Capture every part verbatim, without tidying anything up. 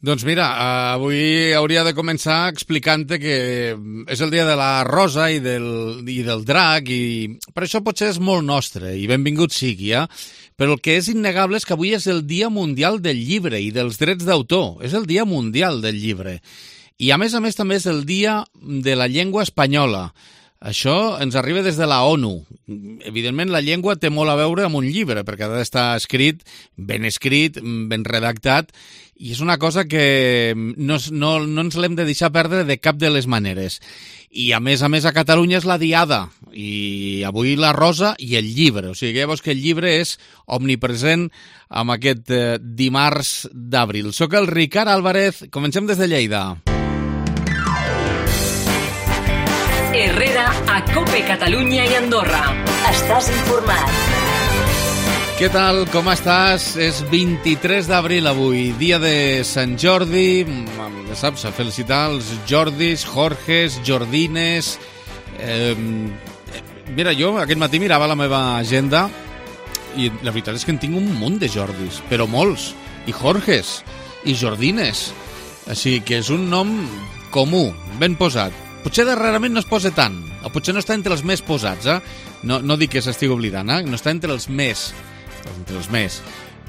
Doncs mira, avui hauria de començar explicant-te que és el dia de la rosa i del, i del drac, i per això potser és molt nostre, i benvingut sigui, eh? Però el que és innegable és que avui és el Dia Mundial del Llibre i dels Drets d'Autor. És el Dia Mundial del Llibre. I a més a més també és el Dia de la Llengua Espanyola. Això ens arriba des de la ONU. Evidentment, la llengua té molt a veure amb un llibre, perquè ha d'estar escrit, ben escrit, ben redactat, i és una cosa que no, no, no ens l'hem de deixar perdre de cap de les maneres. I a més a més a Catalunya és la Diada, i avui la rosa i el llibre. O sigui, llavors que el llibre és omnipresent amb aquest eh, dimarts d'abril. Soc el Ricard Álvarez, comencem des de Lleida. Herrera a Cope Catalunya i Andorra. Estàs informat. Què tal? Com estàs? És vint-i-tres d'abril avui, dia de Sant Jordi. Ja saps, a felicitar els Jordis, Jorges, Jordines. Eh, mira, jo aquest matí mirava la meva agenda i la veritat és que en tinc un munt de Jordis, però molts. I Jorges, i Jordines. Així que és un nom comú, ben posat. Potser darrerament no es posa tant, o potser no està entre els més posats, eh? No, no dic que s'estigui oblidant, eh? No està entre els més, entre els més,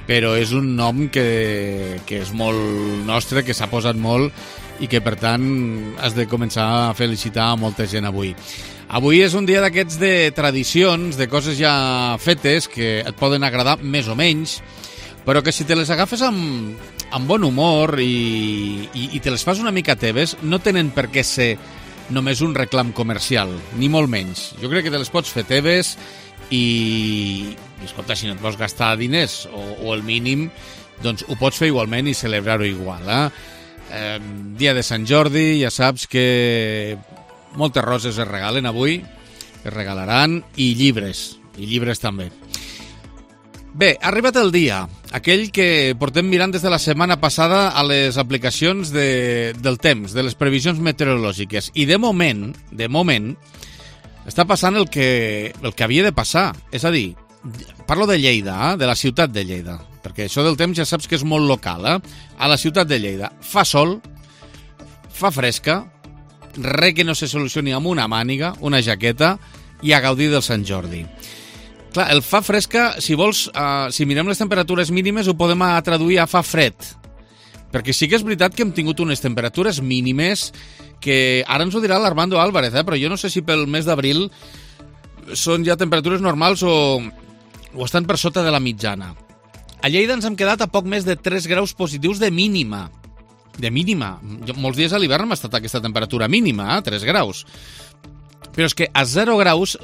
però és un nom que, que és molt nostre, que s'ha posat molt i que, per tant, has de començar a felicitar a molta gent avui. Avui és un dia d'aquests de tradicions, de coses ja fetes, que et poden agradar més o menys, però que si te les agafes amb, amb bon humor i, i, i te les fas una mica teves, no tenen per què ser només un reclam comercial, ni molt menys. Jo crec que te les pots fer teves i, i escolta, si no et vols gastar diners o, o el mínim, doncs ho pots fer igualment i celebrar-ho igual. Eh? Eh, dia de Sant Jordi, ja saps que moltes roses es regalen avui, es regalaran, i llibres, i llibres també. Bé, ha arribat el dia, aquell que portem mirant des de la setmana passada a les aplicacions de, del temps, de les previsions meteorològiques. I de moment, de moment, està passant el que, el que havia de passar. És a dir, parlo de Lleida, eh? De la ciutat de Lleida, perquè això del temps ja saps que és molt local. Eh? A la ciutat de Lleida fa sol, fa fresca, res que no se solucioni amb una màniga, una jaqueta, i a gaudir del Sant Jordi. Clar, el fa fresca, si vols, uh, si mirem les temperatures mínimes, ho podem traduir a fa fred. Perquè sí que és veritat que hem tingut unes temperatures mínimes que ara ens ho dirà l'Armando Álvarez, eh? Però jo no sé si pel mes d'abril són ja temperatures normals o, o estan per sota de la mitjana. A Lleida ens hem quedat a poc més de tres graus positius de mínima. De mínima. Jo, molts dies a l'hivern hem estat a aquesta temperatura mínima, eh? tres graus. Però és que a zero graus...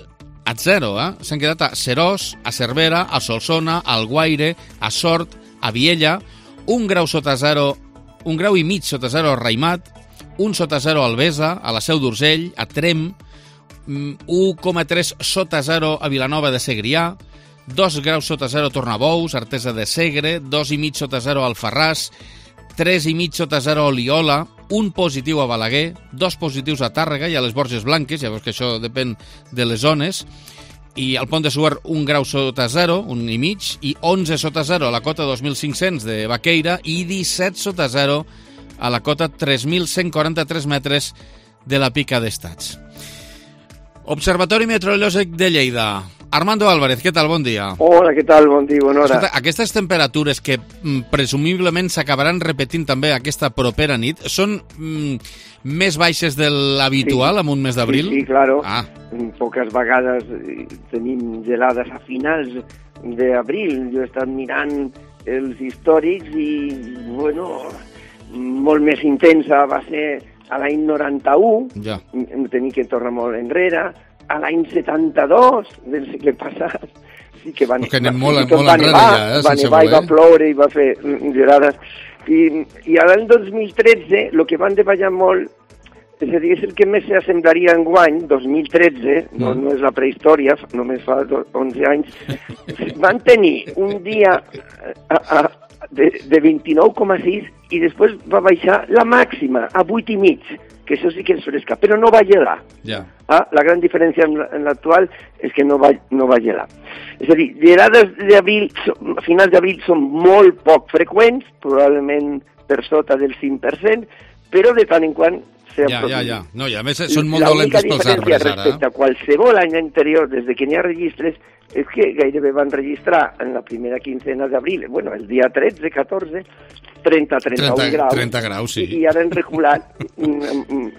a zero, eh? S'han quedat a Serós, a Cervera, a Solsona, a Alguaire, a Sort, a Viella, un grau sota zero, un grau i mig sota zero a Raimat, un sota zero a Albesa, a la Seu d'Urgell, a Trem, un coma tres sota zero a Vilanova de Segrià, dos graus sota zero a Tornabous, Artesa de Segre, dos i mig sota zero a Alfarràs, tres i mig sota zero a Oliola, un positiu a Balaguer, dos positius a Tàrrega i a les Borges Blanques, ja veus que això depèn de les zones, i al Pont de Suert un grau sota zero, un i mig, i onze sota zero a la cota dos mil cinc-cents de Baqueira i disset sota zero a la cota tres mil cent quaranta-tres metres de la Pica d'Estats. Observatori Meteorològic de Lleida. Armando Álvarez, què tal? Bon dia. Hola, què tal? Bon dia, bona hora. Escolta, aquestes temperatures que mm, presumiblement s'acabaran repetint també aquesta propera nit, són mm, més baixes de l'habitual sí. En un mes d'abril? Sí, sí, claro. Ah. Poques vegades tenim gelades a finals d'abril. Jo he estat mirant els històrics i, bueno, molt més intensa va ser a l'any noranta-u, ja. Hem tenir que tornar molt enrere, a l'any setanta-dos del segle passat, sí que van, que anem va, molt, sí que molt va enrere nevar, ja, eh, va nevar i va ploure i va fer gelades. I, i a l'any dos mil tretze, el que van davallar molt, és a dir, és el que més s'assemblaria en guany, dos mil tretze, mm. no, no és la prehistòria, només fa onze anys, van tenir un dia a, a, de, de vint-i-nou coma sis i després va baixar la màxima a vuit i mig, que això sí que és fresca, però no va gelar. Ja. Ah, la gran diferència en l'actual és que no va, no va gelar. És a dir, gelades d'abril, a finals d'abril són molt poc freqüents, probablement per sota del cinc per cent, però de tant en quant s'ha ja, produït. ja, ja. No, i a més són molt dolentes pels arbres, ara. Respecte a qualsevol any anterior, des de que n'hi ha registres, és que gairebé van registrar en la primera quincena d'abril, bueno, el dia tretze, catorze, trenta a trenta-un graus. trenta graus, sí. I, i ara han reculat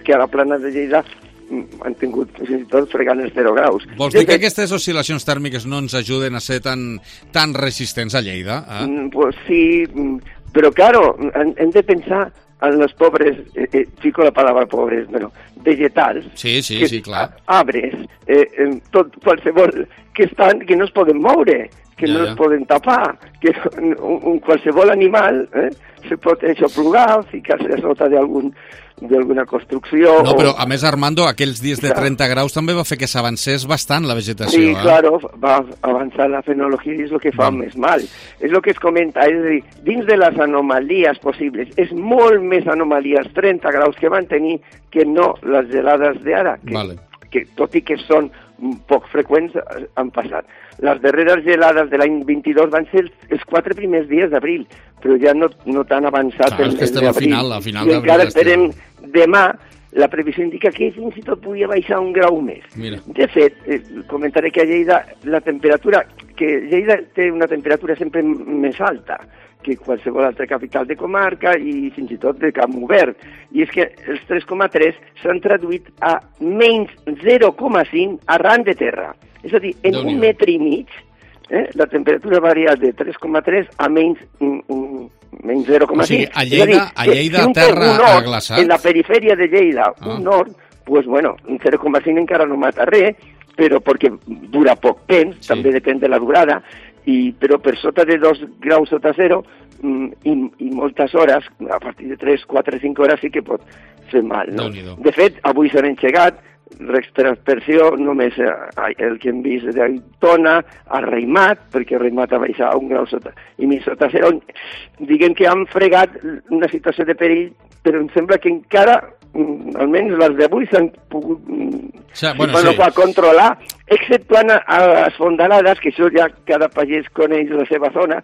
que a la plana de Lleida han tingut fins i tot fregant els zero graus. Vols dir que aquestes oscil·lacions tèrmiques no ens ajuden a ser tan, tan resistents a Lleida? Eh? Pues sí, però claro, hem de pensar en los pobres, eh, eh, fico la palabra pobres, bueno, vegetals, sí, sí, que, sí, clar. arbres, eh, tot, qualsevol, que estan, que no es poden moure, que ja, no ja. es poden tapar, que un, un qualsevol animal eh, se pot aixoplugar, ficar-se a sota d'algun d'alguna construcció... No, o... però a més, Armando, aquells dies de trenta graus també va fer que s'avancés bastant la vegetació. Sí, eh? claro, va avançar la fenologia i és el que fa mm. més mal. És el que es comenta, és a dir, dins de les anomalies possibles, és molt més anomalies trenta graus que van tenir que no les gelades d'ara, que, vale. que tot i que són poc freqüents, han passat. Les darreres gelades de l'any vint-i-dos van ser els quatre primers dies d'abril, però ja no, no tan avançat Clar, el mes d'abril. A final, a final I encara esperem demà, la previsió indica que fins i tot podria baixar un grau més. Mira. De fet, eh, comentaré que a Lleida la temperatura, que Lleida té una temperatura sempre més alta que qualsevol altra capital de comarca i fins i tot de Camp Obert. I és que els tres coma tres s'han traduït a menys zero coma cinc arran de terra. És a dir, en un metre i mig, eh, la temperatura varia de tres coma tres a menys, um, menys zero coma cinc. O sigui, a Lleida, dir, a Lleida si terra ha glaçat? En la perifèria de Lleida, ah. un nord, pues bueno, un zero coma cinc encara no mata res, però perquè dura poc temps, sí. també depèn de la durada, i, però per sota de dos graus sota zero i, i moltes hores, a partir de tres, quatre, cinc hores sí que pot fer mal. No? De fet, avui s'han engegat l'expressió només eh, el que hem vist d'Aitona, a Reimat, perquè Reimat ha baixat a un grau sota, i mig sota zero. Diguem que han fregat una situació de perill, però em sembla que encara, almenys les d'avui, s'han pogut sí, bueno, bueno, sí. controlar, exceptuant a, a les fondalades, que això ja cada pagès coneix la seva zona,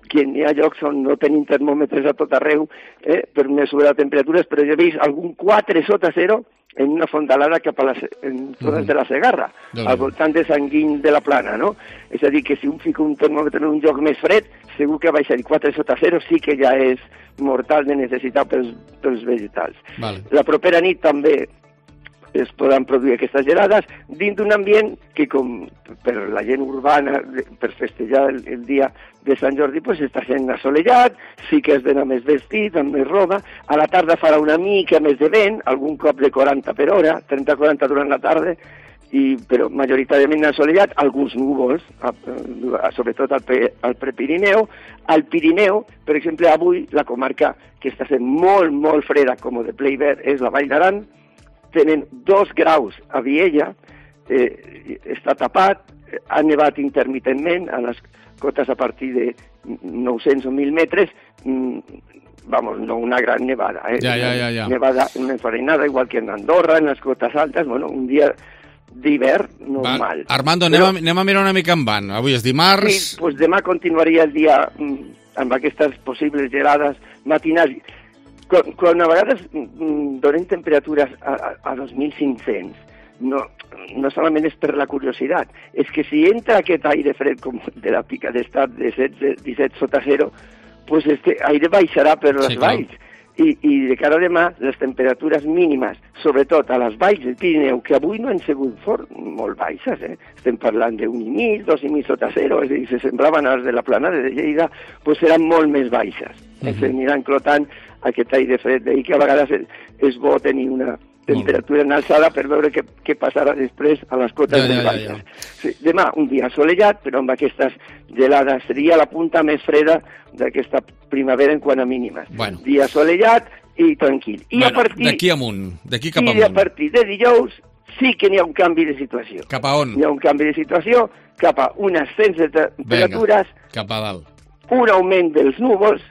que hi ha llocs on no tenim termòmetres a tot arreu eh, per mesurar temperatures, però jo he vist algun quatre sota zero en una fondalada cap a les en zones mm-hmm. de la Segarra, doncs al voltant de Sant Guim de la Plana, no? És a dir, que si un fica un termòmetre en un lloc més fred, segur que baixar quatre sota zero sí que ja és mortal de necessitat pels, pels vegetals. Vale. La propera nit també es poden produir aquestes gelades dins d'un ambient que, com per la gent urbana, per festejar el, el dia de Sant Jordi, pues està sent assolellat, sí que has d'anar més vestit, amb més roba, a la tarda farà una mica més de vent, algun cop de quaranta per hora, trenta a quaranta durant la tarda, i, però majoritàriament assolellat, alguns núvols, a, a, sobretot al, al Prepirineu. Al Pirineu, per exemple, avui la comarca que està sent molt, molt freda, com de ple hivern, és la Vall d'Aran. Tenen dos graus a Viella, eh, està tapat, ha nevat intermitentment a les cotes a partir de nou-cents o mil metres, mm, vamos, no una gran nevada, eh? Ja, ja, ja, ja. Nevada, una enfarinada, igual que en Andorra, en les cotes altes, bueno, un dia d'hivern normal. Va, Armando, anem, Però, a, anem a mirar una mica en van. Avui és dimarts... Sí, doncs demà continuaria el dia mm, amb aquestes possibles gelades matinals. Quan, quan a vegades mm, donen temperatures a, a, a dos mil cinc-cents, no, no solament és per la curiositat, és que si entra aquest aire fred com de la pica d'estat de setze, disset sota zero, pues este aire baixarà per les sí, valls. I, I de cara a demà, les temperatures mínimes, sobretot a les valls del Pirineu, que avui no han sigut fort, molt baixes, eh? Estem parlant d'un i mig, dos i mig sota zero, és a dir, se semblaven als de la Planada de Lleida, pues seran molt més baixes. Uh -huh. S'aniran clotant aquest aire fred, i que a vegades és, és bo tenir una temperatura en alçada per veure què, què passarà després a les cotes ja, més ja, baixes. Ja, ja. Sí, demà un dia assolellat, però amb aquestes gelades seria la punta més freda d'aquesta primavera en quant a mínimes. Bueno. Dia assolellat i tranquil. I bueno, a partir d'aquí amunt, d'aquí cap i amunt. I a partir de dijous sí que n'hi ha un canvi de situació. Cap a on? Hi ha un canvi de situació cap a un ascens de temperatures, Venga, cap a dalt. Un augment dels núvols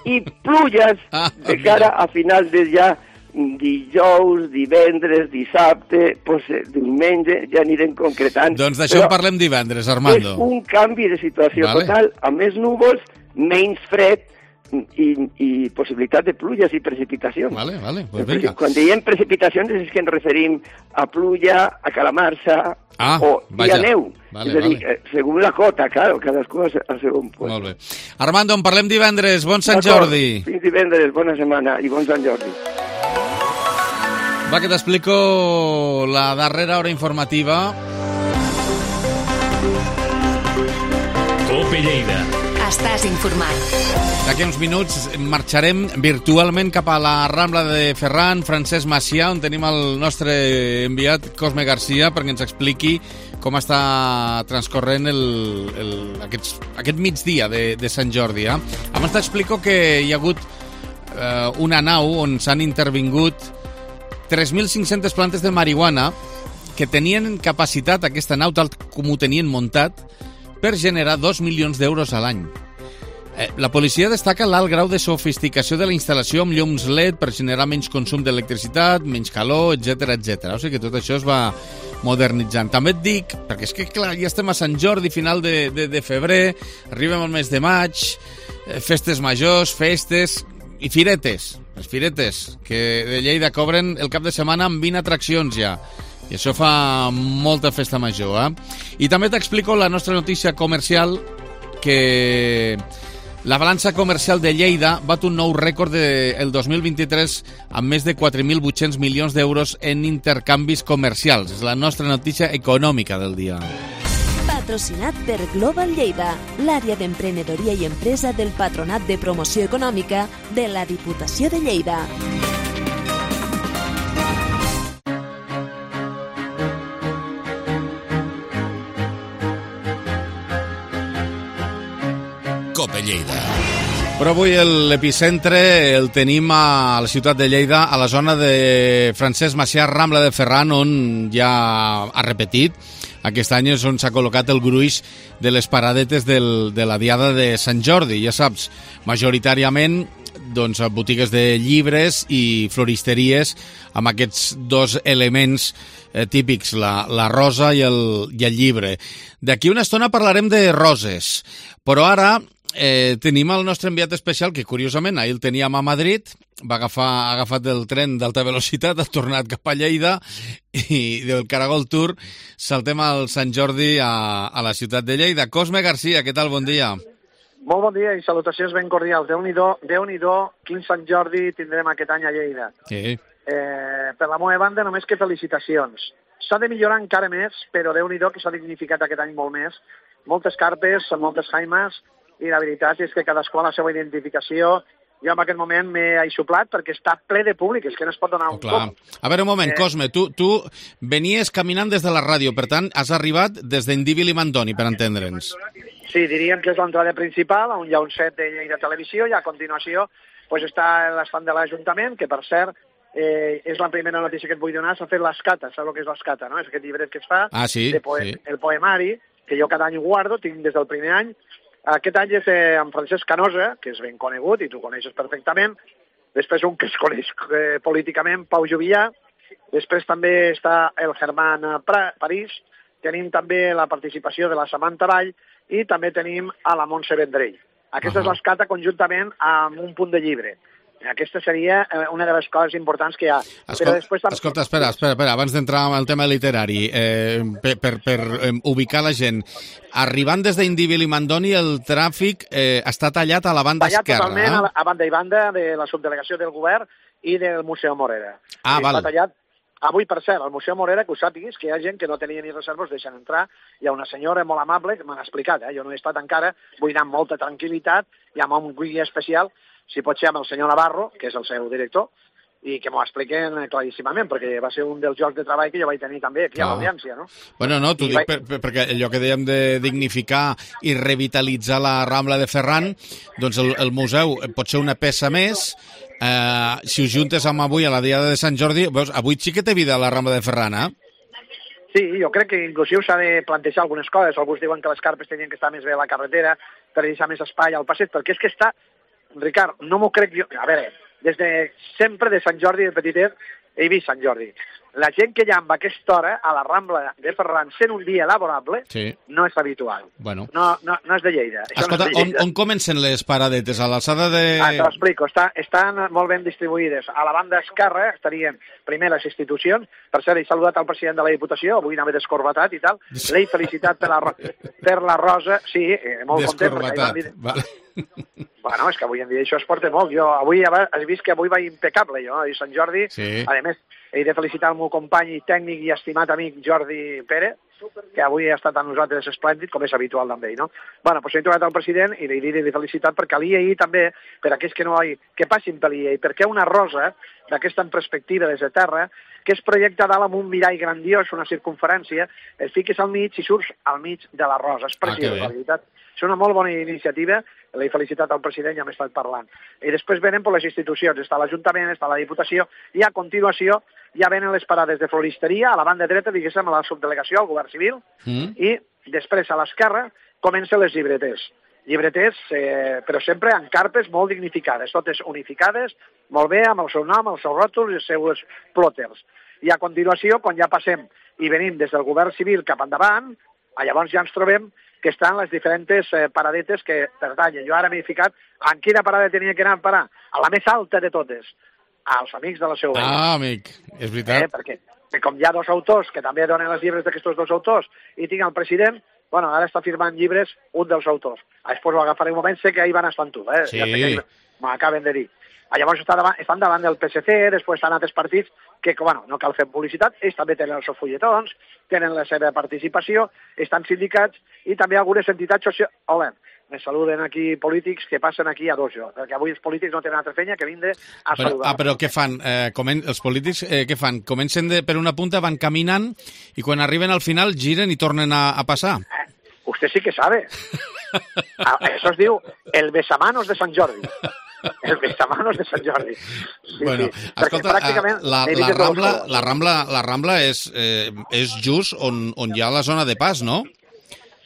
i pluges ah, de cara a finals de ja dijous, divendres, dissabte, pues, diumenge, ja anirem concretant. Doncs d'això en parlem divendres, Armando. És un canvi de situació vale. total, amb més núvols, menys fred, i, i possibilitat de pluges i precipitacions. Vale, vale, pues Perquè vinga. quan diem precipitacions és que ens referim a pluja, a calamarsa ah, o vaja. i a neu. Vale, és a dir, vale. segons la cota, claro, cadascú al segon puesto. Molt bé. Armando, en parlem divendres. Bon Sant D'acord. Jordi. Fins divendres, bona setmana i bon Sant Jordi. Va, que t'explico la darrera hora informativa. Cope Lleida. Estàs informat. D'aquí uns minuts marxarem virtualment cap a la Rambla de Ferran, Francesc Macià, on tenim el nostre enviat Cosme Garcia perquè ens expliqui com està transcorrent el, el, aquests, aquest migdia de, de Sant Jordi. Eh? Abans t'explico que hi ha hagut eh, una nau on s'han intervingut tres mil cinc-centes plantes de marihuana que tenien capacitat, aquesta nau, tal com ho tenien muntat, per generar dos milions d'euros a l'any. Eh, la policia destaca l'alt grau de sofisticació de la instal·lació amb llums L E D per generar menys consum d'electricitat, menys calor, etcètera, etcètera. O sigui que tot això es va modernitzant. També et dic, perquè és que clar, ja estem a Sant Jordi, final de, de, de febrer, arribem al mes de maig, eh, festes majors, festes i firetes. Les firetes, que de Lleida cobren el cap de setmana amb vint atraccions ja. I això fa molta festa major, eh? I també t'explico la nostra notícia comercial, que la balança comercial de Lleida bat un nou rècord del dos mil vint-i-tres amb més de quatre mil vuit-cents milions d'euros en intercanvis comercials. És la nostra notícia econòmica del dia. Patrocinat per Global Lleida, l'àrea d'emprenedoria i empresa del Patronat de Promoció Econòmica de la Diputació de Lleida. Cope Lleida. Però avui l'epicentre el tenim a la ciutat de Lleida, a la zona de Francesc Macià, Rambla de Ferran, on ja ha repetit. Aquest any és on s'ha col·locat el gruix de les paradetes del, de la diada de Sant Jordi. Ja saps, majoritàriament doncs, botigues de llibres i floristeries amb aquests dos elements eh, típics, la, la rosa i el, i el llibre. D'aquí una estona parlarem de roses, però ara eh, tenim el nostre enviat especial, que curiosament ahir el teníem a Madrid, va agafar, ha agafat el tren d'alta velocitat, ha tornat cap a Lleida i del Caragol Tour saltem al Sant Jordi a, a la ciutat de Lleida. Cosme Garcia, què tal? Bon dia. Molt bon dia i salutacions ben cordials. Déu-n'hi-do, Déu-n'hi-do, quin Sant Jordi tindrem aquest any a Lleida. Sí. Eh, per la meva banda, només que felicitacions. S'ha de millorar encara més, però Déu-n'hi-do que s'ha dignificat aquest any molt més. Moltes carpes, moltes jaimes, i la veritat és que cadascú ha la seva identificació. Jo en aquest moment m'he aixoplat perquè està ple de públic, és que no es pot donar Oh, un clar. cop. A veure, un moment, Eh. Cosme, tu, tu venies caminant des de la ràdio, per tant, has arribat des d'Indíbil i Mandoni, per entendre'ns. Sí, diríem que és l'entrada principal, on hi ha un set de Lleida Televisió, i a continuació pues, està l'estant de l'Ajuntament, que per cert eh, és la primera notícia que et vull donar, s'ha fet l'Escata, saps el que és l'Escata, no? És aquest llibret que es fa, Ah, sí, de poe sí. el poemari, que jo cada any ho guardo, tinc des del primer any. Aquest any és eh, en Francesc Canosa, que és ben conegut i tu coneixes perfectament. Després un que es coneix eh, políticament, Pau Juvillà. Després també està el Germán pra París. Tenim també la participació de la Samantha Vall i també tenim a la Montse Vendrell. Aquesta uh -huh. és l'escata conjuntament amb un punt de llibre. Aquesta seria eh, una de les coses importants que hi ha. Escolta, Però després també... escolta espera, espera, espera, abans d'entrar en el tema literari, eh, per, per, per eh, ubicar la gent, arribant des d'Indíbil i Mandoni, el tràfic eh, està tallat a la banda tallat esquerra. totalment Eh? a, a banda i banda de la subdelegació del govern i del Museu Morera. Ah, I val. Està tallat. Avui, per cert, al Museu Morera, que ho sàpiguis, que hi ha gent que no tenia ni reserves, deixen entrar. Hi ha una senyora molt amable que m'ha explicat, eh? Jo no he estat encara, vull anar amb molta tranquil·litat i amb un guia especial, si pot ser amb el senyor Navarro, que és el seu director, i que m'ho expliquen claríssimament, perquè va ser un dels llocs de treball que jo vaig tenir també aquí Clar. a l'Audiència, no? Bueno, no, t'ho I dic vaig- per, per, perquè allò que dèiem de dignificar i revitalitzar la Rambla de Ferran, doncs el, el museu pot ser una peça més. Eh, si ho juntes amb avui a la Diada de Sant Jordi, veus, avui sí que té vida la Rambla de Ferran, eh? Sí, jo crec que inclusiu s'ha de plantejar algunes coses. Alguns diuen que les carpes tenien que estar més bé a la carretera per deixar més espai al passeig, perquè és que està... Ricard, no m'ho crec jo... A veure, des de sempre de Sant Jordi de petitet he vist Sant Jordi. la gent que hi ha amb aquesta hora a la Rambla de Ferran, sent un dia laborable, sí. no és habitual. Bueno. No, no, no és de Lleida. Això Escolta, no és de Lleida. on, on comencen les paradetes? A l'alçada de... Ah, te l'explico. Està, estan molt ben distribuïdes. A la banda esquerra estarien primer les institucions. Per cert, he saludat al president de la Diputació, avui anava descorbatat i tal. L'he felicitat per la, per la rosa. Sí, eh, molt content. Descorbatat, vale. Bueno, és que avui en dia això es porta molt. Jo avui has vist que avui va impecable, jo, i Sant Jordi. Sí. A més, he de felicitar el meu company i tècnic i estimat amic Jordi Pérez, que avui ha estat amb nosaltres esplèndid, com és habitual amb ell, no? Bueno, doncs he trobat al president i li he de felicitat perquè l'I A I també, per aquells que no hi, que passin per l'I A I, perquè una rosa d'aquesta en perspectiva des de terra, que es projecta dalt amb un mirall grandiós, una circunferència, et fiques al mig i surts al mig de la rosa. És preciós, ah, la veritat. És una molt bona iniciativa, l'he felicitat al president, ja m'he estat parlant. I després venen per les institucions, està l'Ajuntament, està la Diputació, i a continuació ja venen les parades de floristeria, a la banda dreta, diguéssim, a la subdelegació, al govern civil, mm. i després a l'esquerra comencen les llibreters. Llibreters, eh, però sempre en carpes molt dignificades, totes unificades, molt bé, amb el seu nom, els seus ròtols i els seus plòters. I a continuació, quan ja passem i venim des del govern civil cap endavant, llavors ja ens trobem que estan les diferents eh, paradetes que pertanyen. Jo ara m'he ficat en quina parada tenia que anar a parar, a la més alta de totes, als amics de la Seu Vella. Ah, amic, és veritat. Eh, perquè, perquè com hi ha dos autors que també donen els llibres d'aquests dos autors i tinc el president, bueno, ara està firmant llibres un dels autors. Després ho agafaré un moment, sé que ahí van estar tu, eh? Sí. Ja sé que m'acaben de dir. Llavors estan davant, estan davant del P S C, després estan altres partits que, bueno, no cal fer publicitat, ells també tenen els seus fulletons, tenen la seva participació, estan sindicats i també algunes entitats socials. Hola, me saluden aquí polítics que passen aquí a dos jo, perquè avui els polítics no tenen altra feina que vindre a però, saludar. Ah, però què fan? Eh, comen els polítics eh, què fan? Comencen de, per una punta, van caminant i quan arriben al final giren i tornen a, a passar. Eh, usted sí que sabe. Ah, això es diu el besamanos de Sant Jordi. El besamanos de Sant Jordi. Sí, bueno, sí. escolta, la, la, Rambla, la, Rambla, la Rambla és, eh, és just on, on hi ha la zona de pas, no?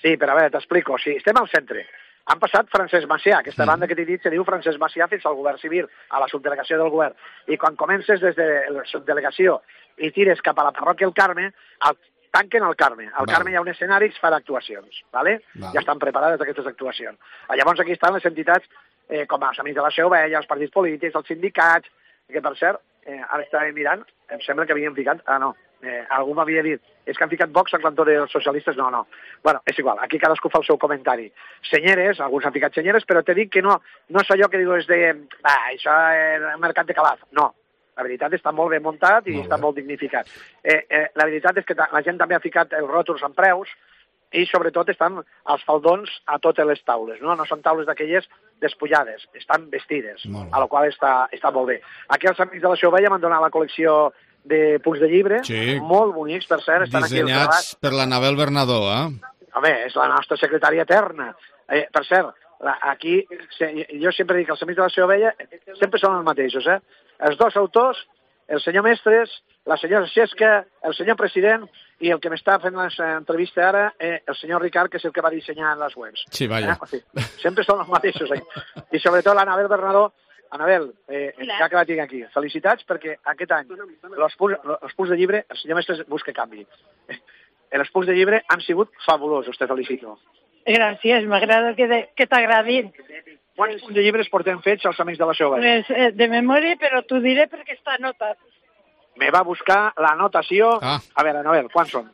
Sí, però a veure, t'explico. Sí, estem al centre. Han passat Francesc Macià, aquesta mm. banda que t'he dit se diu Francesc Macià fins al govern civil, a la subdelegació del govern. I quan comences des de la subdelegació i tires cap a la parròquia El Carme, el, tanquen el Carme. Al Carme hi ha un escenari per actuacions, ¿vale? Val. Ja estan preparades aquestes actuacions. Llavors aquí estan les entitats eh, com els amics de la Seu Vella, els partits polítics, els sindicats, que per cert, eh, ara estava mirant, em sembla que havien ficat, ah no, eh, algú m'havia dit, és que han ficat Vox al cantó dels socialistes, no, no. Bueno, és igual, aquí cadascú fa el seu comentari. Senyeres, alguns han ficat senyeres, però t'he dit que no, no és allò que diu és de, va, això és el mercat de Calaf, no. La veritat està molt ben muntat i molt està molt dignificat. Eh, eh, la veritat és que la gent també ha ficat els ròtols amb preus i sobretot estan els faldons a totes les taules, no? No són taules d'aquelles despullades, estan vestides, a la qual està, està molt bé. Aquí els amics de la Seu Vella m'han donat la col·lecció de punts de llibre, sí. Molt bonics, per cert. Estan dissenyats aquí per l'Anabel Bernadó, eh? Home, és la nostra secretària eterna. Eh, per cert, la, aquí, jo sempre dic que els amics de la Seu Vella sempre són els mateixos, eh? Els dos autors, el senyor Mestres, la senyora Xesca, el senyor president i el que m'està fent l'entrevista ara, eh, el senyor Ricard, que és el que va dissenyar les webs. Sí, vaja. Eh? O sigui, sempre són els mateixos. Eh? I sobretot l'Anabel Bernadó. Anabel, eh, ja que la tinc aquí, felicitats perquè aquest any els punts, els punts de llibre, el senyor Mestres busca canvi. Els punts de llibre han sigut fabulosos, te felicito. Gràcies, m'agrada que, de, que t'agradin. Quants punts de llibres portem fets els amics de la Seu Vella? Pues, eh, de memòria, però t'ho diré perquè està anotat. Me va buscar la notació. Ah. A veure, Anabel, quants són?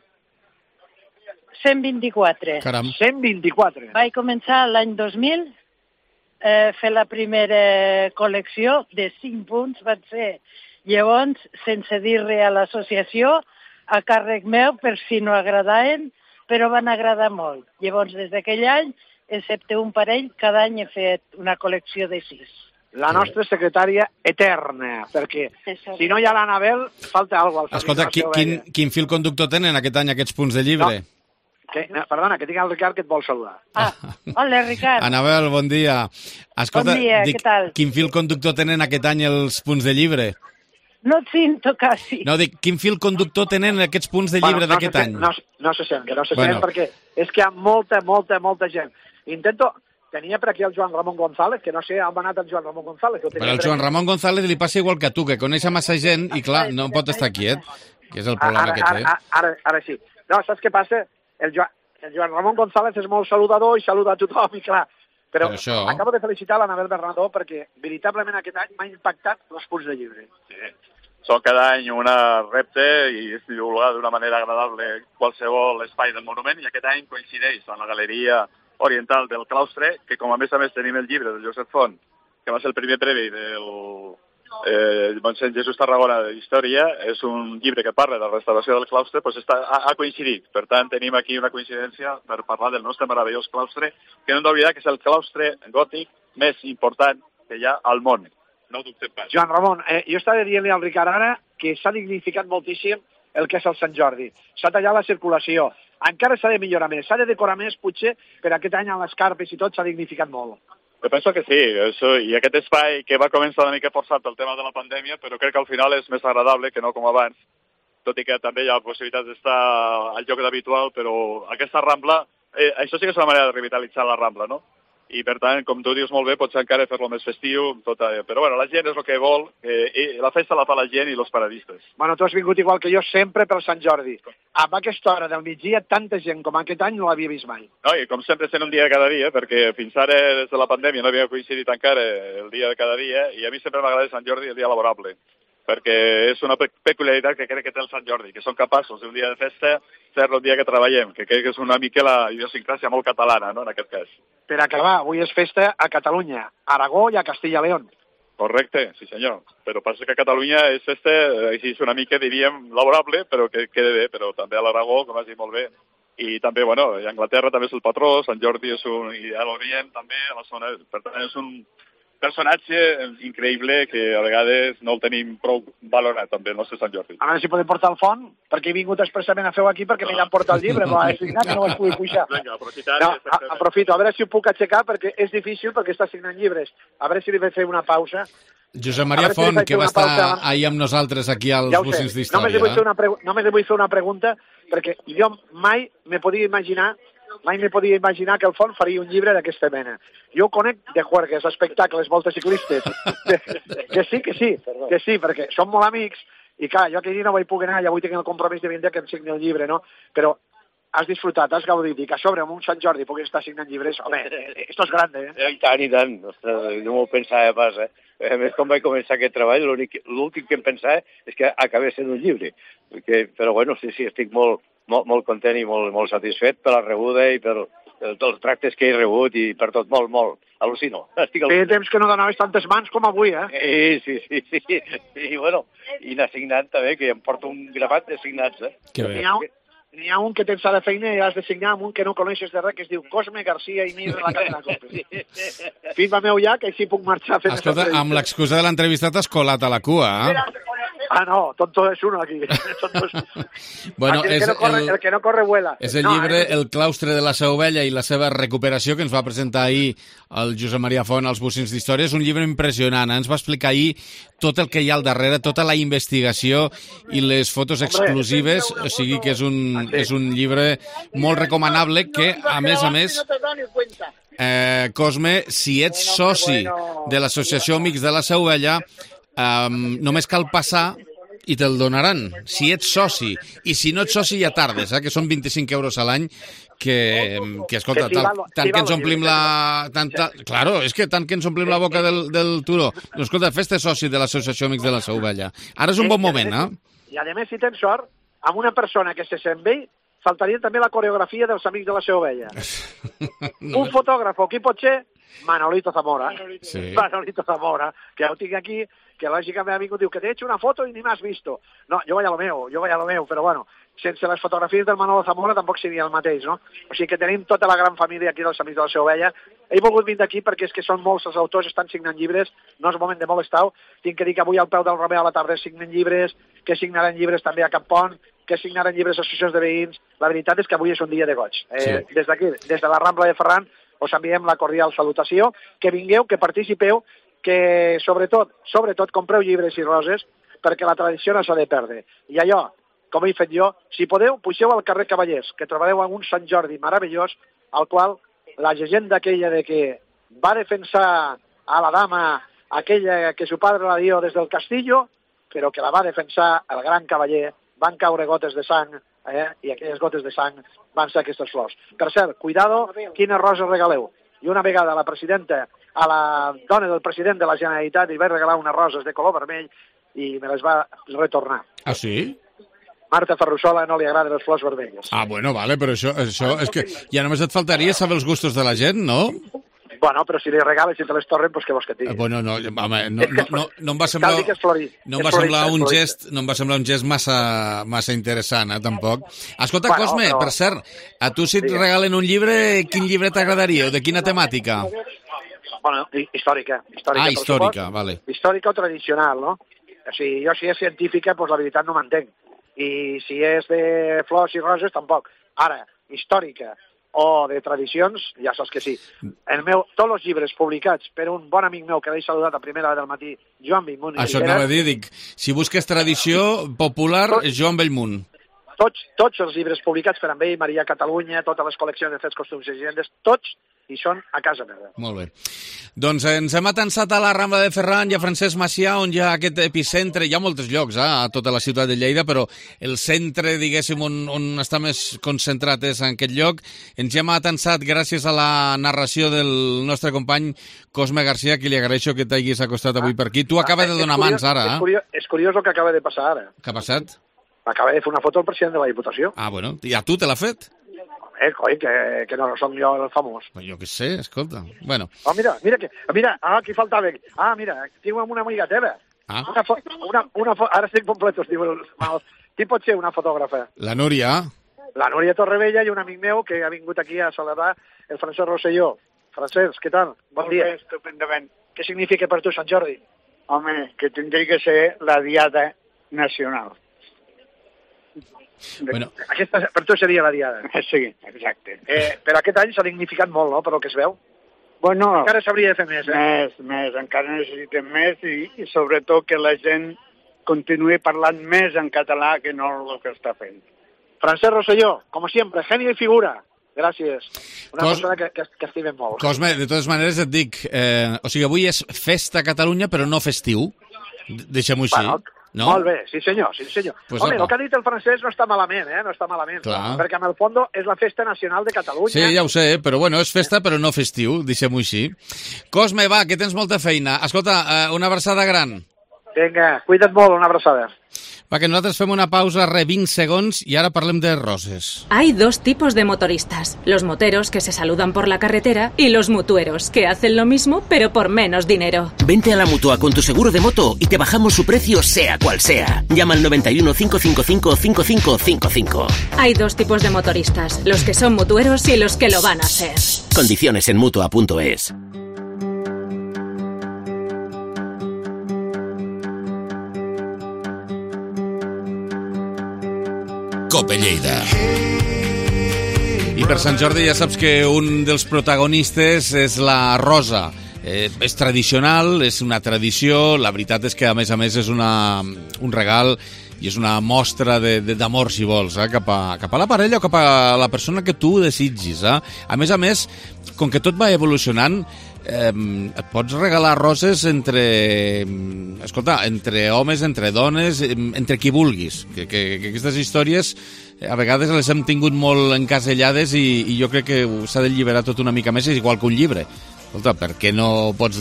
cent vint-i-quatre. Caram. cent vint-i-quatre. Vaig començar l'any dos mil, eh, fer la primera col·lecció de cinc punts, van ser llavors, sense dir res a l'associació, a càrrec meu, per si no agradaven, però van agradar molt. Llavors, des d'aquell any, excepte un parell, cada any he fet una col·lecció de sis. La nostra secretària eterna, perquè si no hi ha l'Anabel, falta alguna cosa. Escolta, qui, quin, quin fil conductor tenen aquest any aquests punts de llibre? No. Que, no, perdona, que tinc el Ricard que et vol saludar. Ah, hola, Ricard. Anabel, bon dia. Escolta, bon dia, dic, què tal? Quin fil conductor tenen aquest any els punts de llibre? No et sento, quasi. No, dic, quin fil conductor tenen aquests punts de llibre bueno, no d'aquest any? No, no se sent, que no se bueno. sent, perquè és que hi ha molta, molta, molta gent. Intento... Tenia per aquí el Joan Ramon González, que no sé on va anar el Joan Ramon González. Però el Joan Ramon González li passa igual que a tu, que coneix massa gent i, clar, no pot estar quiet. Que és el problema ara, que té. Ara, ara, ara sí. No, saps què passa? El, jo, el Joan Ramon González és molt saludador i saluda a tothom, i clar, però, però això... acabo de felicitar l'Anabel Bernadó perquè veritablement aquest any m'ha impactat els punts de llibre. Sí. Són cada any una repte i es divulga d'una manera agradable qualsevol espai del monument, i aquest any coincideix amb la Galeria Oriental del Claustre, que com a més a més tenim el llibre del Josep Font, que va ser el primer premi del eh, Mossèn Jesús Tarragona d'Història, és un llibre que parla de la restauració del claustre, doncs està, ha, ha coincidit. Per tant, tenim aquí una coincidència per parlar del nostre meravellós claustre, que no hem d'oblidar que és el claustre gòtic més important que hi ha al món. No ho dubtem pas. Joan Ramon, eh, jo estava dient-li al Ricard ara que s'ha dignificat moltíssim el que és el Sant Jordi. S'ha tallat la circulació. Encara s'ha de millorar més, s'ha de decorar més, potser, per aquest any amb les carpes i tot s'ha dignificat molt. Jo penso que sí, això, i aquest espai que va començar una mica forçat pel tema de la pandèmia, però crec que al final és més agradable que no com abans, tot i que també hi ha possibilitat d'estar al lloc habitual, però aquesta Rambla, eh, això sí que és una manera de revitalitzar la Rambla, no? I per tant, com tu dius molt bé, potser encara fer-lo més festiu, tot, eh, però bueno, la gent és el que vol, eh, la festa la fa la gent i els paradistes. Bueno, tu has vingut igual que jo sempre per Sant Jordi. Amb aquesta hora del migdia, tanta gent com aquest any no l'havia vist mai. No, i com sempre sent un dia cada dia, perquè fins ara des de la pandèmia no havia coincidit encara el dia de cada dia, i a mi sempre m'agrada Sant Jordi el dia laborable, perquè és una peculiaritat que crec que té el Sant Jordi, que són capaços d'un dia de festa fer-lo un dia que treballem, que crec que és una mica la idiosincràsia molt catalana, no?, en aquest cas. Per acabar, avui és festa a Catalunya, a Aragó i a Castilla-León. Correcte, sí senyor. Però passa que a Catalunya és festa, així és una mica, diríem, laborable, però que queda bé, però també a l'Aragó, com has dit molt bé. I també, bueno, a Anglaterra també és el patró, Sant Jordi és un... i a l'Orient també, a la zona... Per tant, és un personatge increïble que a vegades no el tenim prou valorat, també, el nostre Sant Jordi. A veure si podem portar el font, perquè he vingut expressament a fer-ho aquí perquè m'he d'emportar el llibre, però he signat que no es pugui pujar. Vinga, aprofitant... No, a, aprofito, a veure si ho puc aixecar, perquè és difícil, perquè està signant llibres. A veure si li vaig fer una pausa. Josep Maria Font, que va estar ahir amb nosaltres aquí als ja Bocins d'Història. Només li vull fer una, pregu només li vull fer una pregunta, perquè jo mai me podia imaginar mai me podia imaginar que el Font faria un llibre d'aquesta mena. Jo ho conec de juergues, espectacles, voltes ciclistes. Que, que sí, que sí, que sí, perquè som molt amics, i clar, jo aquell dia no vaig poder anar, i avui tinc el compromís de vindre que em signi el llibre, no? Però has disfrutat, has gaudit, i que a sobre amb un Sant Jordi puguis estar signant llibres, home, esto és grande, eh? I tant, i tant, ostres, no m'ho pensava pas, eh? A més, com vaig començar aquest treball, l'últim que em pensava és que acabés sent un llibre. Perquè, però bueno, sí, sí, estic molt, molt, molt content i molt, molt satisfet per la rebuda i per els tractes que he rebut i per tot, molt, molt. Al·lucino. Estic al... Feia temps que no donaves tantes mans com avui, eh? Sí, sí, sí, sí. I bueno, i n'ha signat també, que em porto un grapat de signats, eh? Que bé. N'hi ha, n'hi ha un que tens a la feina i has de signar amb un que no coneixes de res, que es diu Cosme García i Mir de la cadena Cope. Firma meu ja, que així puc marxar fent... Escolta, amb l'excusa de l'entrevista t'has colat a la cua, eh? Ah, no, tonto és uno aquí. Bueno, aquí el, és que no corre, el, el que no corre vuela. És el no, llibre eh? El claustre de la Seu Vella i la seva recuperació, que ens va presentar ahir el Josep Maria Font als Bocins d'Història. És un llibre impressionant. Ens va explicar ahir tot el que hi ha al darrere, tota la investigació i les fotos exclusives, o sigui que és un, és un llibre molt recomanable que, a més a més... Eh, Cosme, si ets soci de l'Associació Amics de la Seu Vella, Um, només cal passar i te'l donaran, si ets soci. I si no ets soci ja tardes, eh? Que són vint-i-cinc euros a l'any, que, que escolta, que si tant, val, tant si que ens omplim la... Tant, tant, claro, és que tant que ens omplim la boca del, del turó. Doncs escolta, fes-te soci de l'Associació Amics de la Seu Vella. Ara és un bon moment, eh? I a més, si tens sort, amb una persona que se sent bé, faltaria també la coreografia dels Amics de la Seu Vella. No. Un fotògraf, qui pot ser? Manolito Zamora. Sí. Manolito Zamora, que ja ho tinc aquí, que lògicament ha vingut i diu que t'he hecho una foto i ni m'has visto. No, jo vaig a lo meu, jo vaig a lo meu, però bueno, sense les fotografies del Manolo Zamora tampoc seria el mateix, no? O sigui que tenim tota la gran família aquí dels Amics de la Seu Vella. He volgut vindre aquí perquè és que són molts els autors, estan signant llibres, no és moment de molestar-ho. Tinc que dir que avui al peu del Romeu a la tarda signen llibres, que signaran llibres també a Campont, que signaran llibres a associacions de veïns. La veritat és que avui és un dia de goig. Eh, sí. Des d'aquí, des de la Rambla de Ferran, us enviem la cordial salutació, que vingueu, que participeu, que sobretot, sobretot compreu llibres i roses, perquè la tradició no s'ha de perdre. I allò, com he fet jo, si podeu, pugeu al carrer Cavallers, que trobareu un Sant Jordi meravellós, al qual la llegenda aquella de que va defensar a la dama aquella que su padre la dio des del castillo, però que la va defensar el gran cavaller van caure gotes de sang, eh? I aquelles gotes de sang van ser aquestes flors. Per cert, cuidado quines roses regaleu. I una vegada la presidenta, a la dona del president de la Generalitat, li vaig regalar unes roses de color vermell i me les va retornar. Ah, sí? Marta Ferrusola no li agraden les flors vermelles. Ah, bueno, vale, però això, això és que ja només et faltaria saber els gustos de la gent, no? Bueno, però si li regales i te les torren, doncs què vols que et digui? Eh, bueno, no, home, no, no, no, no em va semblar, Cal dir que és florí. no em És va semblar florista, un és gest, no em va semblar un gest massa, massa interessant, eh, tampoc. Escolta, Bueno, Cosme, però- per cert, a tu si et Digues. regalen un llibre, quin llibre t'agradaria o de quina temàtica? Bueno, hi- històrica. històrica Ah, per històrica, suport. vale. Històrica o tradicional, no? O sigui, jo si és científica, doncs la veritat no m'entenc. I si és de flors i roses, tampoc. Ara, històrica o de tradicions, ja saps que sí. El meu, tots els llibres publicats per un bon amic meu que l'he saludat a primera hora del matí, Joan Bellmunt i Això et Ribera, anava a dir, dic, si busques tradició popular, Joan Bellmunt. tots, tots els llibres publicats per amb ell, Maria Catalunya, totes les col·leccions de fets, costums i llegendes, tots hi són a casa meva. Molt bé. Doncs ens hem atansat a la Rambla de Ferran i a Francesc Macià, on hi ha aquest epicentre. Hi ha molts llocs, eh, a tota la ciutat de Lleida, però el centre, diguéssim, on, on està més concentrat és en aquest lloc. Ens hi hem atansat gràcies a la narració del nostre company Cosme Garcia, que li agraeixo que t'hagis acostat avui per aquí. Tu acaba de donar mans ara, És eh? curiós, és curiós el que acaba de passar ara. Què ha passat? Acaba de fer una foto al president de la Diputació. Ah, bueno, i a tu te l'ha fet? Eh, coi, que, que no som jo el famós. Pues jo què sé, escolta. Bueno, Oh, mira, mira, que, mira, ah, aquí faltava. Ah, mira, tinc una amiga teva. ah, Una fo una, una fo ara estic completos, diu el mal. Qui pot ser una fotògrafa? la Núria. La Núria Torrevella i un amic meu que ha vingut aquí a celebrar el Francesc Rosselló. Francesc, què tal? Bon dia. Bé, estupendament. Què significa per tu Sant Jordi? Home, que tindria que ser la diada nacional. Bueno, Aquesta per tu seria la diada. Sí, exacte. Eh, però aquest any s'ha dignificat molt, no?, per el que es veu. Bueno, Encara s'hauria de fer més, eh? més, més, encara necessitem més i, i sobretot que la gent continuï parlant més en català que no el que està fent. Francesc Rosselló, com sempre, genio i figura. Gràcies. Una Cos- persona que, que, que estimem molt. Cosme, de totes maneres et dic, eh, o sigui, avui és festa a Catalunya, però no festiu. D- Deixem-ho així, Bueno, no? Molt bé, sí senyor, sí senyor. Pues Home, apa. el que ha dit el francès no està malament, eh? No està malament. Clar. Perquè en el fons és la festa nacional de Catalunya. Sí, ja ho sé, però bueno, és festa però no festiu, deixem-ho així. Cosme, va, que tens molta feina. Escolta, eh, una abraçada gran. Vinga, cuida't molt, una abraçada. Va, que nosaltres fem una pausa, re vint segons, i ara parlem de roses. Hay dos tipos de motoristas, los moteros que se saludan por la carretera y los mutueros que hacen lo mismo pero por menos dinero. Vente a la Mutua con tu seguro de moto y te bajamos su precio sea cual sea. Llama al noventa y uno, cinco cinco cinco, cinco cinco cinco cinco. Hay dos tipos de motoristas, los que son mutueros y los que lo van a ser. Condiciones en Mutua punto es. Cope Lleida. I per Sant Jordi ja saps que un dels protagonistes és la rosa. Eh, és tradicional, és una tradició, la veritat és que a més a més és una, un regal i és una mostra d'amor, si vols, eh, cap, a, cap a la parella o cap a la persona que tu desitgis. Eh? A més a més, com que tot va evolucionant, eh, et pots regalar roses entre, escolta, entre homes, entre dones, entre qui vulguis. Que, que, que aquestes històries a vegades les hem tingut molt encasellades i, i jo crec que s'ha de lliberar tot una mica més, és igual que un llibre. Escolta, per què no pots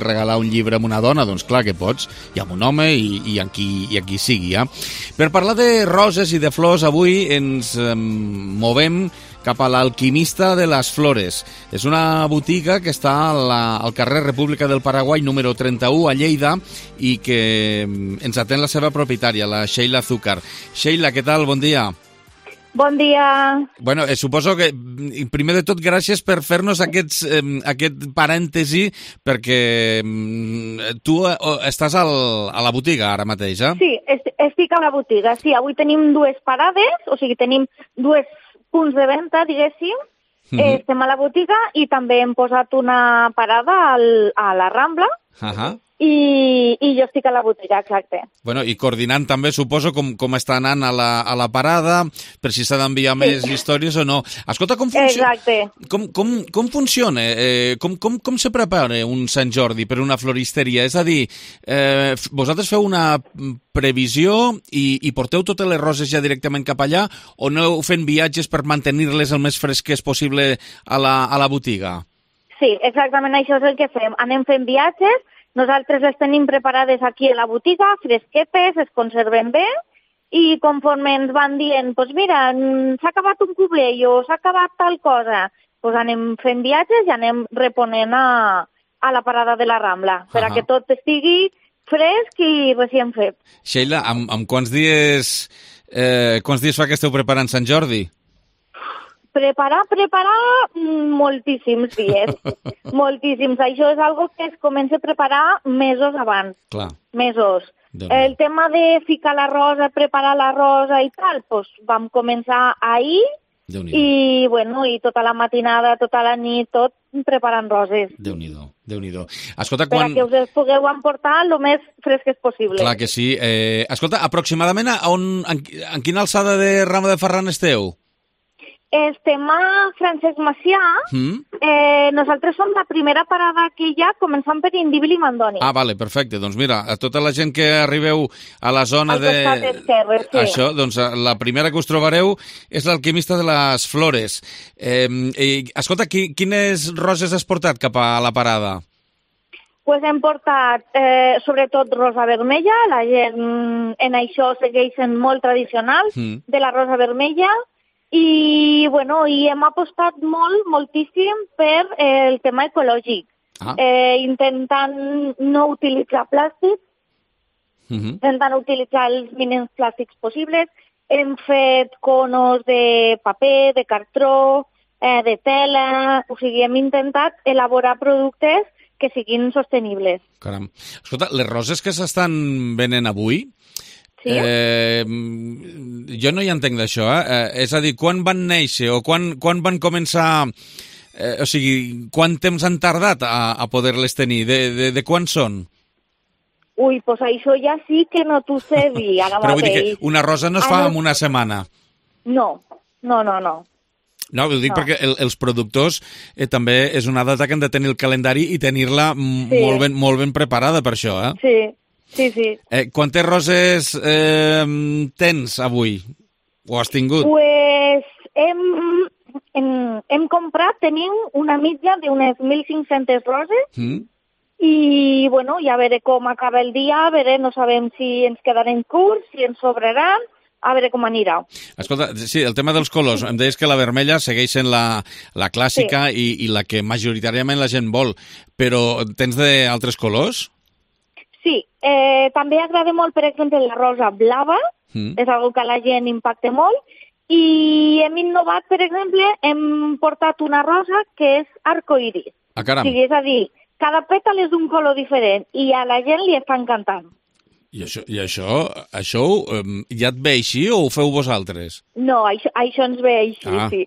regalar un llibre a una dona? Doncs clar que pots, i amb un home i, i, amb, qui, i amb qui sigui. Eh? Per parlar de roses i de flors, avui ens eh, movem cap a l'Alquimista de les Flores. És una botiga que està a la, al carrer República del Paraguai, número trenta-u, a Lleida, i que ens atén la seva propietària, la Sheila Zúcar. Sheila, què tal? Bon dia. Bon dia. Bueno, eh, suposo que, primer de tot, gràcies per fer-nos aquests, eh, aquest parèntesi, perquè eh, tu eh, estàs al, a la botiga ara mateix, eh? Sí, est estic a la botiga. Sí, avui tenim dues parades, o sigui, tenim dues punts de venda, diguéssim. Mm-hmm. eh, estem a la botiga i també hem posat una parada al, a la Rambla. Uh-huh. i, i jo estic a la botiga, exacte. Bueno, i coordinant també, suposo, com, com està anant a la, a la parada, per si s'ha d'enviar sí. més històries o no. Escolta, com funciona? Exacte. Com, com, com funciona? Eh, com, com, com se prepara un Sant Jordi per una floristeria? És a dir, eh, vosaltres feu una previsió i, i porteu totes les roses ja directament cap allà o aneu fent viatges per mantenir-les el més fresques possible a la, a la botiga? Sí, exactament això és el que fem. Anem fent viatges. Nosaltres les tenim preparades aquí a la botiga, fresquetes, es conserven bé, i conforme ens van dient, doncs pues mira, s'ha acabat un cubell o s'ha acabat tal cosa, doncs pues anem fent viatges i anem reponent a, a la parada de la Rambla, per a que tot estigui fresc i recient fet. Sheila, amb, amb quants dies eh, quants dies fa que esteu preparant Sant Jordi? Preparar, preparar moltíssims dies, moltíssims. Això és algo que es comença a preparar mesos abans, Clar. mesos. El tema de ficar la rosa, preparar la rosa i tal, doncs vam començar ahir i, bueno, i tota la matinada, tota la nit, tot preparant roses. Déu-n'hi-do, Déu-n'hi-do. Escolta, per quan... a que us les pugueu emportar el més fresques possible. Clar que sí. Eh, escolta, aproximadament a on, en, en quina alçada de Rama de Ferran esteu? Estem a Francesc Macià. Mm. Eh, nosaltres som la primera parada que hi ha, començant per Indíbil i Mandoni. Ah, vale, perfecte. Doncs mira, a tota la gent que arribeu a la zona de... Esquerre, sí. Això, doncs la primera que us trobareu és l'Alquimista de les Flores. Eh, eh, escolta, qui, quines roses has portat cap a la parada? Pues hem portat, eh, sobretot, rosa vermella. La gent en això segueix sent molt tradicional, mm. de la rosa vermella. I, bueno, i hem apostat molt, moltíssim per eh, el tema ecològic, ah. eh, intentant no utilitzar plàstic, uh-huh. intentant utilitzar els mínims plàstics possibles. Hem fet conos de paper, de cartró, eh, de tela, o sigui, hem intentat elaborar productes que siguin sostenibles. Caram. Escolta, les roses que s'estan venent avui, sí? eh, jo no hi entenc d'això, eh? És a dir, quan van néixer o quan, quan van començar, eh, o sigui, quant temps han tardat a, a poder-les tenir, de, de, de quan són? Ui, doncs això ja sí que no t'ho sé dir ara Però mateix. vull dir que una rosa no es fa en una setmana. No, no, no, no. No, ho dic no. perquè el, els productors eh, també és una data que han de tenir el calendari i tenir-la sí. molt, ben, molt ben preparada per això, eh? Sí, sí, sí. Eh, quantes roses eh, tens avui? O has tingut? Pues hem, hem, hem comprat, tenim una mitja d'unes mil cinc-centes roses mm. i, bueno, ja veure com acaba el dia, a veure, no sabem si ens quedarem curts, si ens sobraran, a veure com anirà. Escolta, sí, el tema dels colors. Em deies que la vermella segueix sent la, la clàssica sí. i, i la que majoritàriament la gent vol, però tens d'altres colors? Sí, eh, també agrada molt, per exemple, la rosa blava, mm. és una que a la gent impacta molt, i hem innovat, per exemple, hem portat una rosa que és arcoiris. Ah, caram. O sigui, és a dir, cada pètal és d'un color diferent i a la gent li està encantant. I això, i això, això um, ja et ve així o ho feu vosaltres? No, això, això ens ve així, ah. sí.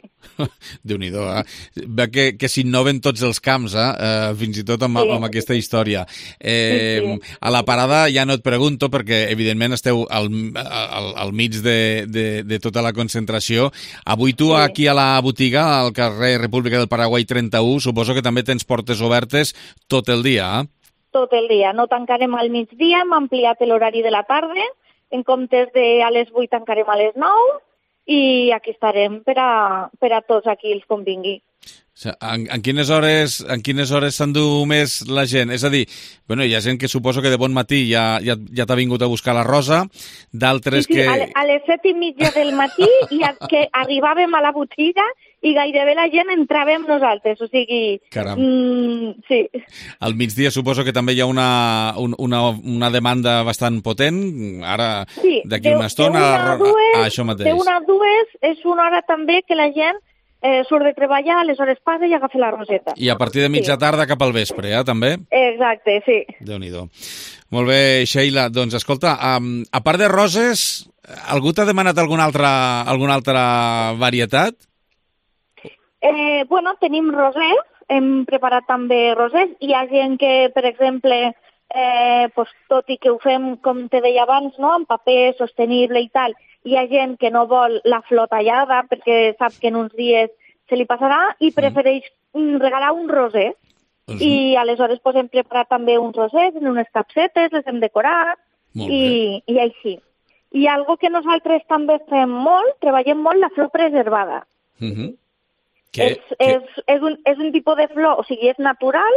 Déu-n'hi-do, eh? Ve que, que s'innoven tots els camps, eh? Uh, fins i tot amb, sí. amb aquesta història. Eh, sí, sí. A la parada ja no et pregunto, perquè evidentment esteu al, al, al mig de, de, de tota la concentració. Avui tu sí. aquí a la botiga, al carrer República del Paraguai trenta-u, suposo que també tens portes obertes tot el dia, eh? Tot el dia. No tancarem al migdia, hem ampliat l'horari de la tarda, en comptes de a les vuit tancarem a les nou i aquí estarem per a, per a tots aquí els convingui. En, en quines hores en quines hores s'endú més la gent? És a dir, bueno, hi ha gent que suposo que de bon matí ja, ja, ja t'ha vingut a buscar la rosa, d'altres sí, sí, que... A, a les set i mitja del matí i a, que arribàvem a la botiga i gairebé la gent entrava amb nosaltres, o sigui... Caram. Mm, sí. Al migdia suposo que també hi ha una, un, una, una demanda bastant potent, ara sí, d'aquí una estona... De una a dues, ah, això mateix. De una a dues és una hora també que la gent eh, surt de treballar, aleshores passa i agafa la roseta. I a partir de mitja sí. tarda cap al vespre, eh, també? Exacte, sí. Déu-n'hi-do. Molt bé, Sheila. Doncs escolta, um, a part de roses, algú t'ha demanat alguna altra, alguna altra varietat? Eh, bueno, tenim rosers, hem preparat també rosers. Hi ha gent que, per exemple, eh, pues, tot i que ho fem, com te deia abans, no? En paper sostenible i tal, hi ha gent que no vol la flor tallada perquè sap que en uns dies se li passarà i prefereix regalar un roser. Doncs I aleshores pues, hem preparat també uns rosers en unes capsetes, les hem decorat i, i així. I algo que nosaltres també fem molt, treballem molt la flor preservada. Uh-huh. Que, és, que... És, és, un, és un tipus de flor, o sigui, és natural,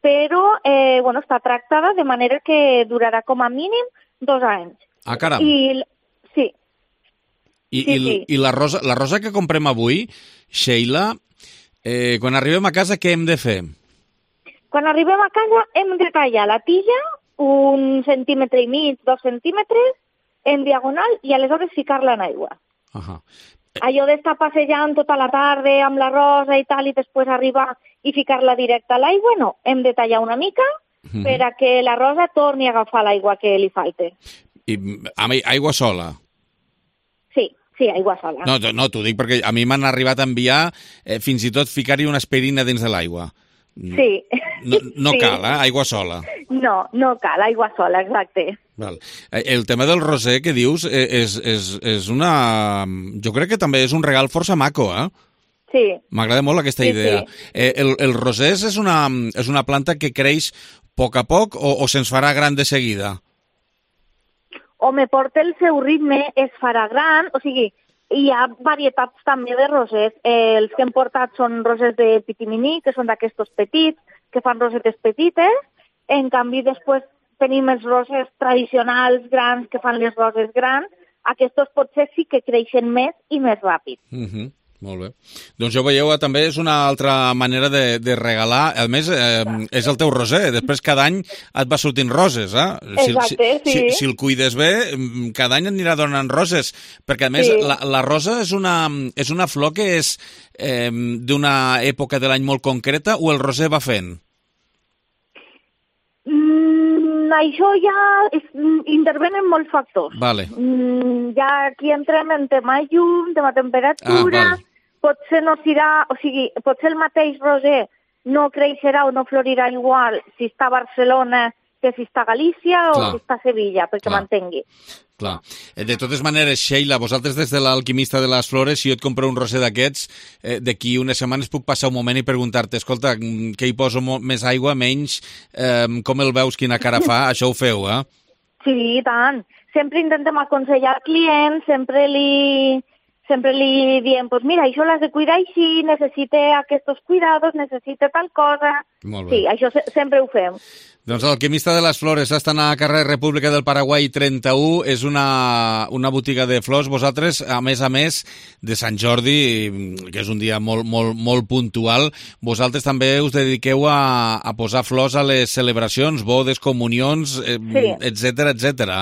però eh, bueno, està tractada de manera que durarà com a mínim dos anys. Ah, caram. I, sí. I, sí, i, sí. i la, rosa, la rosa que comprem avui, Sheila, eh, quan arribem a casa, què hem de fer? Quan arribem a casa hem de tallar la tija un centímetre i mig, dos centímetres, en diagonal, i aleshores ficar-la en aigua. Uh-huh. Allò d'estar passejant tota la tarda amb la rosa i tal, i després arribar i ficar-la directa a l'aigua, no. Hem de tallar una mica uh-huh. per a que la rosa torni a agafar l'aigua que li falte. I amb aigua sola? Sí, sí, aigua sola. No, no t'ho dic perquè a mi m'han arribat a enviar eh, fins i tot ficar-hi una aspirina dins de l'aigua. Sí. No, no sí. cal, eh? Aigua sola. No, no cal, aigua sola, exacte. Val. El tema del roser que dius és, és, és una... Jo crec que també és un regal força maco, eh? Sí. M'agrada molt aquesta sí, idea. Sí. Eh, el, el roser és una, és una planta que creix a poc a poc o, o se'ns farà gran de seguida? Home, porta el seu ritme, es farà gran, o sigui, hi ha varietats també de rosers. Eh, els que hem portat són rosers de pitiminí, que són d'aquestos petits, que fan rosetes petites. En canvi, després tenim els rosers tradicionals grans, que fan les roses grans. Aquests potser sí que creixen més i més ràpid. Uh-huh. Molt bé. Doncs ja ho veieu, també és una altra manera de, de regalar. A més, eh, és el teu roser. Després cada any et va sortint roses, eh? Si, Exacte, si, sí. Si, si el cuides bé, cada any et anirà donant roses. Perquè, a més, sí. la, la rosa és una, és una flor que és eh, d'una època de l'any molt concreta o el roser va fent? Mm, això ja és, intervenen molts factors. Vale. Mm, ja aquí entrem en tema llum, tema temperatura, ah, vale. potser no serà, o sigui, potser el mateix roser no creixerà o no florirà igual si està a Barcelona que si està a Galícia o Clar. si està a Sevilla, perquè m'entengui. Clar. De totes maneres, Sheila, vosaltres des de l'Alquimista de les Flores, si jo et compro un roser d'aquests, eh, d'aquí unes setmanes puc passar un moment i preguntar-te, escolta, què hi poso més aigua, menys, eh, com el veus, quina cara fa? Això ho feu, eh? Sí, i tant. Sempre intentem aconsellar al client, sempre li, sempre li diem, pues mira, això l'has de cuidar així, necessita aquests cuidados, necessita tal cosa. Molt bé. Sí, això se sempre ho fem. Doncs l'Alquimista de les Flores està a carrer República del Paraguai trenta-u, és una, una botiga de flors. Vosaltres, a més a més de Sant Jordi, que és un dia molt, molt, molt puntual, vosaltres també us dediqueu a, a posar flors a les celebracions, bodes, comunions, eh, sí. etcètera, etcètera.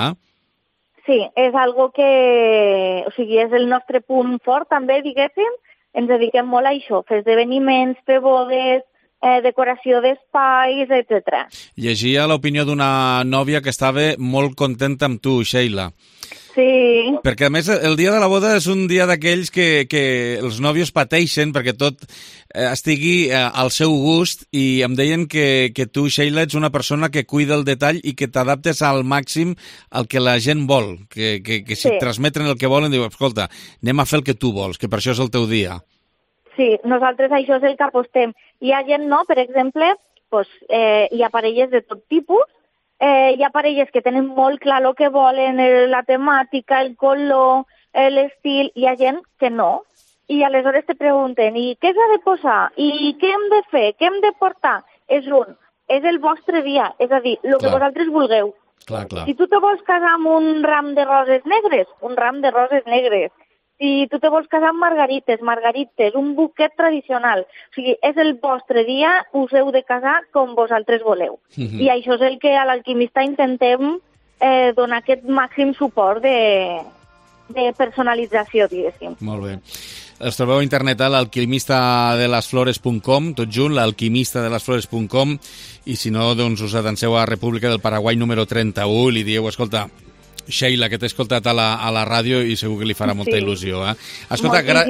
Sí, és algo que, o sigui, és el nostre punt fort també, diguéssim, ens dediquem molt a això, fer esdeveniments, fer bodes, eh, decoració d'espais, etcètera. Llegia l'opinió d'una nòvia que estava molt contenta amb tu, Sheila. Sí. Perquè, a més, el dia de la boda és un dia d'aquells que, que els nòvios pateixen perquè tot eh, estigui eh, al seu gust, i em deien que, que tu, Sheila, ets una persona que cuida el detall i que t'adaptes al màxim al que la gent vol, que, que, que si sí. et transmeten el que volen, diu, escolta, anem a fer el que tu vols, que per això és el teu dia. Sí, nosaltres això és el que apostem. Hi ha gent, no?, per exemple, pues, eh, hi ha parelles de tot tipus. Eh, hi ha parelles que tenen molt clar el que volen, el, la temàtica, el color, l'estil. Hi ha gent que no. I aleshores te pregunten, i què s'ha de posar? I què hem de fer? Què hem de portar? És un, és el vostre dia, és a dir, el que vosaltres vulgueu. Clar, clar. Si tu te vols casar amb un ram de roses negres, un ram de roses negres. Si tu te vols casar amb margarites, margarites, un buquet tradicional. O sigui, és el vostre dia, us heu de casar com vosaltres voleu. Mm-hmm. I això és el que a l'Alquimista intentem eh, donar aquest màxim suport de, de personalització, diguéssim. Molt bé. Els trobeu a internet a l'alquimista de les flores punt com, tot junt, l'alquimista de les flores punt com, i si no, doncs us atanseu a República del Paraguai número trenta-u i li dieu, escolta, Sheila, que t'he escoltat a la, a la ràdio i segur que li farà molta Sí. il·lusió. Eh? Escolta, gra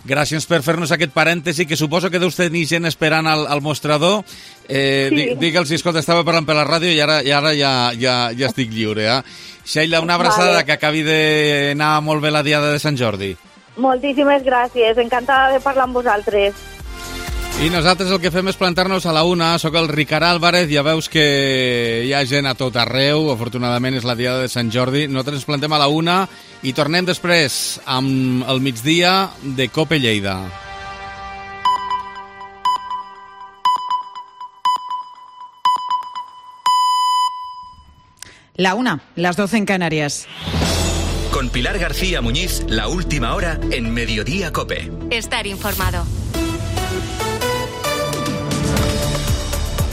gràcies per fer-nos aquest parèntesi, que suposo que deus tenir gent esperant al, al mostrador. Eh, sí. Digue'ls, escolta, estava parlant per la ràdio i ara, i ara ja, ja, ja estic lliure. Eh? Sheila, una abraçada, vale. Que acabi d'anar molt bé la diada de Sant Jordi. Moltíssimes gràcies, encantada de parlar amb vosaltres. I nosaltres el que fem és plantar-nos a la una. Soc el Ricard Álvarez, ja veus que hi ha gent a tot arreu, afortunadament és la diada de Sant Jordi. Nosaltres ens plantem a la una i tornem després amb el migdia de Cope Lleida. La una, las doce en Canarias. Con Pilar García Muñiz, la última hora en Mediodía Cope. Estar informado.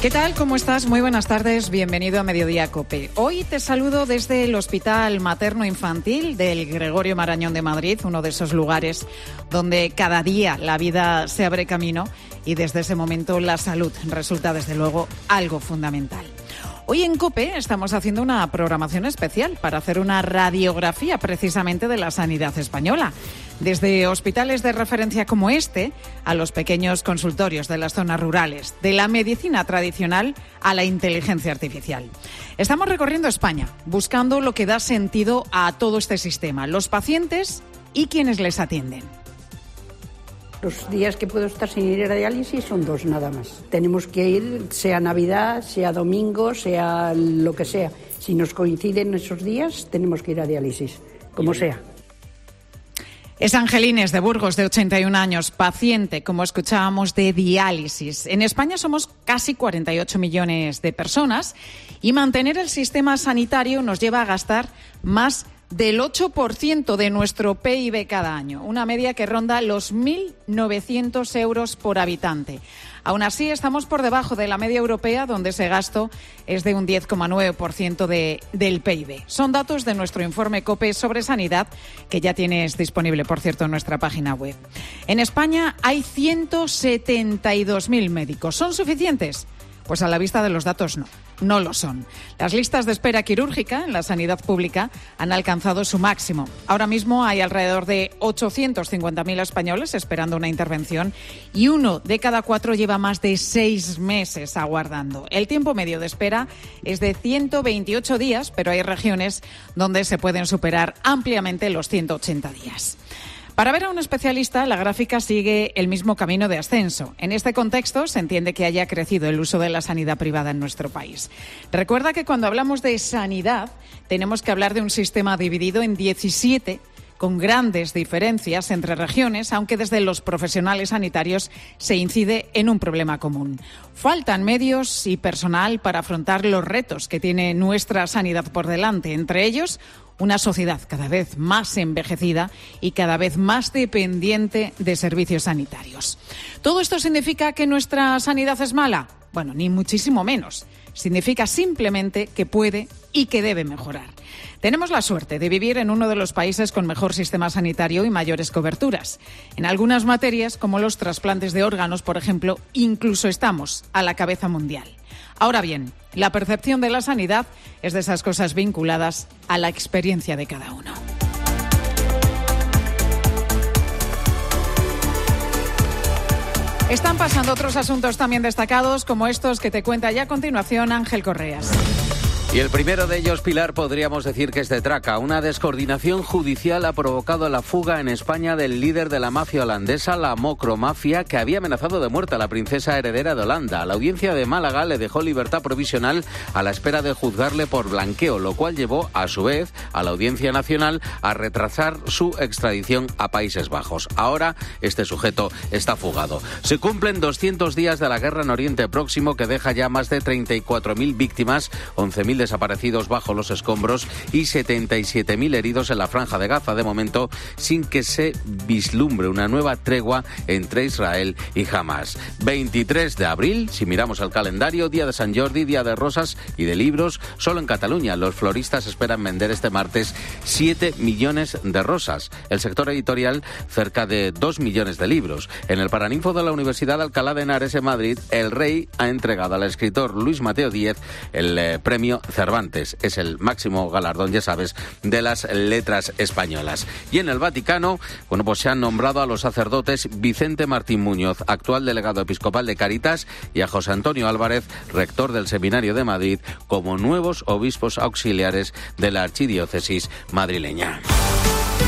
¿Qué tal? ¿Cómo estás? Muy buenas tardes. Bienvenido a Mediodía Cope. Hoy te saludo desde el Hospital Materno Infantil del Gregorio Marañón de Madrid, uno de esos lugares donde cada día la vida se abre camino y desde ese momento la salud resulta desde luego algo fundamental. Hoy en COPE estamos haciendo una programación especial para hacer una radiografía precisamente de la sanidad española. Desde hospitales de referencia como este a los pequeños consultorios de las zonas rurales, de la medicina tradicional a la inteligencia artificial. Estamos recorriendo España, buscando lo que da sentido a todo este sistema, los pacientes y quienes les atienden. Los días que puedo estar sin ir a diálisis son dos nada más. Tenemos que ir, sea Navidad, sea domingo, sea lo que sea. Si nos coinciden esos días, tenemos que ir a diálisis, como sea. Es Angelines de Burgos, de ochenta y un años, paciente, como escuchábamos, de diálisis. En España somos casi cuarenta y ocho millones de personas y mantener el sistema sanitario nos lleva a gastar más del ocho por ciento de nuestro P I B cada año, una media que ronda los mil novecientos euros por habitante. Aún así, estamos por debajo de la media europea, donde ese gasto es de un diez coma nueve por ciento de, del P I B. Son datos de nuestro informe COPE sobre sanidad, que ya tienes disponible, por cierto, en nuestra página web. En España hay ciento setenta y dos mil médicos. ¿Son suficientes? Pues a la vista de los datos no, no lo son. Las listas de espera quirúrgica en la sanidad pública han alcanzado su máximo. Ahora mismo hay alrededor de ochocientos cincuenta mil españoles esperando una intervención y uno de cada cuatro lleva más de seis meses aguardando. El tiempo medio de espera es de ciento veintiocho días, pero hay regiones donde se pueden superar ampliamente los ciento ochenta días. Para ver a un especialista, la gráfica sigue el mismo camino de ascenso. En este contexto, se entiende que haya crecido el uso de la sanidad privada en nuestro país. Recuerda que cuando hablamos de sanidad, tenemos que hablar de un sistema dividido en diecisiete, con grandes diferencias entre regiones, aunque desde los profesionales sanitarios se incide en un problema común. Faltan medios y personal para afrontar los retos que tiene nuestra sanidad por delante, entre ellos una sociedad cada vez más envejecida y cada vez más dependiente de servicios sanitarios. ¿Todo esto significa que nuestra sanidad es mala? Bueno, ni muchísimo menos. Significa simplemente que puede y que debe mejorar. Tenemos la suerte de vivir en uno de los países con mejor sistema sanitario y mayores coberturas. En algunas materias, como los trasplantes de órganos, por ejemplo, incluso estamos a la cabeza mundial. Ahora bien, la percepción de la sanidad es de esas cosas vinculadas a la experiencia de cada uno. Están pasando otros asuntos también destacados, como estos que te cuenta ya a continuación Ángel Correas. Y el primero de ellos, Pilar, podríamos decir que es de traca. Una descoordinación judicial ha provocado la fuga en España del líder de la mafia holandesa, la Mocromafia, que había amenazado de muerte a la princesa heredera de Holanda. La audiencia de Málaga le dejó libertad provisional a la espera de juzgarle por blanqueo, lo cual llevó, a su vez, a la Audiencia Nacional a retrasar su extradición a Países Bajos. Ahora, este sujeto está fugado. Se cumplen doscientos días de la guerra en Oriente Próximo, que deja ya más de treinta y cuatro mil víctimas, once mil desaparecidos bajo los escombros y setenta y siete mil heridos en la Franja de Gaza, de momento sin que se vislumbre una nueva tregua entre Israel y Hamas. veintitrés de abril, si miramos el calendario, día de San Jordi, día de rosas y de libros. Solo en Cataluña los floristas esperan vender este martes siete millones de rosas. El sector editorial cerca de dos millones de libros. En el Paraninfo de la Universidad de Alcalá de Henares en Madrid, el Rey ha entregado al escritor Luis Mateo Díez el eh, premio Cervantes. Es el máximo galardón, ya sabes, de las letras españolas. Y en el Vaticano, bueno, pues se han nombrado a los sacerdotes Vicente Martín Muñoz, actual delegado episcopal de Cáritas, y a José Antonio Álvarez, rector del Seminario de Madrid, como nuevos obispos auxiliares de la archidiócesis madrileña.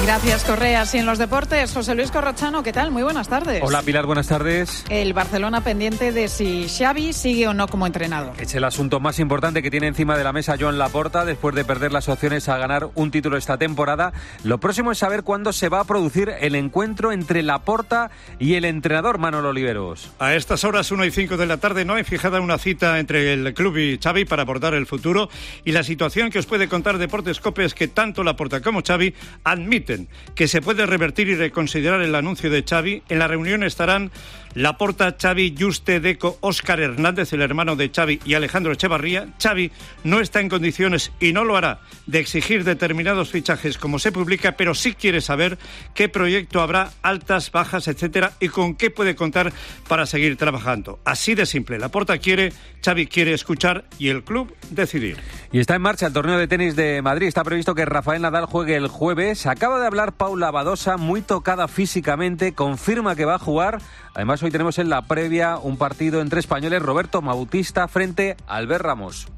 Gracias, Correas. Y en los deportes, José Luis Corrochano, ¿qué tal? Muy buenas tardes. Hola, Pilar, buenas tardes. El Barcelona pendiente de si Xavi sigue o no como entrenador. Es el asunto más importante que tiene encima de la mesa Joan Laporta después de perder las opciones a ganar un título esta temporada. Lo próximo es saber cuándo se va a producir el encuentro entre Laporta y el entrenador Manolo Oliveros. A estas horas, una y cinco de la tarde, no hay fijada una cita entre el club y Xavi para abordar el futuro, y la situación que os puede contar Deportes Cope es que tanto Laporta como Xavi admiten que se puede revertir y reconsiderar el anuncio de Xavi. En la reunión estarán Laporta, Xavi, Juste, Deco, Óscar Hernández, el hermano de Xavi, y Alejandro Echevarría. Xavi no está en condiciones, y no lo hará, de exigir determinados fichajes como se publica, pero sí quiere saber qué proyecto habrá, altas, bajas, etcétera, y con qué puede contar para seguir trabajando. Así de simple. Laporta quiere, Xavi quiere escuchar y el club decidir. Y está en marcha el torneo de tenis de Madrid. Está previsto que Rafael Nadal juegue el jueves. Acaba de hablar Paula Badosa, muy tocada físicamente, confirma que va a jugar. Además, hoy tenemos en la previa un partido entre españoles, Roberto Bautista frente a Albert Ramos.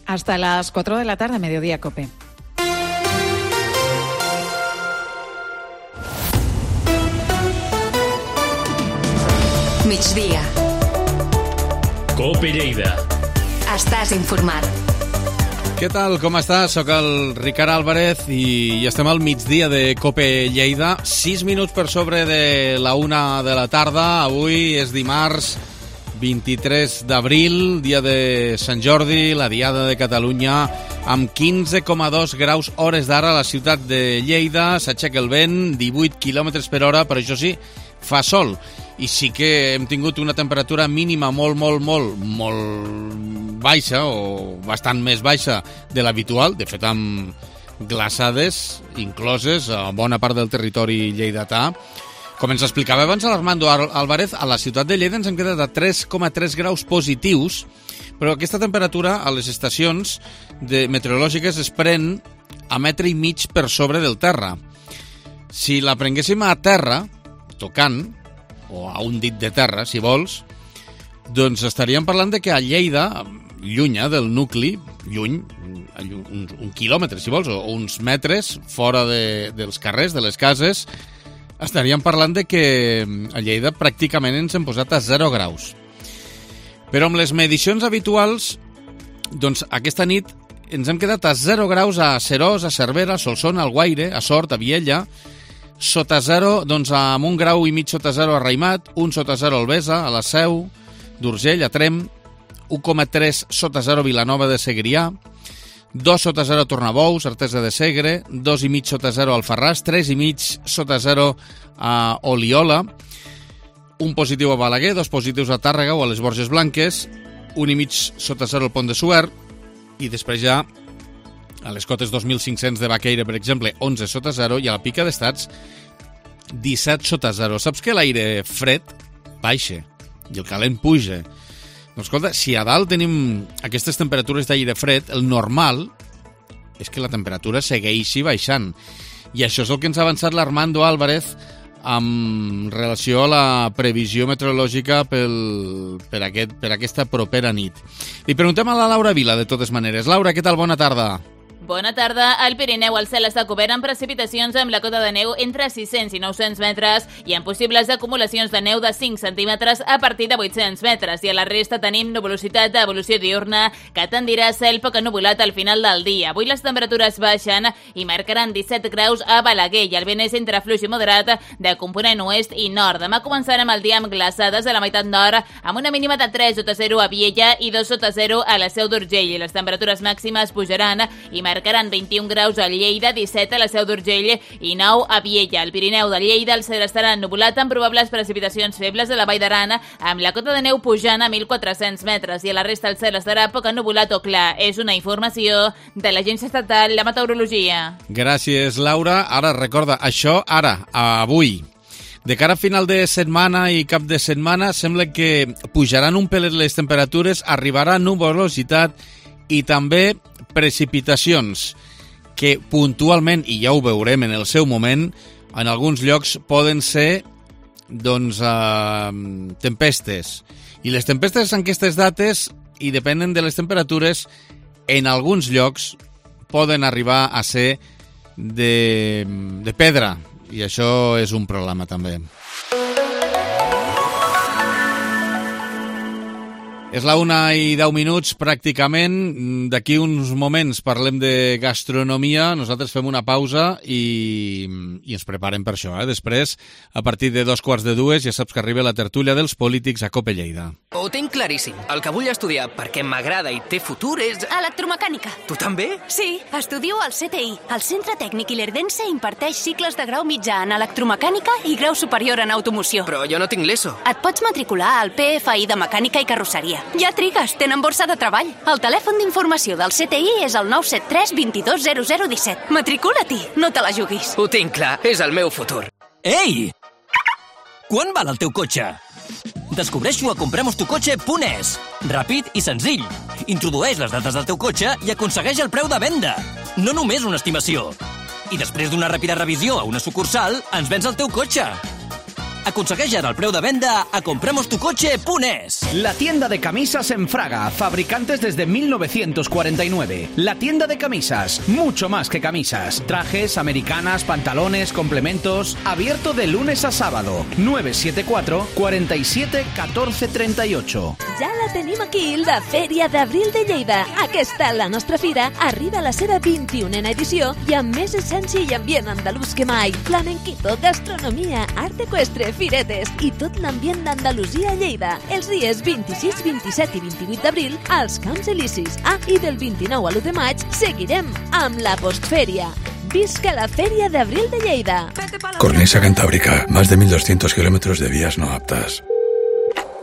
Hasta las cuatro de la tarde, Mediodía Cope. Migdia. Cope Lleida. Estàs informat. Què tal, com estàs? Soc el Ricard Álvarez i estem al migdia de Cope Lleida. Sis minuts per sobre de la una de la tarda. Avui és dimarts vint-i-tres d'abril, dia de Sant Jordi, la Diada de Catalunya, amb quinze coma dos graus hores d'ara a la ciutat de Lleida. S'aixeca el vent, divuit quilòmetres per hora, però això sí, fa sol. I sí que hem tingut una temperatura mínima molt, molt, molt, molt baixa, o bastant més baixa de l'habitual, de fet amb glaçades incloses a bona part del territori lleidatà. Com ens explicava abans l'Armando Álvarez, a la ciutat de Lleida ens hem quedat a tres coma tres graus positius, però aquesta temperatura a les estacions de meteorològiques es pren a metre i mig per sobre del terra. Si la prenguéssim a terra, tocant, o a un dit de terra, si vols, doncs estaríem parlant de que a Lleida, llunya del nucli, lluny, un, un quilòmetre, si vols, o uns metres fora de, dels carrers, de les cases, estaríem parlant de que a Lleida pràcticament ens hem posat a zero graus. Però amb les medicions habituals, doncs aquesta nit ens hem quedat a zero graus a Serós, a Cervera, a Solsona, al Guaire, a Sort, a Viella, sota zero, doncs amb un grau i mig sota zero a Raimat, un sota zero a Albesa, a la Seu d'Urgell, a Trem, un coma tres sota zero a Vilanova de Segrià, dos sota zero a Tornabous, Artesa de Segre, dos i mig sota zero a Alfarràs, tres i mig sota zero a Oliola, un positiu a Balaguer, dos positius a Tàrrega o a les Borges Blanques, un i mig sota zero al Pont de Suert, i després ja a les cotes dos mil cinc-cents de Baqueira, per exemple, onze sota zero, i a la Pica d'Estats, disset sota zero. Saps que l'aire fred baixa i el calent puja? Doncs escolta, si a dalt tenim aquestes temperatures d'aire fred, el normal és que la temperatura segueixi baixant. I això és el que ens ha avançat l'Armando Álvarez amb relació a la previsió meteorològica pel, per, aquest, per aquesta propera nit. Li preguntem a la Laura Vila, de totes maneres. Laura, què tal? Bona tarda. Bona tarda. Al Pirineu el cel està cobert amb precipitacions amb la cota de neu entre sis-cents i nou-cents metres i amb possibles acumulacions de neu de cinc centímetres a partir de vuit-cents metres. I a la resta tenim nuvolositat d'evolució diurna que tendirà a cel poc ennuvolat al final del dia. Avui les temperatures baixen i marcaran disset graus a Balaguer i el vent és entre fluix i moderat de component oest i nord. Demà començarem el dia amb glaçades a la meitat nord amb una mínima de tres sota zero a Viella i dos sota zero a la Seu d'Urgell. I les temperatures màximes pujaran i marcaran vint-i-un graus a Lleida, disset a la Seu d'Urgell i nou a Viella. Al Pirineu de Lleida el cel estarà ennuvolat amb probables precipitacions febles a la Vall d'Aran, amb la cota de neu pujant a mil quatre-cents metres i a la resta el cel estarà poc ennuvolat o clar. És una informació de l'Agència Estatal de Meteorologia. Gràcies, Laura. Ara, recorda, això ara, avui. De cara a final de setmana i cap de setmana sembla que pujaran un pelet les temperatures, arribarà nuvolositat i també precipitacions que puntualment, i ja ho veurem en el seu moment, en alguns llocs poden ser doncs eh, tempestes. I les tempestes en aquestes dates, i depenen de les temperatures, en alguns llocs poden arribar a ser de, de pedra, i això és un problema també. És la una i deu minuts pràcticament. D'aquí uns moments parlem de gastronomia. Nosaltres fem una pausa i, i ens preparem per això. Eh? Després, a partir de dos quarts de dues, ja saps que arriba la tertúlia dels polítics a Cope Lleida. Ho tinc claríssim. El que vull estudiar perquè m'agrada i té futur és... Electromecànica. Tu també? Sí, estudio al C T I. El Centre Tècnic Ilerdense imparteix cicles de grau mitjà en electromecànica i grau superior en automoció. Però jo no tinc l'ESO. Et pots matricular al P F I de Mecànica i Carrosseria. Ja trigues, tenen borsa de treball. El telèfon d'informació del C T I és el nou set tres dos dos zero zero un set. Matricula-t'hi, no te la juguis. Ho tinc clar, és el meu futur. Ei! Quan val el teu cotxe? Descobreix-ho a compremos tu cotxe punt es. Ràpid i senzill. Introdueix les dades del teu cotxe i aconsegueix el preu de venda. No només una estimació. I després d'una ràpida revisió a una sucursal, ens vens el teu cotxe. Aconsegueix ara el preu de venda a compremos tu coche punt es. La tienda de camisas en Fraga, fabricantes desde mil novecientos cuarenta y nueve. La tienda de camisas, mucho más que camisas. Trajes, americanas, pantalones, complementos. Abierto de lunes a sábado. nueve siete cuatro, cuatro siete, uno cuatro tres ocho. Ja la tenim aquí, la Fèria d'Abril de Lleida. Aquesta, la nostra fira, arriba a la seva vint-i-unena edició i amb més essència i ambient andalús que mai. Flamenquito, gastronomia, art eqüestre, firetes i tot l'ambient d'Andalusia a Lleida. Els dies vint-i-sis, vint-i-set i vint-i-vuit d'abril als Camps Elisis. Ah, i del vint-i-nou a l'u de maig seguirem amb la postfèria. Visca la Fèria d'Abril de Lleida. Cornisa Cantábrica, más de mil doscientos kilómetros de vías no aptas.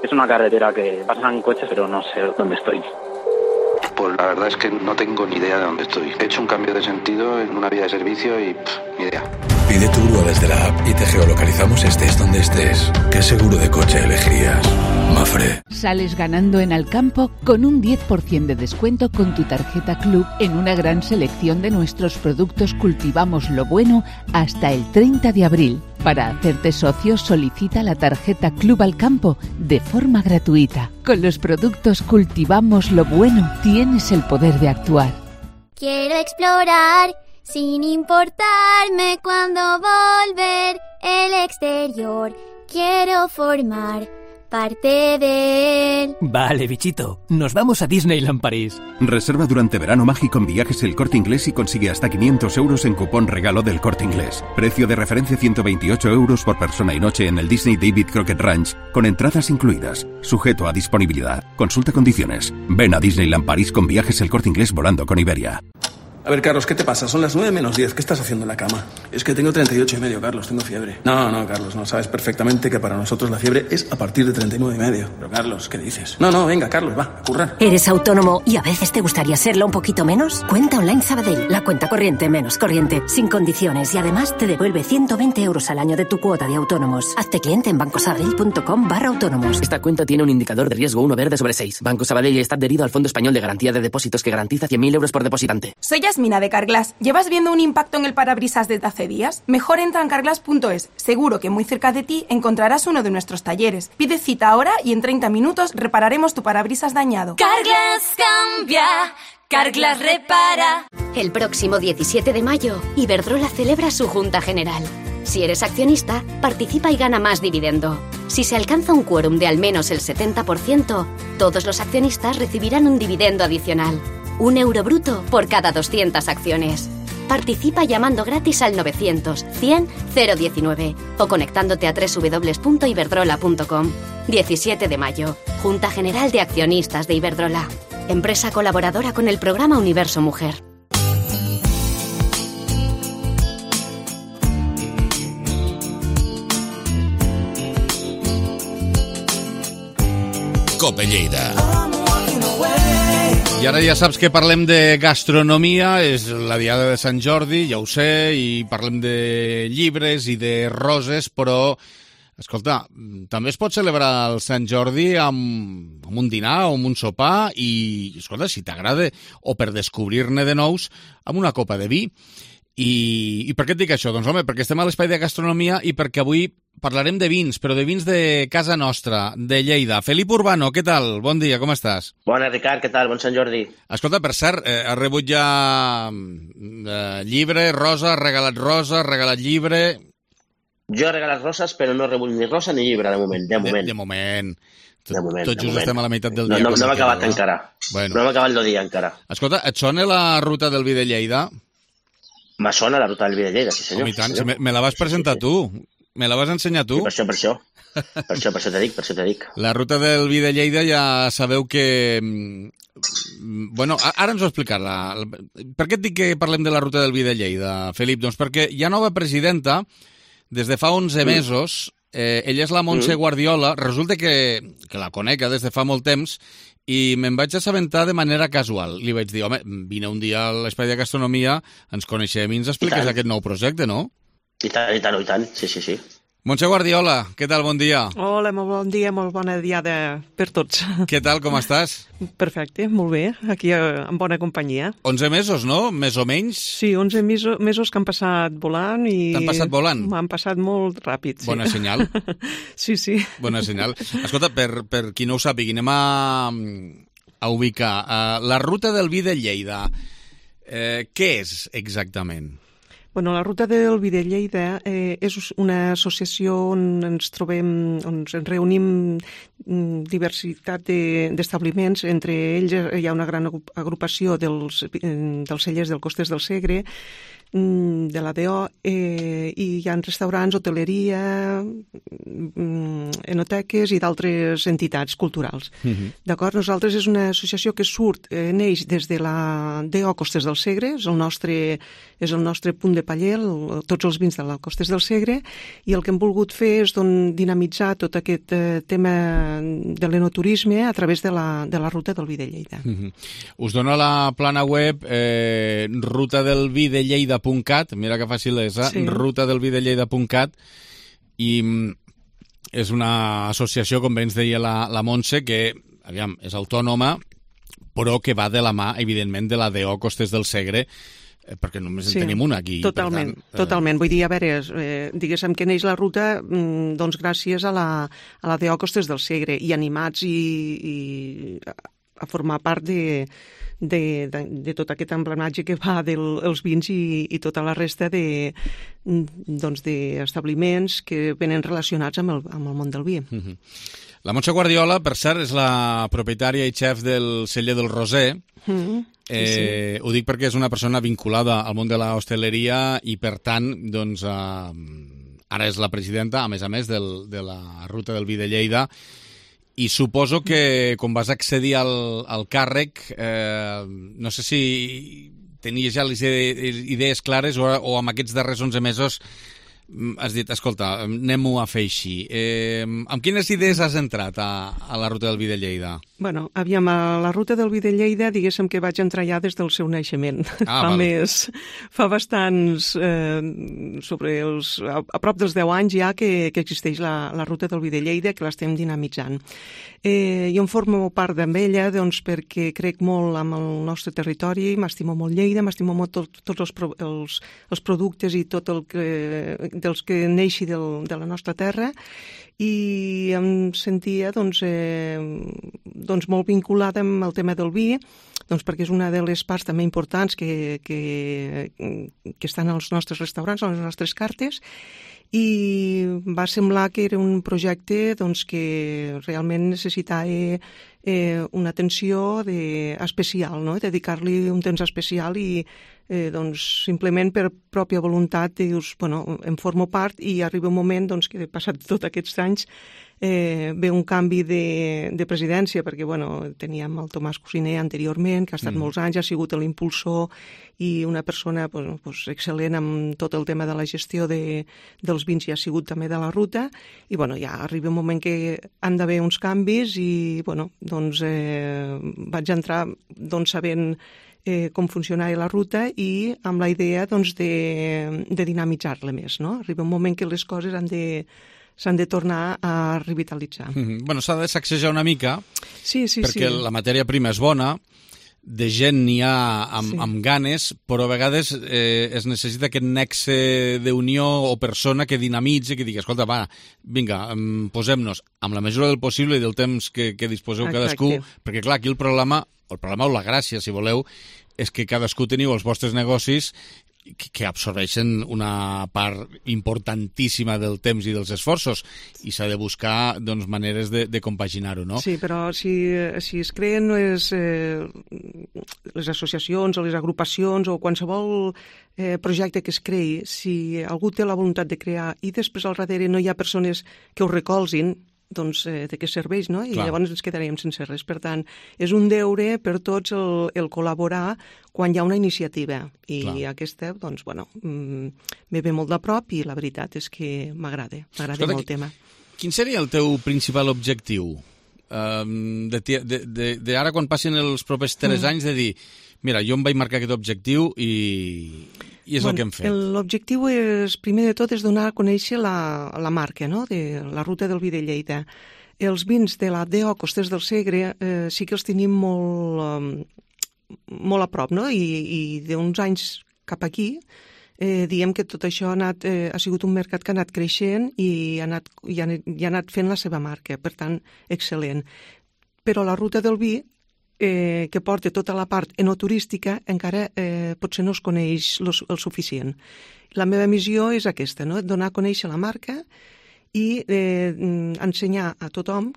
Es una carretera que pasan coches, pero no sé dónde estoy. Pues la verdad es que no tengo ni idea de dónde estoy. He hecho un cambio de sentido en una vía de servicio y pff, ni idea. Pide tu grúa desde la app y te geolocalizamos estés donde estés. ¿Qué seguro de coche elegirías? Mafre. Sales ganando en Alcampo con un diez por ciento de descuento con tu tarjeta Club en una gran selección de nuestros productos Cultivamos lo Bueno hasta el treinta de abril. Para hacerte socio, solicita la tarjeta Club Alcampo de forma gratuita. Con los productos Cultivamos lo Bueno tienes el poder de actuar. Quiero explorar sin importarme cuándo volver el exterior. Quiero formar parte de él. Vale, bichito, nos vamos a Disneyland París. Reserva durante verano mágico en Viajes El Corte Inglés y consigue hasta quinientos euros en cupón regalo del Corte Inglés. Precio de referencia ciento veintiocho euros por persona y noche en el Disney David Crockett Ranch, con entradas incluidas. Sujeto a disponibilidad. Consulta condiciones. Ven a Disneyland París con Viajes El Corte Inglés volando con Iberia. A ver, Carlos, ¿qué te pasa? Son las nueve menos diez. ¿Qué estás haciendo en la cama? Es que tengo treinta y ocho y medio, Carlos. Tengo fiebre. No, no, Carlos, no. Sabes perfectamente que para nosotros la fiebre es a partir de treinta y nueve y medio. Pero, Carlos, ¿qué dices? No, no, venga, Carlos, va, a currar. ¿Eres autónomo y a veces te gustaría serlo un poquito menos? Cuenta Online Sabadell. La cuenta corriente menos corriente, sin condiciones y además te devuelve ciento veinte euros al año de tu cuota de autónomos. Hazte cliente en bancosabadell.com barra autónomos. Esta cuenta tiene un indicador de riesgo uno verde sobre seis. Banco Sabadell está adherido al Fondo Español de Garantía de Depósitos que garantiza cien mil euros por depositante. Soy Yasmina de Carglass. ¿Llevas viendo un impacto en el parabrisas desde hace días? Mejor entra en carglass punto es. Seguro que muy cerca de ti encontrarás uno de nuestros talleres. Pide cita ahora y en treinta minutos repararemos tu parabrisas dañado. Carglass cambia, Carglass repara. El próximo diecisiete de mayo, Iberdrola celebra su Junta General. Si eres accionista, participa y gana más dividendo. Si se alcanza un quórum de al menos el setenta por ciento, todos los accionistas recibirán un dividendo adicional. Un euro bruto por cada doscientas acciones. Participa llamando gratis al novecientos, cien, cero diecinueve o conectándote a doble u doble u doble u punto iberdrola punto com. diecisiete de mayo, Junta General de Accionistas de Iberdrola. Empresa colaboradora con el programa Universo Mujer. Cope Lleida. I ara ja saps que parlem de gastronomia, és la diada de Sant Jordi, ja ho sé, i parlem de llibres i de roses, però Escolta, també es pot celebrar el Sant Jordi amb, amb un dinar o amb un sopar i, escolta, si t'agrada, o per descobrir-ne de nous, amb una copa de vi. I, I per què et dic això? Doncs, home, perquè estem a l'espai de gastronomia i perquè avui parlarem de vins, però de vins de casa nostra, de Lleida. Felip Urbano, què tal? Bon dia, com estàs? Bona, Ricard, què tal? Bon Sant Jordi. Escolta, per cert, eh, has rebut ja eh, llibre, rosa, has regalat rosa, has regalat llibre... Jo he regalat roses, però no he rebut ni rosa ni llibre, de moment. De moment. De, de moment. Tot, de moment, tot just moment. estem a la meitat del no, dia. No, no m'ha acabat queda, encara. Bueno. No m'ha acabat el dia encara. Escolta, et sona la ruta del vi de Lleida? Me sona la ruta del vi de Lleida, sí senyor. Home, i tant, sí, senyor. Me, me la vas presentar sí, sí, sí. tu. Me la vas ensenyar tu. Sí, per això, per això. Per això, per això te dic, per això te dic. La ruta del vi de Lleida ja sabeu que... Bueno, ara ens ho explicar-la. Per què et dic que parlem de la ruta del vi de Lleida, Felip? Doncs perquè hi ha nova presidenta. Des de fa onze mesos, eh, ella és la Montse Guardiola, resulta que, que la conec des de fa molt temps, i me'n vaig assabentar de manera casual. Li vaig dir, home, vine un dia a l'Espai de Gastronomia, ens coneixem i ens expliques aquest nou projecte, no? I tant, i tant, i tant, sí, sí, sí. Montse Guardiola, què tal? Bon dia. Hola, molt bon dia, molt bona diada per tots. Què tal, com estàs? Perfecte, molt bé, aquí en bona companyia. onze mesos, no? Més o menys? Sí, onze mesos, mesos que han passat volant i... T'han passat volant? M'han passat molt ràpid, sí. Bona senyal. Sí, sí. Bona senyal. Escolta, per, per qui no ho sàpigui, anem a, a ubicar. Uh, la ruta del vi de Lleida, eh, què és exactament? Bueno, la Ruta del Vi de Lleida eh, és una associació on ens trobem, on ens reunim diversitat d'establiments. De, entre ells hi ha una gran agrupació dels, dels cellers del Costes del Segre, de la D O, eh, i hi ha restaurants, hoteleria, enoteques i d'altres entitats culturals. Uh-huh. D'acord? Nosaltres és una associació que surt, eh, neix des de la D O Costes del Segre, és el nostre, és el nostre punt de paller, el, tots els vins de la Costes del Segre, i el que hem volgut fer és don, dinamitzar tot aquest eh, tema de l'enoturisme a través de la, de la Ruta del Vi de Lleida. Uh-huh. Us dono la plana web eh, ruta del vi de lleida punt cat, mira que fàcil és, eh? Sí. ruta del vi de lleida punt cat, i és una associació, com bé ens deia la, la Montse, que, aviam, és autònoma, però que va de la mà, evidentment, de la D O Costes del Segre, eh, perquè només en sí, tenim una aquí. Totalment, per tant, eh... totalment. Vull dir, a veure, eh, diguéssim que neix la ruta doncs gràcies a la, a la D O Costes del Segre, i animats i, i a formar part de... De, de, de tot aquest emblematge que va dels de vins i, i tota la resta de, doncs, d'establiments que venen relacionats amb el, amb el món del vi. Mm-hmm. La Montse Guardiola, per cert, és la propietària i xef del celler del Roser. Mm-hmm. eh, sí. Ho dic perquè és una persona vinculada al món de la hostaleria i, per tant, doncs, eh, ara és la presidenta, a més a més, del, de la Ruta del Vi de Lleida. I suposo que quan vas accedir al, al càrrec, eh, no sé si tenies ja les idees clares o, o amb aquests darrers onze mesos has dit, escolta, anem-ho a fer així. Eh, amb quines idees has entrat a, a la Ruta del Vi de Lleida? Bueno, aviam, a la Ruta del Vi de Lleida, diguéssim que vaig entrar ja des del seu naixement. Ah, fa, més, fa bastants, eh, sobre els, a, a prop dels deu anys ja que, que existeix la, la Ruta del Vi de Lleida, que l'estem dinamitzant. Eh, jo em formo part amb ella doncs, perquè crec molt amb el nostre territori, m'estimo molt Lleida, m'estimo molt tot, tots els, pro, els, els productes i tot el que, dels que neixi del, de la nostra terra, i em sentia doncs, eh, doncs molt vinculada amb el tema del vi, doncs perquè és una de les parts també importants que, que, que estan als nostres restaurants, a les nostres cartes, i va semblar que era un projecte doncs, que realment necessitava eh, una atenció de, especial, no? Dedicar-li un temps especial i eh, doncs, simplement per pròpia voluntat dius, bueno, em formo part i arriba un moment doncs, que passat tots aquests anys eh, ve un canvi de, de presidència, perquè bueno, teníem el Tomàs Cosiner anteriorment, que ha estat mm. molts anys, ha sigut l'impulsor i una persona pues, pues, excel·lent amb tot el tema de la gestió de, dels vins i ha sigut també de la ruta, i bueno, ja arriba un moment que han d'haver uns canvis i bueno, doncs eh, vaig entrar doncs, sabent eh, com funcionava la ruta i amb la idea doncs, de, de dinamitzar-la més, no? Arriba un moment que les coses han de s'han de tornar a revitalitzar. Mm-hmm. Bueno, s'ha de sacsejar una mica, sí, sí, perquè sí. la matèria prima és bona, de gent n'hi ha amb, sí. amb ganes, però a vegades eh, es necessita aquest nexe d'unió o persona que dinamitzi, que digui, escolta, va, vinga, posem-nos amb la mesura del possible i del temps que, que disposeu Exacte. cadascú, perquè clar, aquí el problema, el problema o la gràcia, si voleu, és que cadascú teniu els vostres negocis que absorbeixen una part importantíssima del temps i dels esforços i s'ha de buscar doncs, maneres de, de compaginar-ho, no? Sí, però si, si es creen les, eh, les associacions o les agrupacions o qualsevol eh, projecte que es creï, si algú té la voluntat de crear i després al darrere no hi ha persones que ho recolzin, doncs eh, de què serveix, no? I Clar. llavors ens quedaríem sense res. Per tant, és un deure per tots el, el col·laborar quan hi ha una iniciativa. I Clar. aquesta, doncs, bueno, me ve molt de prop i la veritat és que m'agrada, m'agrada molt el tema. Quin seria el teu principal objectiu? Um, de, de, de, de ara, quan passin els propers tres mm. anys, de dir, mira, jo em vaig marcar aquest objectiu i... I és bueno, el que hem fet. L'objectiu és, primer de tot, és donar a conèixer la, la marca, no?, de la ruta del vi de Lleida. Els vins de la D O Costers del Segre eh, sí que els tenim molt, eh, molt a prop, no?, i, i d'uns anys cap aquí eh, diem que tot això ha, anat, eh, ha sigut un mercat que ha anat creixent i ha anat, i ha, i ha anat fent la seva marca, per tant, excel·lent. Però la ruta del vi, Eh, que porta tota la part enoturística, encara eh, potser no es coneix lo, el suficient. La meva missió és aquesta, no?, donar a conèixer la marca i eh, ensenyar a tothom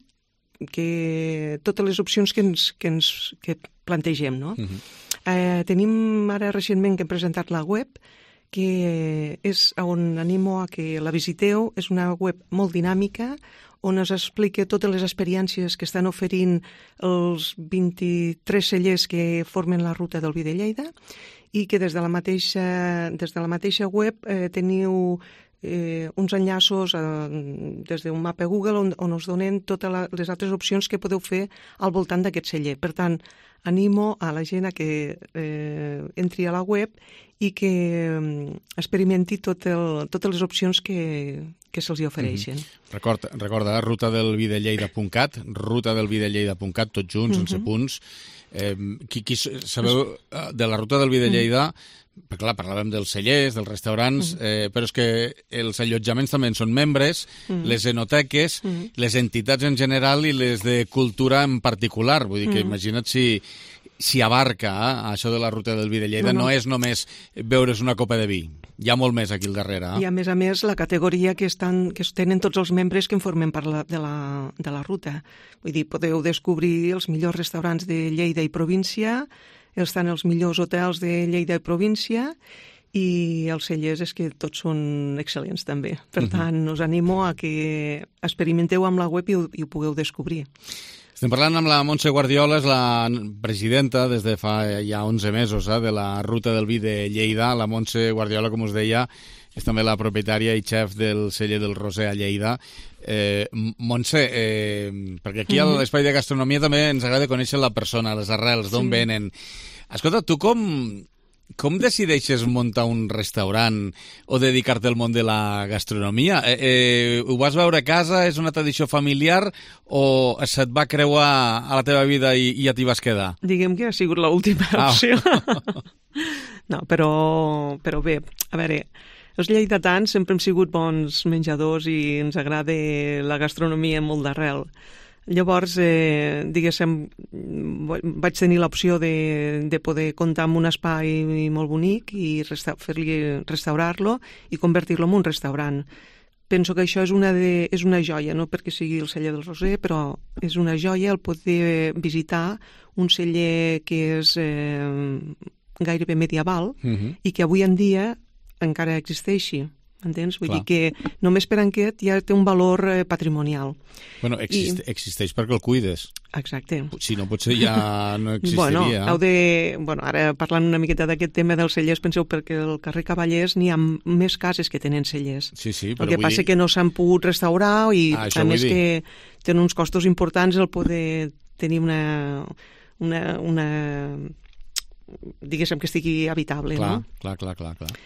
que totes les opcions que ens, que ens que plantegem, no? Uh-huh. eh, tenim ara recentment que hem presentat la web, que és on animo a que la visiteu. És una web molt dinàmica, on es explica totes les experiències que estan oferint els vint-i-tres cellers que formen la ruta del vi de Lleida i que des de la mateixa, des de la mateixa web eh, teniu eh, uns enllaços eh, des d'un mapa Google on, on us donen totes la, les altres opcions que podeu fer al voltant d'aquest celler. Per tant, animo a la gent a que eh, entri a la web i que eh, experimenti tot el, totes les opcions que, que se'ls hi ofereixen. Mm-hmm. Recorda, recorda rutadelvidelleida punt cat, rutadelvidelleida punt cat, tots junts, mm-hmm. sense punts. Eh, qui, qui, sabeu, de la ruta del vi de Lleida, mm-hmm. perquè clar, parlàvem dels cellers, dels restaurants, mm-hmm. eh, però és que els allotjaments també en són membres, mm-hmm. les enoteques, mm-hmm. les entitats en general i les de cultura en particular. Vull dir que mm-hmm. imagina't si... si abarca eh, això de la ruta del vi de Lleida, no, no. no és només beure's una copa de vi. Hi ha molt més aquí al darrere. Eh? I a més a més la categoria que, estan, que tenen tots els membres que en formen part la, de, la, de la ruta. Vull dir, podeu descobrir els millors restaurants de Lleida i província, estan els millors hotels de Lleida i província, i els cellers és que tots són excel·lents també. Per uh-huh. tant, us animo a que experimenteu amb la web i ho, i ho pugueu descobrir. Estem parlant amb la Montse Guardiola, és la presidenta des de fa ja onze mesos eh, de la ruta del vi de Lleida. La Montse Guardiola, com us deia, és també la propietària i xef del celler del Roser a Lleida. Eh, Montse, eh, perquè aquí mm-hmm. a l'Espai de Gastronomia també ens agrada conèixer la persona, les arrels, d'on sí. venen. Escolta, tu com... Com decideixes muntar un restaurant o dedicar-te al món de la gastronomia? Eh, eh, ho vas veure a casa, és una tradició familiar o se't va creuar a la teva vida i, i ja t'hi vas quedar? Diguem que ha sigut l'última ah. opció. No, però, però bé, a veure, els lleidatans sempre hem sigut bons menjadors i ens agrada la gastronomia molt d'arrel. Llavors, eh, diguéssim, vaig tenir l'opció de, de poder comptar amb un espai molt bonic i resta- fer-li restaurar-lo i convertir-lo en un restaurant. Penso que això és una, de, és una joia, no perquè sigui el celler del Roser, però és una joia el poder visitar un celler que és eh, gairebé medieval uh-huh. i que avui en dia encara existeixi. Entens? Vull Clar. dir que només per aquest ja té un valor eh, patrimonial. Bueno, existe, I... existeix perquè el cuides. Exacte. Si no, potser ja no existiria. Bueno, heu de... bueno, ara parlant una miqueta d'aquest tema dels cellers, penseu perquè al carrer Cavallers n'hi ha més cases que tenen cellers. Sí, sí, però el que vull passa dir... que no s'han pogut restaurar i ah, a més que tenen uns costos importants el poder tenir una... una, una diguéssim que estigui habitable. Clar, no? clar, clar, clar, clar.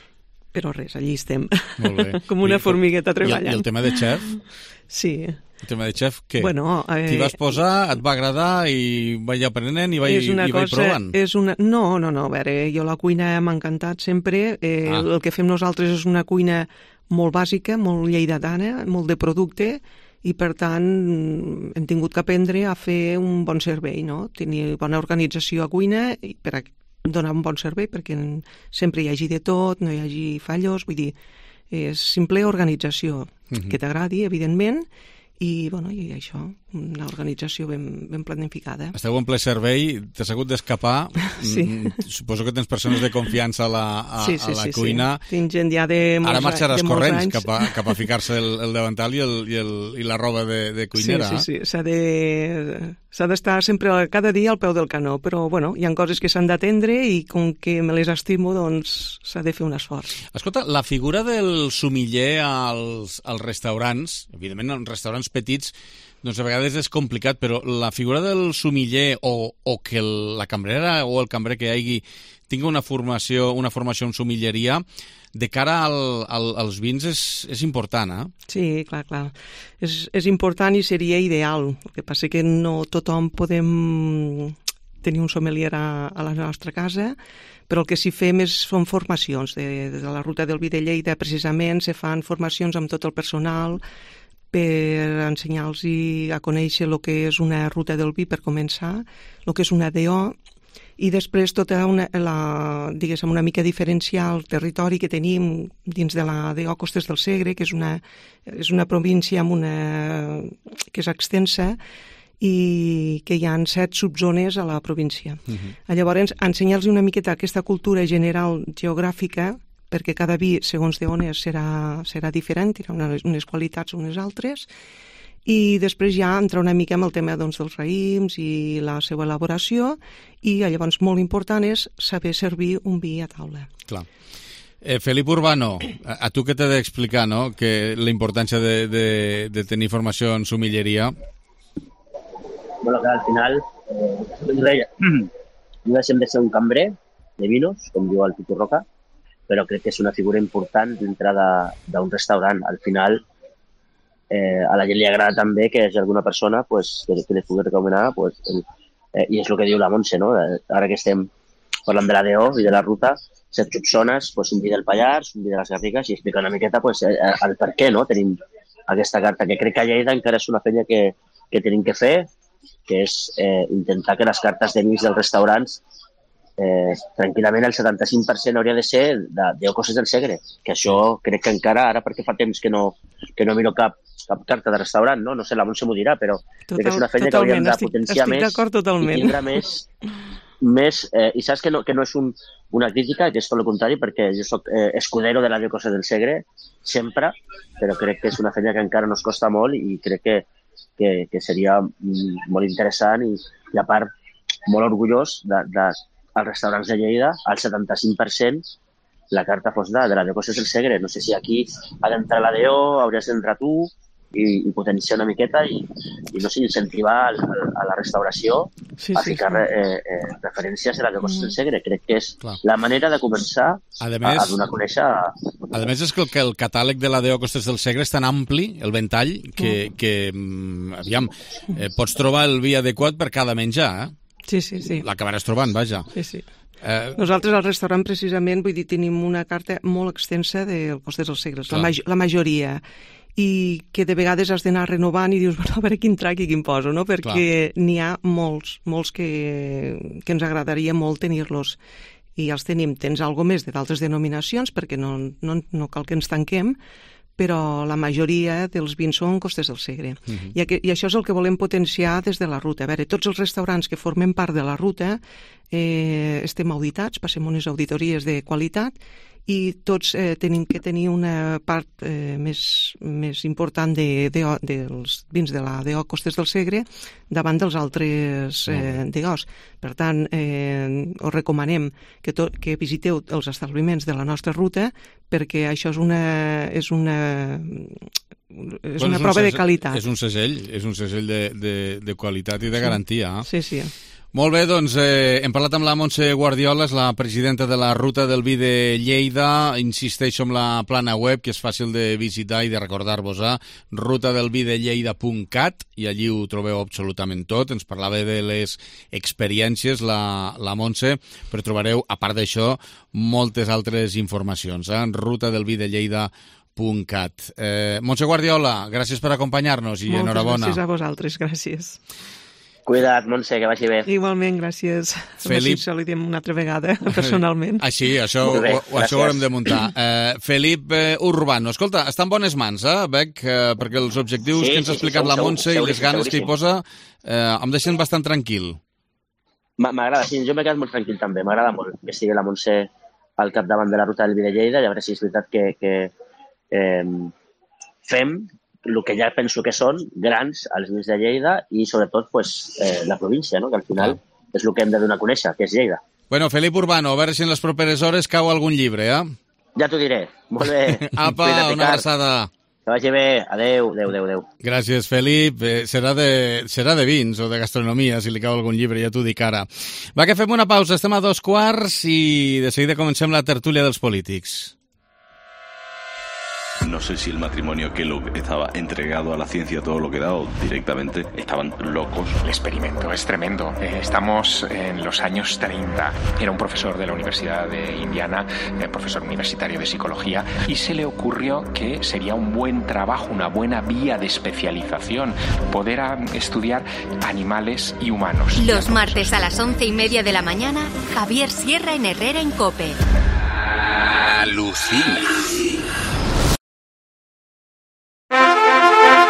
Però res, allí estem. Molt bé. Com una formigueta treballant. I el tema de xef? Sí. El tema de xef, què? Bueno, eh... T'hi vas posar, et va agradar i vaig aprenent i vaig, i vaig cosa, provant? És una... No, no, no, a veure, jo la cuina m'ha encantat sempre. Eh, ah. El que fem nosaltres és una cuina molt bàsica, molt lleidatana, molt de producte, i per tant hem tingut que aprendre a fer un bon servei, no? Tenir bona organització a cuina i per a donar un bon servei, perquè sempre hi hagi de tot, no hi hagi fallos, vull dir, és simple organització, uh-huh. que t'agradi, evidentment, i, bueno, i això, una organització ben, ben planificada. Esteu en ple servei, t'has hagut d'escapar. Sí. Suposo que tens persones de confiança a la, a, sí, sí, a la sí, cuina. Sí. Tinc gent ja de molts, Ara marxaràs de molts corrents anys. cap a, cap a ficar-se el, el davantal i, el, i, el, i la roba de, de cuinera. Sí, sí, sí. S'ha de, s'ha d'estar sempre, cada dia al peu del canó, però, bueno, hi ha coses que s'han d'atendre i com que me les estimo, doncs s'ha de fer un esforç. Escolta, la figura del sumiller als, als restaurants, evidentment en restaurants petits, doncs a vegades és complicat, però la figura del sumiller o, o que el, la cambrera o el cambrer que hi hagi tingui una formació, una formació en sumilleria, de cara al, al, als vins és, és important, eh? Sí, clar, clar. És, és important i seria ideal. El que passa que no tothom podem tenir un sommelier a, a la nostra casa, però el que sí fem és, són formacions. De, de la ruta del vi de Lleida, precisament, se fan formacions amb tot el personal per ensenyar-los a conèixer el que és una ruta del vi per començar, el que és una D O, i després tota una, la, diguéssim, una mica diferenciar el territori que tenim dins de la D O Costes del Segre, que és una, és una província amb una, que és extensa i que hi ha set subzones a la província. Uh-huh. Llavors, ensenyar-los una miqueta aquesta cultura general geogràfica, perquè cada vi, segons d'on és, serà, serà diferent, tindrà unes, unes qualitats o unes altres, i després ja entrar una mica amb el tema, doncs, dels raïms i la seva elaboració, i llavors molt important és saber servir un vi a taula. Clar. Eh, Felip Urbano, a, a tu què t'he d'explicar, no?, que la importància de, de, de tenir formació en sumilleria? Bueno, que al final, eh, no deixem de ser un cambrer de vinos, com diu el Pitu Roca, però crec que és una figura important dintre d'un restaurant. Al final, eh, a la gent li agrada també que hi hagi alguna persona pues, que, que li pugui recomanar, pues, el, eh, i és el que diu la Montse, no? Ara que estem parlant de la D O i de la ruta, set subzones, pues, un vi del Pallars, un vi de les Garrigues, i explica una miqueta pues, el per què, no? Tenim aquesta carta, que crec que a Lleida encara és una feina que, que tenim que fer, que és eh, intentar que les cartes de vins dels restaurants Eh, tranquil·lament el setanta-cinc per cent hauria de ser de, de Costes del Segre, que això crec que encara, ara perquè fa temps que no, que no miro cap, cap carta de restaurant, no? No sé, la Montse m'ho dirà, però Total, crec que és una feina que hauríem de potenciar estic, estic més totalment. I tindrà més... més eh, I saps que no, que no és un, una crítica, que és tot el contrari, perquè jo soc eh, escudero de la de Costes del Segre, sempre, però crec que és una feina que encara nos costa molt i crec que, que, que seria molt interessant i, i a part, molt orgullós de, de als restaurants de Lleida, al setanta-cinc per cent la carta fos de, de la de Costes del Segre. No sé si aquí ha d'entrar la D O, hauries d'entrar tu i, i potenciar una miqueta i, i no sé, incentivar a, a la restauració sí, a ficar sí, sí. Eh, eh, referències a la de Costes del Segre. Crec que és Clar. la manera de començar a, a, més, a donar a conèixer... A... A més, és que el, que el catàleg de la D O Costes del Segre és tan ampli, el ventall, que, que aviam, eh, pots trobar el vi adequat per cada menjar, eh? Sí, sí, sí. L'acabaràs trobant, vaja. Sí, sí. Eh... Nosaltres al restaurant, precisament, vull dir, tenim una carta molt extensa del Costes dels Segres, la, ma la majoria, i que de vegades has d'anar renovant i dius, bueno, a veure quin trac i quin poso, no? Perquè n'hi ha molts, molts que, que ens agradaria molt tenir-los. I els tenim. Tens alguna més de d'altres denominacions, perquè no, no, no cal que ens tanquem, però la majoria dels vins són Costes del Segre. Uh-huh. I, I això és el que volem potenciar des de la ruta. A veure, tots els restaurants que formem part de la ruta eh, estem auditats, passem unes auditories de qualitat i tots eh, tenim que tenir una part eh, més, més important de, de, dels vins de la D O Costes del Segre davant dels altres eh, D Os. Per tant, eh, us recomanem que, to, que visiteu els establiments de la nostra ruta perquè això és una, és una, és bueno, una és prova un de qualitat. És un segell, és un segell de, de, de qualitat i de garantia. Sí, sí. Molt bé, doncs eh, hem parlat amb la Montse Guardiola, és la presidenta de la Ruta del Vi de Lleida. Insisteixo en la plana web, que és fàcil de visitar i de recordar-vos a ruta del vi de lleida punt cat, i allí ho trobeu absolutament tot. Ens parlava de les experiències la, la Montse, però trobareu, a part d'això, moltes altres informacions a eh? ruta del vi de lleida punt cat. Eh, Montse Guardiola, gràcies per acompanyar-nos i Moltes enhorabona. Moltes gràcies a vosaltres, gràcies. Cuida't, Montse, que vagi bé. Igualment, gràcies. Felip... Això li diem una altra vegada, personalment. Ah, sí, això, bé, ho, això ho haurem de muntar. Eh, Felip eh, Urbano, escolta, està en bones mans, eh, Bec? Eh, perquè els objectius sí, que ens ha explicat sí, sí, la Montse i les ganes que hi posa eh, em deixen bastant tranquil. M'agrada, sí, jo m'he quedat molt tranquil també. M'agrada molt que sigui la Montse al capdavant de la Ruta del Vi de Lleida, i a veure si és veritat que, que eh, fem el que ja penso que són grans als vins de Lleida i sobretot pues, eh, la província, no? Que al final ah. és el que hem de donar a conèixer, que és Lleida. Bueno, Felip Urbano, a veure si en les properes hores cau algun llibre, eh? Ja t'ho diré. Molt bé. Apa, una abraçada. Que vagi bé. Adéu, adéu, adéu, adéu. Gràcies, Felip. Eh, serà, de, serà de vins o de gastronomia, si li cau algun llibre, ja t'ho dic ara. Va, que fem una pausa. Estem a dos quarts i de seguida comencem la tertúlia dels polítics. No sé si el matrimonio Kellogg estaba entregado a la ciencia todo lo que da o directamente estaban locos. El experimento es tremendo. Eh, estamos en los años treinta. Era un profesor de la Universidad de Indiana, eh, profesor universitario de psicología, y se le ocurrió que sería un buen trabajo, una buena vía de especialización, poder a, estudiar animales y humanos. Los martes a las once y media de la mañana, Javier Sierra en Herrera en COPE. Alucina.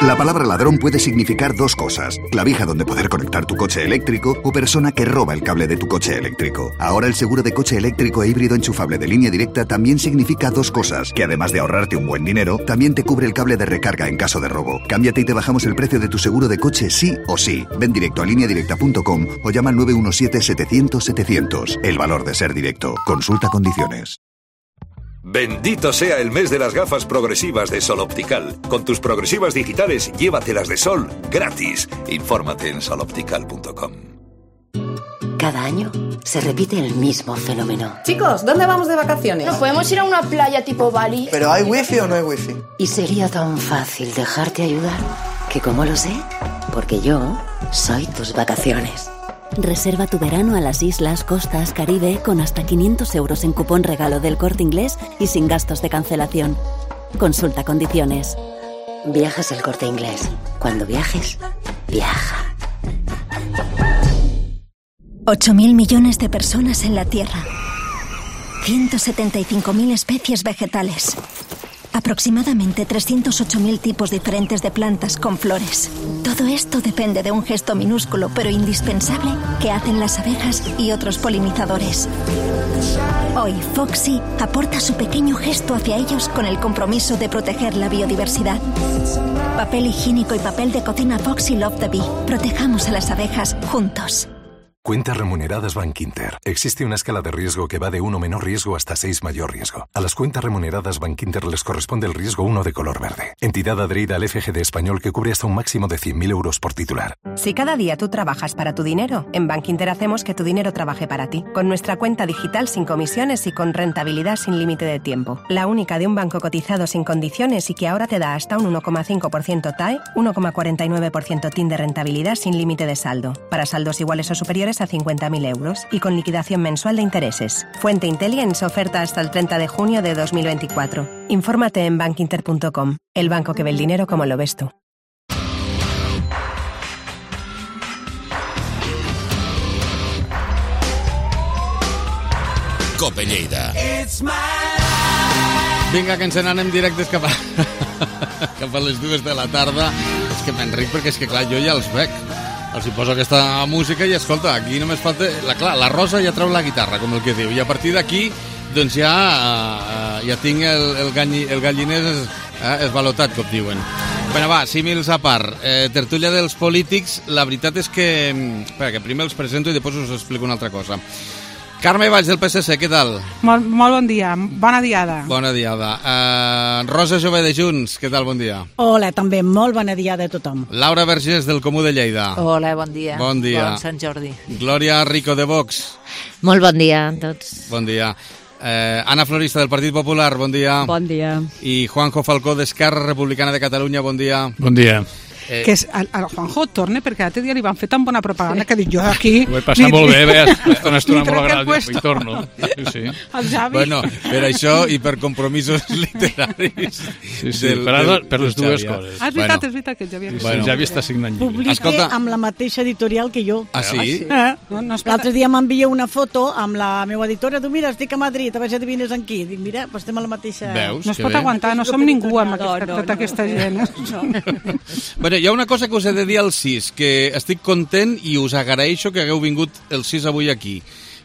La palabra ladrón puede significar dos cosas: clavija donde poder conectar tu coche eléctrico o persona que roba el cable de tu coche eléctrico. Ahora el seguro de coche eléctrico e híbrido enchufable de Línea Directa también significa dos cosas, que además de ahorrarte un buen dinero, también te cubre el cable de recarga en caso de robo. Cámbiate y te bajamos el precio de tu seguro de coche sí o sí. Ven directo a línea directa punto com o llama al nueve uno siete, setecientos, setecientos. El valor de ser directo. Consulta condiciones. Bendito sea el mes de las gafas progresivas de Sol Optical. Con tus progresivas digitales, llévatelas de Sol gratis. Infórmate en sol optical punto com. Cada año se repite el mismo fenómeno. Chicos, ¿dónde vamos de vacaciones? ¿No podemos ir a una playa tipo Bali? ¿Pero hay wifi o no hay wifi? Y sería tan fácil dejarte ayudar que, como lo sé, porque yo soy tus vacaciones. Reserva tu verano a las islas, costas, Caribe con hasta quinientos euros en cupón regalo del Corte Inglés y sin gastos de cancelación. Consulta condiciones. Viajas El Corte Inglés. Cuando viajes, viaja. ocho mil millones de personas en la Tierra. ciento setenta y cinco mil especies vegetales. Aproximadamente trescientos ocho mil tipos diferentes de plantas con flores. Todo esto depende de un gesto minúsculo pero indispensable que hacen las abejas y otros polinizadores. Hoy, Foxy aporta su pequeño gesto hacia ellos con el compromiso de proteger la biodiversidad. Papel higiénico y papel de cocina Foxy Love the Bee. Protejamos a las abejas juntos. Cuentas remuneradas Bankinter. Existe una escala de riesgo que va de uno menor riesgo hasta seis mayor riesgo. A las cuentas remuneradas Bankinter les corresponde el riesgo uno de color verde. Entidad adherida al F G D español que cubre hasta un máximo de cien mil euros por titular. Si cada día tú trabajas para tu dinero, en Bankinter hacemos que tu dinero trabaje para ti. Con nuestra cuenta digital sin comisiones y con rentabilidad sin límite de tiempo. La única de un banco cotizado sin condiciones y que ahora te da hasta un uno coma cinco por ciento T A E, uno coma cuarenta y nueve por ciento T I N de rentabilidad sin límite de saldo. Para saldos iguales o superiores a cincuenta mil euros y con liquidación mensual de intereses. Fuente Intelligence, oferta hasta el treinta de junio de dos mil veinticuatro. Infórmate en bankinter punto com, el banco que ve el dinero como lo ves tú. Cope Lleida. Vinga, que ens n'anem directes cap a... cap a les dues de la tarda. És que m'enric perquè és que, clar, jo ja els veig. Els hi poso aquesta música i, escolta, aquí només falta... La, clar, la Rosa ja treu la guitarra, com el que diu, i a partir d'aquí, doncs ja, uh, ja tinc el, el, ganyi, el galliner es, uh, esvalotat, com diuen. Bueno, va, símils a part. Eh, tertúlia dels polítics, la veritat és que... Espera, que primer els presento i després us explico una altra cosa. Carme Valls, del P S C, què tal? Molt, molt bon dia, bona diada. Bona diada. Uh, Rosa Jové de Junts, què tal, bon dia? Hola, també, molt bona diada a tothom. Laura Vergés, del Comú de Lleida. Hola, bon dia. Bon dia. Bon Sant Jordi. Glòria Rico, de Vox. Molt bon dia a tots. Bon dia. Eh, Anna Florista, del Partit Popular, bon dia. Bon dia. I Juanjo Falcó, d'Esquerra Republicana de Catalunya, bon dia. Bon dia. Eh... Que és, el, el Juanjo torna, perquè l'altre dia li van fer tan bona propaganda que dic jo aquí... Ho he passat ni, molt bé, bé, està una estona molt agradable, i torno. Sí, sí. El Javi... Bueno, per això i per compromisos literaris... Sí, sí, del, per, del, per les dues Xavi, coses. Ah, és veritat, bueno. és veritat que el Javi... Bueno, el Javi està signant llibre. Publica Escolta... amb la mateixa editorial que jo. Ah, sí? Eh? No, no l'altre dia m'envia una foto amb la meva editora, tu mira, estic a Madrid, a veure si adivines en qui. Dic, mira, pues estem a la mateixa... Veus? No es pot bé. aguantar, no som ningú amb aquesta, no, no, tota aquesta gent. No. Bueno, hi ha una cosa que us he de dir al sis, que estic content i us agraeixo que hagueu vingut el sis avui aquí,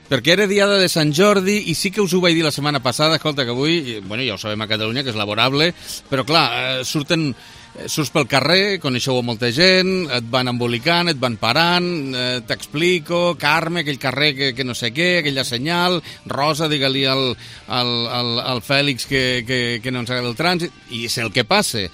perquè era diada de Sant Jordi i sí que us ho vaig dir la setmana passada, escolta, que avui, bueno, ja ho sabem a Catalunya, que és laborable, però clar, surten, surts pel carrer, coneixeu molta gent, et van embolicant, et van parant, eh, t'explico, Carme, aquell carrer que, que no sé què, aquella senyal, Rosa, digue-li al, al, al, al Fèlix que, que, que no ens agrada el trànsit, i és el que passa.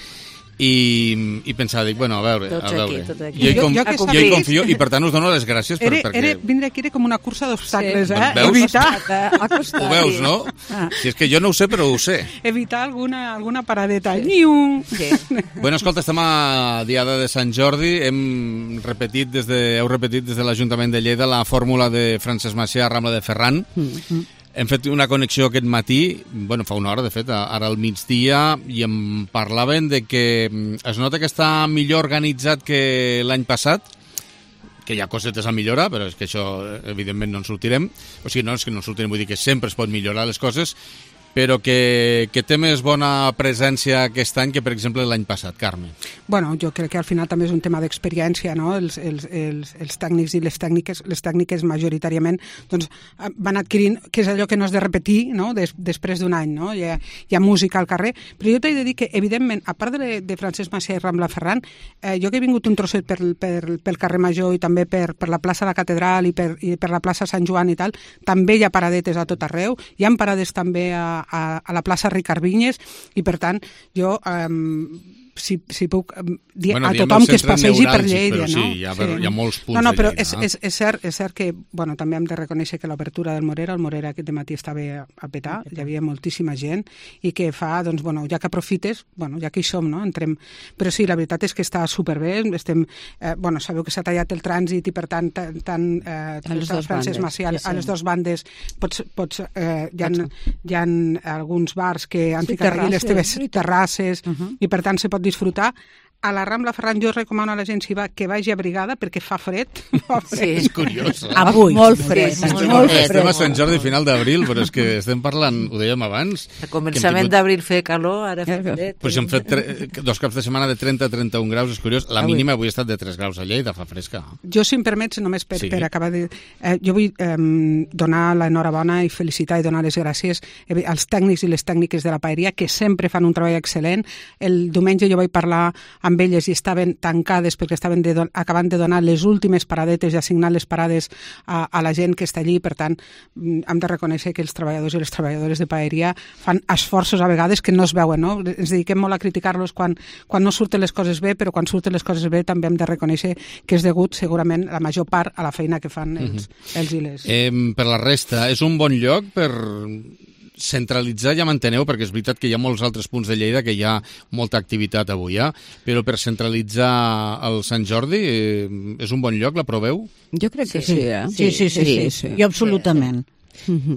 I, i pensava, dic, bueno, a veure, tots a veure. Aquí, tot aquí. Jo, hi, com, jo, jo, jo hi confio i per tant us dono les gràcies per, era, perquè... Era, vindre aquí era com una cursa d'obstacles, sí. eh? Veus? Evitar... Ho veus, no? Ah. Si és que jo no ho sé, però ho sé. Evitar alguna, alguna paradeta. Ni un... Sí. Bueno, escolta, estem a diada de Sant Jordi, hem repetit des de, heu repetit des de l'Ajuntament de Lleida la fórmula de Francesc Macià a Rambla de Ferran. Mm-hmm. Hem fet una connexió aquest matí, bueno, fa una hora, de fet, ara al migdia, i em parlaven de que es nota que està millor organitzat que l'any passat, que hi ha cosetes a millorar, però és que això, evidentment, no en sortirem. O sigui, no és que no en sortirem, vull dir que sempre es pot millorar les coses, però que, que té més bona presència aquest any que, per exemple, l'any passat, Carme. Bueno, jo crec que al final també és un tema d'experiència, no? Els, els, els, els tècnics i les tècniques, les tècniques majoritàriament doncs, van adquirint, que és allò que no has de repetir, no? Des, després d'un any, no? Hi ha, hi ha música al carrer, però jo t'he de dir que, evidentment, a part de, de Francesc Macià i Rambla Ferran, eh, jo que he vingut un trosset per, per, pel carrer Major i també per, per la plaça de la Catedral i per, i per la plaça Sant Joan i tal, també hi ha paradetes a tot arreu, hi ha parades també a A, a la plaça Ricard Vinyes i per tant jo um, si, si puc dir bueno, a tothom que es passegi per Lleida, però no? Sí, hi ha, sí. Hi ha molts punts no, no, però de Lleida. És, és, és, cert, és cert que, bueno, també hem de reconèixer que l'obertura del Morera, el Morera aquest matí estava a petar, hi havia moltíssima gent i que fa, doncs, bueno, ja que aprofites, bueno, ja que hi som, no? Entrem... Però sí, la veritat és que està superbé, estem, eh, bueno, sabeu que s'ha tallat el trànsit i per tant, tant eh, Francesc Macià, sí, sí. A les dues bandes pots, pots, eh, hi, ha, hi ha alguns bars que han sí, ficat aquí les teves terrasses uh -huh. i per tant se pot disfrutar. A la Rambla Ferran jo recomano a la gent si va, que vagi abrigada perquè fa fred. Fa fred. Sí. És curiós. Eh? Avui. Molt fred. Sí, estem, molt fred. Estem a Sant Jordi final d'abril, però és que estem parlant, ho dèiem abans... A començament tingut... d'abril feia calor, ara fa fred. Però si hem fet tre... dos caps de setmana de trenta a trenta-un graus, és curiós. La mínima avui ha estat de tres graus a Lleida, fa fresca. Jo, si em permets, només per, sí. per acabar de... Eh, jo vull eh, donar l'enhorabona i felicitar i donar les gràcies eh, als tècnics i les tècniques de la paeria, que sempre fan un treball excel·lent. El diumenge jo vaig parlar amb elles i estaven tancades perquè estaven de don- acabant de donar les últimes paradetes i assignar les parades a, a la gent que està allí. Per tant, hem de reconèixer que els treballadors i les treballadores de paeria fan esforços a vegades que no es veuen, no? Ens dediquem molt a criticar-los quan, quan no surten les coses bé, però quan surten les coses bé també hem de reconèixer que és degut segurament la major part a la feina que fan els, uh-huh. els i les. Eh, per la resta, és un bon lloc per... centralitzar, ja m'enteneu, perquè és veritat que hi ha molts altres punts de Lleida que hi ha molta activitat avui, eh? Però per centralitzar el Sant Jordi eh, és un bon lloc, l'aproveu? Jo crec que sí, sí, eh? Sí, sí, sí, sí, sí, sí. Jo absolutament.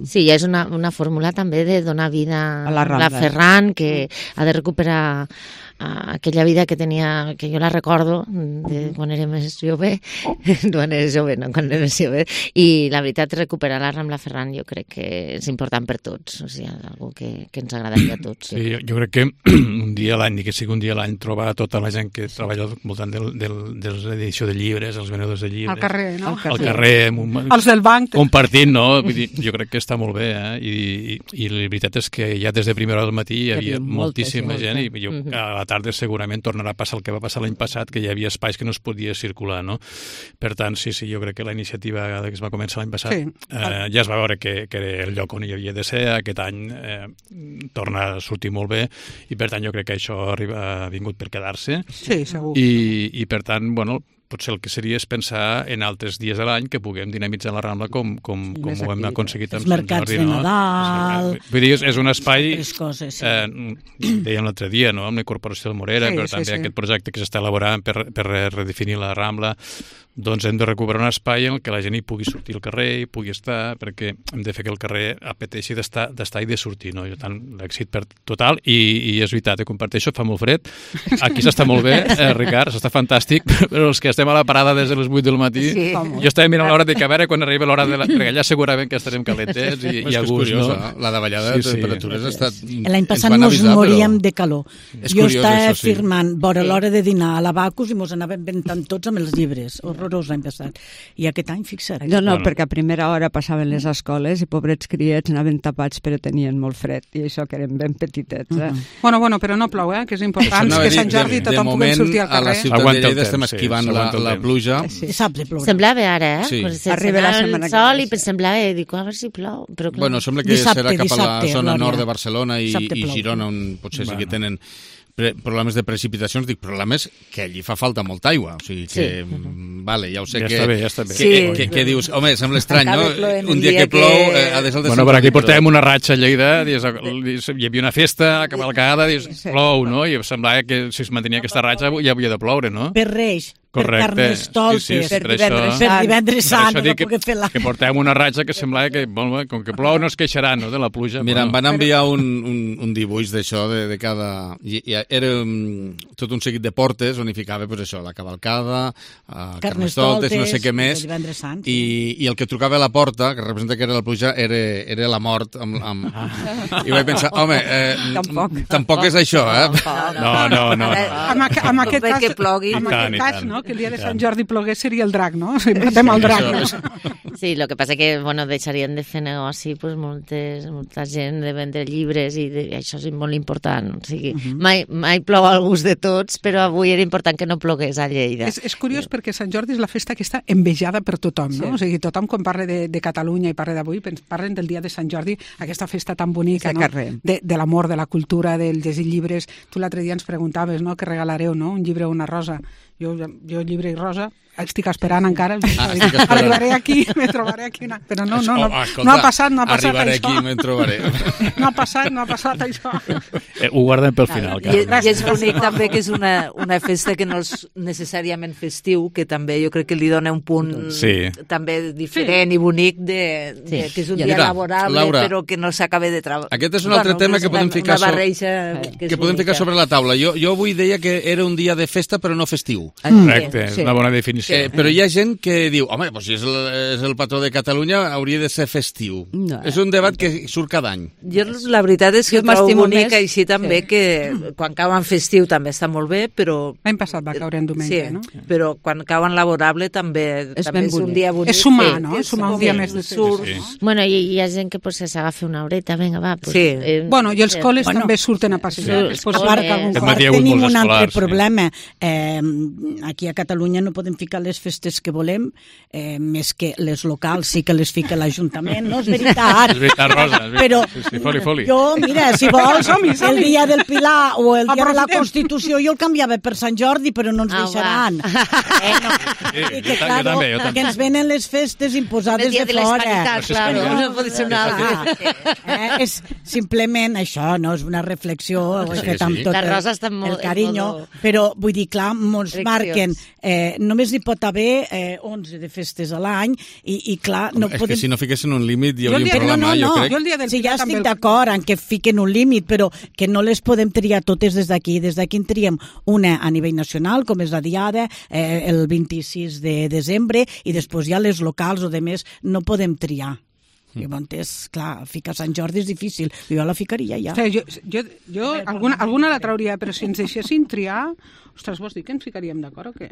Sí, ja és una, una fórmula també de donar vida a la, la Ferran, que ha de recuperar uh, aquella vida que tenia, que jo la recordo de quan era més jove, quan era jove, no, quan era més jove, i la veritat, recuperar la Rambla Ferran jo crec que és important per tots, o sigui, és una que, que ens agradaria a tots. Sí, jo, jo crec que un dia a l'any, ni que sigui un dia a l'any, trobar tota la gent que treballa al voltant del, del, de l'edició de llibres, els venedors de llibres... Al carrer, no? Al carrer, al carrer els del banc. Compartint, no? Vull dir, jo jo crec que està molt bé, eh? I, i, i la veritat és que ja des de primera hora del matí hi havia moltíssima gent i jo, a la tarda segurament tornarà a passar el que va passar l'any passat, que hi havia espais que no es podia circular, no? Per tant, sí, sí, jo crec que la iniciativa que es va començar l'any passat sí. eh, ja es va veure que, que era el lloc on hi havia de ser, aquest any eh, torna a sortir molt bé i per tant jo crec que això arriba, ha vingut per quedar-se. Sí, segur. I, i per tant, bueno, potser el que seria és pensar en altres dies de l'any que puguem dinamitzar la Rambla com, com, sí, com ho hem aconseguit amb Sant Jordi. Els mercats de Nadal... No? Vull dir, és, és un espai... Coses, sí. eh, dèiem l'altre dia, no?, amb la Corporació del Morera, sí, però sí, també sí. aquest projecte que s'està elaborant per, per redefinir la Rambla, doncs hem de recuperar un espai en què la gent hi pugui sortir al carrer, hi pugui estar, perquè hem de fer que el carrer apeteixi d'estar i de sortir, no? I tant, l'èxit per total, i, i és veritat, comparteixo, fa molt fred, aquí s'està molt bé, eh, Ricard, s'està fantàstic, però els que estem a la parada des de les vuit del matí, sí. jo estava mirant l'hora de que a veure quan arriba l'hora de la... perquè allà segurament que estarem calentets i, i a gust, curiós, no? Eh? La davallada sí, de temperatures sí. ha estat... L'any passat mos moríem però... de calor. És jo curiós, estava sí. firmant vora sí. l'hora de dinar a l'Abacus i mos anàvem ventant tots amb els llibres. Horrorós l'any passat. I aquest any, fixa't. No, no, bueno. perquè a primera hora passaven les escoles i pobrets criets anaven tapats però tenien molt fred i això que eren ben petitets. Eh? Uh -huh. Bueno, bueno, però no plou, eh? Que és important, no, que Sant Jordi de, tothom pugui sortir al carrer. A la ciutat de Lleida estem esquivant sí, la, la pluja. Sí. Saps de ploure. Semblava ara, eh? Sí. Pues arriba la setmana el sol i semblava, dic, a veure si plou. Però clar. Bueno, sembla que dissabte, serà cap dissabte, a la zona Glòria. nord de Barcelona i, i Girona, on potser bueno. sí que tenen problemes de precipitacions, dic problemes que allí fa falta molta aigua, o sigui que, sí. vale, ja ho sé ja que... Ja està bé, ja està bé. Que, sí. que, que dius, home, sembla estrany, no? Un dia que plou, eh, ha de ser el de Bueno, per aquí portàvem una ratxa a Lleida, dius, hi havia una festa, cavalcada, dius, plou, no? I semblava que si es mantenia aquesta ratxa ja havia de ploure, no? Per Reis. Correcte. Per Carnestoltes, sí, sí, per, per divendres sant, per divendres sant, no que, fer la... que portàvem una ratxa que semblava que, bueno, com que plou no es queixarà, no?, de la pluja. Mira, bueno. em van enviar un, un, un dibuix d'això, de, de cada... I, i era um, tot un seguit de portes on hi ficava, pues, això, la cavalcada, uh, Carnestoltes, no sé què més, sant, i, i el que trucava a la porta, que representa que era la pluja, era, era la mort. Amb, amb... Ah. I vaig pensar, home, eh, tampoc. tampoc és això, eh? No, no, no. Amb, amb aquest cas, que plogui. amb aquest cas, no?, que el dia de Sant Jordi plogués seria el drac, no? O sigui, matem el drac, no? Sí, el que passa que, bueno, deixarien de fer negoci, pues, moltes, molta gent de vendre llibres i, de, i això és molt important. O sigui, uh -huh. mai, mai plou al gust de tots, però avui era important que no plogués a Lleida. És, és curiós perquè Sant Jordi és la festa que està envejada per tothom, no? Sí. O sigui, tothom quan parla de, de Catalunya i parla d'avui, parlen del dia de Sant Jordi, aquesta festa tan bonica, no? De, de l'amor, de la cultura, del llegir llibres. Tu l'altre dia ens preguntaves, no?, què regalareu, no?, un llibre o una rosa. Jo, jo llibre i rosa, estic esperant encara. Ah, arribaré aquí, me trobaré aquí una... Però no, no, no, oh, escolta, no ha passat, no ha passat arribaré això. Arribaré aquí, me'n trobaré. No ha passat, no ha passat això. Eh, ho guardem pel final. I, I és bonic també que és una, una festa que no és necessàriament festiu, que també jo crec que li dona un punt sí. també diferent sí. i bonic de, de, sí. que és un ja, dia mira, laborable, Laura, però que no s'acabe de treballar. Aquest és un altre bueno, tema que podem ficar, so... que, que podem ficar sobre la taula. Jo, jo avui deia que era un dia de festa però no festiu. Correcte, és sí. una bona definició. Eh, però hi ha gent que diu, home, doncs si és el, és el patró de Catalunya hauria de ser festiu. No. És un debat que surt cada any. Jo la veritat és que jo trobo bonic més... així també sí. que quan cauen festiu també està molt bé, però... L'any passat va caure en diumenge, sí, no? Però quan cauen laborable també és, també és un dia bonic. És sumar, sí, no? És sumar un dia més de surt. Sí. Bueno, i hi ha gent que pues, s'agafa una horeta, vinga, va. Pues, sí. Eh, bueno, i els col·les bueno, també surten a passejar. Sí, pues, part, part tenim un altre sí. problema. Eh, aquí a Catalunya no podem ficar les festes que volem, eh, més que les locals sí que les fica l'Ajuntament, no és veritat. És veritat, Rosa. És veritat. Però sí, sí, foli, foli. jo, mira, si vols, el dia del Pilar o el dia de la Constitució, jo el canviava per Sant Jordi, però no ens ah, deixaran. Eh, no. Sí, I que, jo, claro, també, jo també. que ens venen les festes imposades de, de fora. Claro, no, no pot ser una altra. Eh, és simplement això, no? És una reflexió, ho he fet amb tot el, el carinyo, però vull dir, clar, ens marquen, eh, només n'hi pot haver eh, onze de festes a l'any i, i clar, no és podem... que si no fiquessin un límit hi hauria un problema, no, no, jo no. crec. Jo el dia del sí, ja estic d'acord en que fiquen un límit, però que no les podem triar totes des d'aquí. Des d'aquí en triem una a nivell nacional, com és la Diada, eh, el vint-i-sis de desembre, i després ja les locals o de més no podem triar. Llavors, clar, ficar Sant Jordi és difícil. Jo la ficaria ja. O sigui, jo, jo, jo alguna, alguna la trauria, però si ens deixessin triar, ostres, vols dir que ens ficaríem d'acord o què?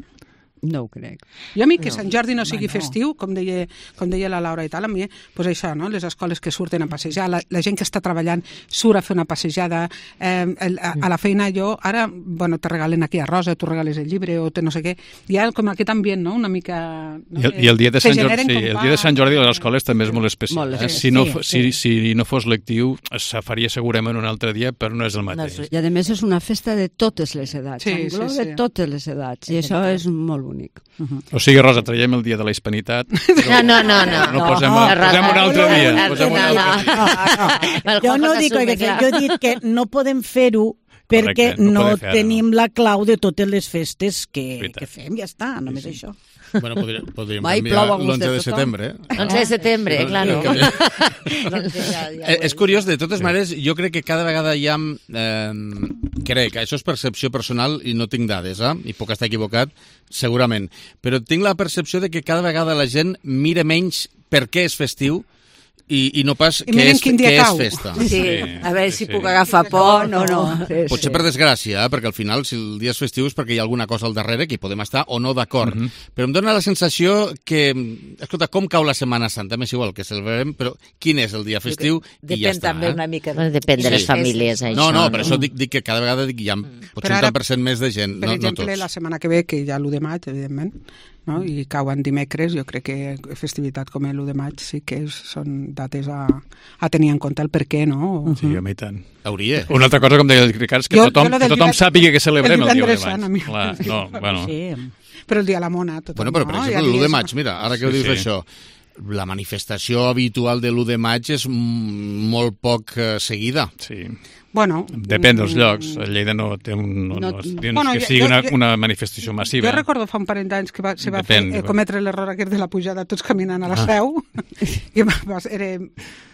No ho crec. Jo a mi que no. Sant Jordi no sigui no. festiu, com deia, com deia la Laura i tal, a mi, pues això, no? Les escoles que surten a passejar, la, la gent que està treballant surt a fer una passejada, eh, a, a la feina jo, ara, bueno, te regalen aquí a Rosa, tu regales el llibre, o te no sé què, hi ha com aquest ambient, no?, una mica... No? I, el, i el dia de Sant Jordi, sí, el dia de Sant Jordi a les escoles també és molt especial. Molt, eh? Si, no, sí, sí. Si, si no fos lectiu, se faria segurament un altre dia, però no és el mateix. I a més és una festa de totes les edats, sí, engloba sí, sí. totes les edats, i això és molt únic. Uh-huh. O sigui, Rosa, traiem el dia de la hispanitat. No, no, no. No, no posem, no, posem un altre dia. No, posem un altre no, dia. no, no. Jo no dic que jo dic que no podem fer-ho perquè Correcte, no, no tenim la clau de totes les festes que, que fem, ja està, només sí, sí. això. Bueno, podríem, podríem canviar l'onze de setembre. Eh? onze de setembre, eh? Claro. eh, és curiós, de totes maneres, jo crec que cada vegada hi ha... Eh, crec, això és percepció personal i no tinc dades, eh? I puc estar equivocat, segurament. Però tinc la percepció de que cada vegada la gent mira menys per què és festiu I, i no pas I què, és, què és festa. Sí, sí, a veure si sí. puc agafar pont o no. Sí, Potser sí. per desgràcia, eh? Perquè al final, si el dia és festiu és perquè hi ha alguna cosa al darrere que hi podem estar o no d'acord. Uh -huh. Però em dóna la sensació que, escolta, com cau la Setmana Santa? M'és igual que celebrem, però quin és el dia festiu i ja està. Depèn també eh? una mica. Bueno, depèn de les famílies, això. No, no, per això dic, dic que cada vegada dic, hi ha potser un tant per cent més de gent, per no, exemple, no tots. La setmana que ve, que hi ha l'u de maig, evidentment, no? I cauen dimecres, jo crec que festivitat com l'u de maig sí que és, són dates a, a tenir en compte el per què, no? Sí, uh -huh. a mi tant. Hauria. Una altra cosa, com deia el Ricard, és que jo, tothom, jo que tothom divend... sàpiga que celebrem el, el dia de maig. Clar, no, bueno. Sí. Però el dia de la mona, tothom, bueno, però, per no? exemple, l'u de maig, mira, ara que sí, ho dius sí. això, la manifestació habitual de l'u de maig és molt poc eh, seguida. Sí. Bueno, depèn dels llocs. A Lleida no té un, no, no, no, bueno, que sigui jo, una, una manifestació massiva. Jo recordo fa un parell d'anys que va, se va depèn, fer, eh, cometre l'error aquest de la pujada tots caminant a la Seu. Ah. I va, va, era...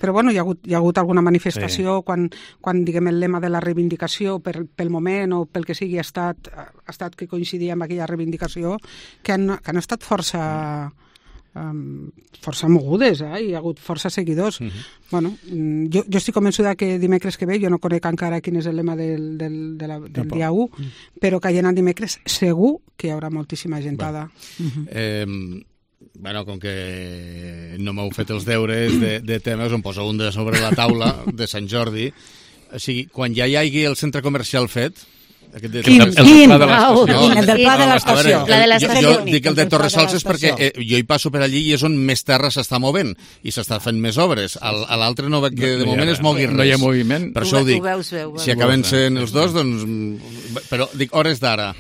Però bueno, hi ha hagut, hi ha hagut alguna manifestació sí. quan, quan diguem, el lema de la reivindicació per, pel moment o pel que sigui ha estat, ha estat que coincidia amb aquella reivindicació que han, que han estat força... Um, força mogudes, eh? Hi ha hagut força seguidors. Uh-huh. Bueno, jo, jo estic convençuda que dimecres que ve, jo no conec encara quin és el lema del, del, de la, del dia u, uh-huh. però caient el dimecres segur que hi haurà moltíssima gentada. Bueno, uh-huh. eh, bueno com que no m'heu fet els deures de, de temes, em poso un de sobre la taula de Sant Jordi. O sigui, quan ja hi hagi el centre comercial fet, Quin? Quin? El del pla de l'estació. Jo, jo dic el de Torresals és perquè eh, jo hi passo per allí i és on més terra s'està movent i s'està fent més obres. A l'altre no veig que de moment es mogui res. No hi ha moviment. Per això ho dic. Si acaben sent els dos, doncs... Però dic, hores d'ara.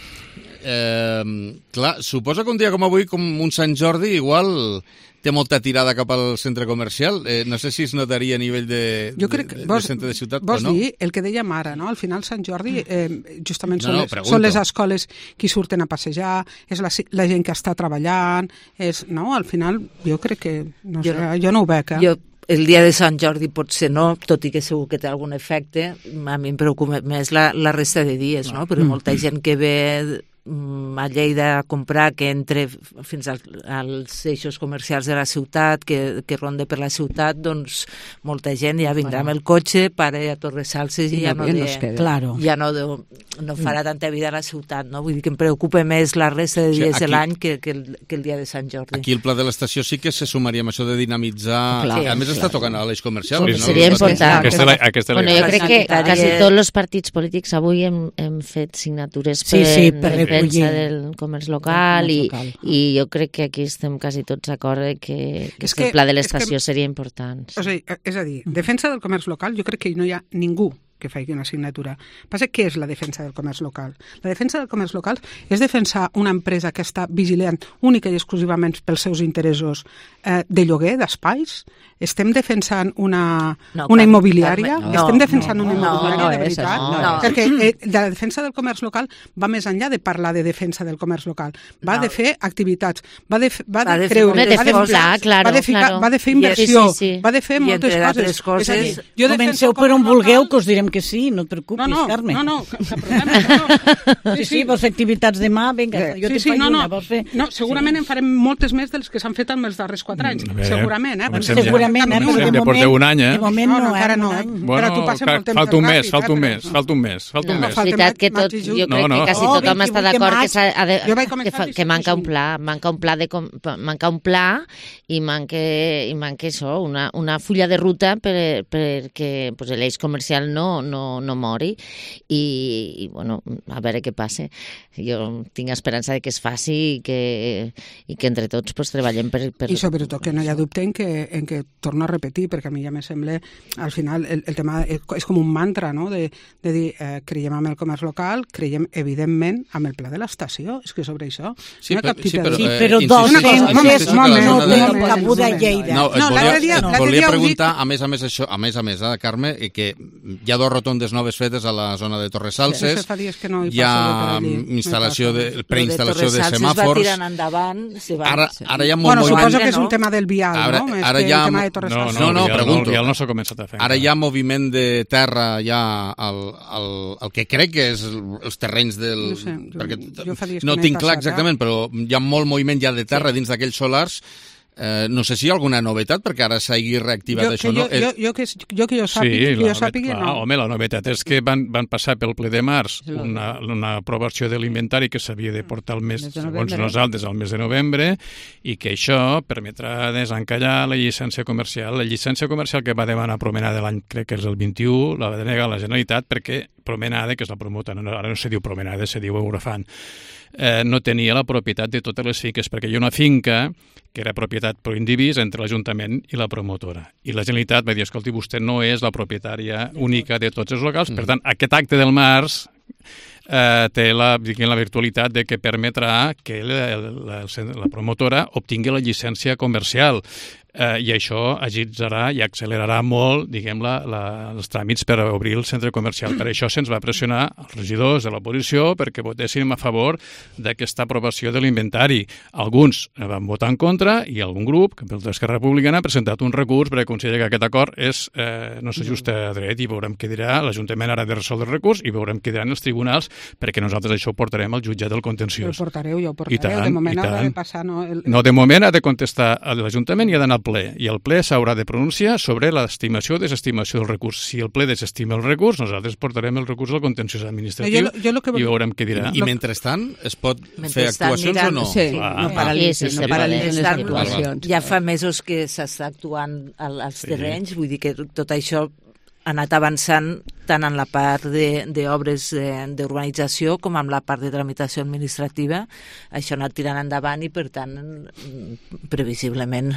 Eh, clar, suposo que un dia com avui, com un Sant Jordi, igual... té molta tirada cap al centre comercial. Eh, no sé si es notaria a nivell de, jo crec que, de, vos, de centre de ciutat vols o no. Vols dir el que dèiem ara, no? Al final Sant Jordi eh, justament no, són, no, les, són les escoles que surten a passejar, és la, la gent que està treballant, és, no? Al final jo crec que, no jo, sé, no, jo no ho veig, eh? Jo el dia de Sant Jordi potser no, tot i que segur que té algun efecte, a mi em preocupa més la, la resta de dies, no? Perquè molta gent que ve a Lleida a comprar, que entre fins al, als eixos comercials de la ciutat, que, que ronda per la ciutat, doncs molta gent ja vindrà amb el cotxe, para a Torressalses i ja no, de, claro. ja no, de, no farà tanta vida a la ciutat, no? Vull dir que em preocupa més la resta de dies sí, aquí, de l'any que, que, el, que el dia de Sant Jordi. Aquí el pla de l'estació sí que se sumaria amb això de dinamitzar... Clar, sí, a més clar. Està tocant a l'eix comercial. Sí, no? Seria important. Aquesta, la, aquesta bueno, jo crec que quasi tots els partits polítics avui hem, hem fet signatures per, sí, sí, per defensa del comerç local, i, local i jo crec que aquí estem quasi tots d'acord que, que, que el pla de l'estació seria important. O sigui, és a dir, defensa del comerç local, jo crec que no hi ha ningú que faci una assignatura. Passa què és la defensa del comerç local? La defensa del comerç local és defensar una empresa que està vigilant única i exclusivament pels seus interessos eh, de lloguer, d'espais? Estem defensant una, no, una immobiliària? No, Estem defensant no, una immobiliària, no, no, de veritat? No, no. Perquè eh, la defensa del comerç local va més enllà de parlar de defensa del comerç local. Va no. de fer activitats, va de, va de, de creure, va de, posar, claro, va, de ficar, claro. va de fer inversió, sí, sí, sí. va de fer I moltes coses. coses. És a dir, jo comenceu per on vulgueu, que us direm diem que sí, no et preocupis, no, no, Carme. No, no, cap problema. No. Sí, sí, vols fer activitats demà? Vinga, jo sí, te sí, faig no, una, no. vols fer? No, segurament sí. en farem moltes més dels que s'han fet en els darrers quatre anys. Bé, segurament, eh? Comencem segurament, ja. eh? Comencem, De ja porteu un any, eh? De moment no, no, encara no. eh? Bueno, tu passes molt temps falta un mes, ràpid, falta un eh? mes, falta un mes, falta un no, mes. És veritat que tot, jo crec no, no. que quasi Oh, tothom està d'acord que, s'ha de, que, fa, que manca un juny. pla, manca un pla, de, manca un pla i manca, i manca això, una, una fulla de ruta per, perquè pues, l'eix comercial no, no, no mori i, i, bueno, a veure què passa. Jo tinc esperança de que es faci i que, i que entre tots pues, treballem per, per... I sobretot que no hi ha dubte en que, en que torno a repetir, perquè a mi ja me sembla, al final, el, el tema és, és com un mantra, no?, de, de dir, eh, creiem en el comerç local, creiem, evidentment, amb el pla de l'estació, és que sobre això sí, no hi ha cap sí, tipus però, de... eh, però dos cents no tenen cabuda a Lleida. No, et No, volia, l'altre dia- et l'altre volia dia ho preguntar, dic- a més a més, això, a més a més, eh, Carme, i que hi ha dos rotondes noves fetes a la zona de Torresalses, Sí, fa dies que no hi hi ha passo per allí, no hi instal·lació passo. de, preinstal·lació de Es va semàfors. tirant endavant. Se va, Ara, ara hi ha molt Bueno, moviment. suposo que és un tema del vial, Ara- no? Més ara que hi ha- un tema de No, Torresalses. no, No, no, el vial pregunto. No, el vial no s'ha començat a fer. Ara hi ha moviment de terra ja al, al, al que crec que és els terrenys del... No sé, jo- perquè jo fa dies que no no he tinc clar passat, exactament, però hi ha molt moviment ja de terra dins d'aquells solars. Eh, no sé si hi ha alguna novetat, perquè ara s'hagi reactivat Jo, això, que no? jo, jo, jo, que, jo que jo sàpiga, Sí, que la jo sàpiga, novetat, no. clar, home, la novetat és que van, van passar pel ple de març una, una aprovació de l'inventari que s'havia de portar el mes, Mes de segons novembre. nosaltres, al mes de novembre, i que això permetrà desencallar la llicència comercial. La llicència comercial que va demanar Promenade l'any, crec que és el vint-i-u, la va denegar la Generalitat perquè Promenade, que és la promotora, no, ara no se diu Promenade, se diu Eurofan, eh, no tenia la propietat de totes les finques, perquè hi ha una finca que era propietat per indivís entre l'Ajuntament i la promotora. I la Generalitat va dir, escolti, vostè no és la propietària única de tots els locals, per tant, aquest acte del març eh, té la, diguem, la virtualitat de que permetrà que la, la, la promotora obtingui la llicència comercial. Eh, I això agilitzarà i accelerarà molt, diguem, la, la, els tràmits per obrir el centre comercial. Per això se'ns va pressionar els regidors de l'oposició perquè votéssim a favor d'aquesta aprovació de l'inventari. Alguns van votar en contra i algun grup, que pel d'Esquerra Republicana, ha presentat un recurs perquè considera que aquest acord és, eh, no s'ajusta a dret i veurem què dirà. L'Ajuntament ara ha de resoldre el recurs i veurem què diran els tribunals perquè nosaltres això ho portarem al jutjat del Jo ho contenciós. portareu, jo ho I portareu. tant, de moment i haurà tant. de passar... No, el... No, de moment ha de contestar a l'Ajuntament i ha d'anar al ple. I el ple s'haurà de pronunciar sobre l'estimació o desestimació del recurs. Si el ple desestima el recurs, nosaltres portarem el recurs al contenciós administratiu Jo, jo lo que... i veurem què dirà. I mentrestant es pot fer Mentrestant actuacions aniran- o no? Sí, Clar. no paralitzin, Sí, sí, no sí, paralitzin les Estan- actuacions. Ja fa mesos que s'està actuant al- als Sí. terrenys, vull dir que tot això ha anat avançant tant en la part d'obres d'urbanització com en la part de tramitació administrativa. Això ha anat tirant endavant i, per tant, previsiblement...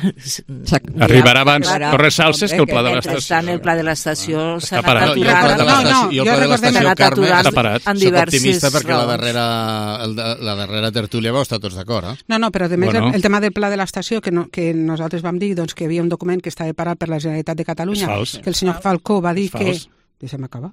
Arribarà abans Torresalses que el pla de l'estació. Mentrestant, el pla de l'estació s'ha Està parat. anat No, i el pla de aturant. No, no, l'estació, i el jo pla de recordem- l'estació, S'ha anat Carme, aturant està parat. en soc diverses optimista perquè la raons. darrera, el, de- la darrera tertúlia vau estar tots d'acord, eh? No, no, però a més Bueno. el, el tema del pla de l'estació, que, no, que nosaltres vam dir doncs, que hi havia un document que estava parat per la Generalitat de Catalunya, És fals. que el senyor Falcó va dir És que... fals. Deixa'm acabar.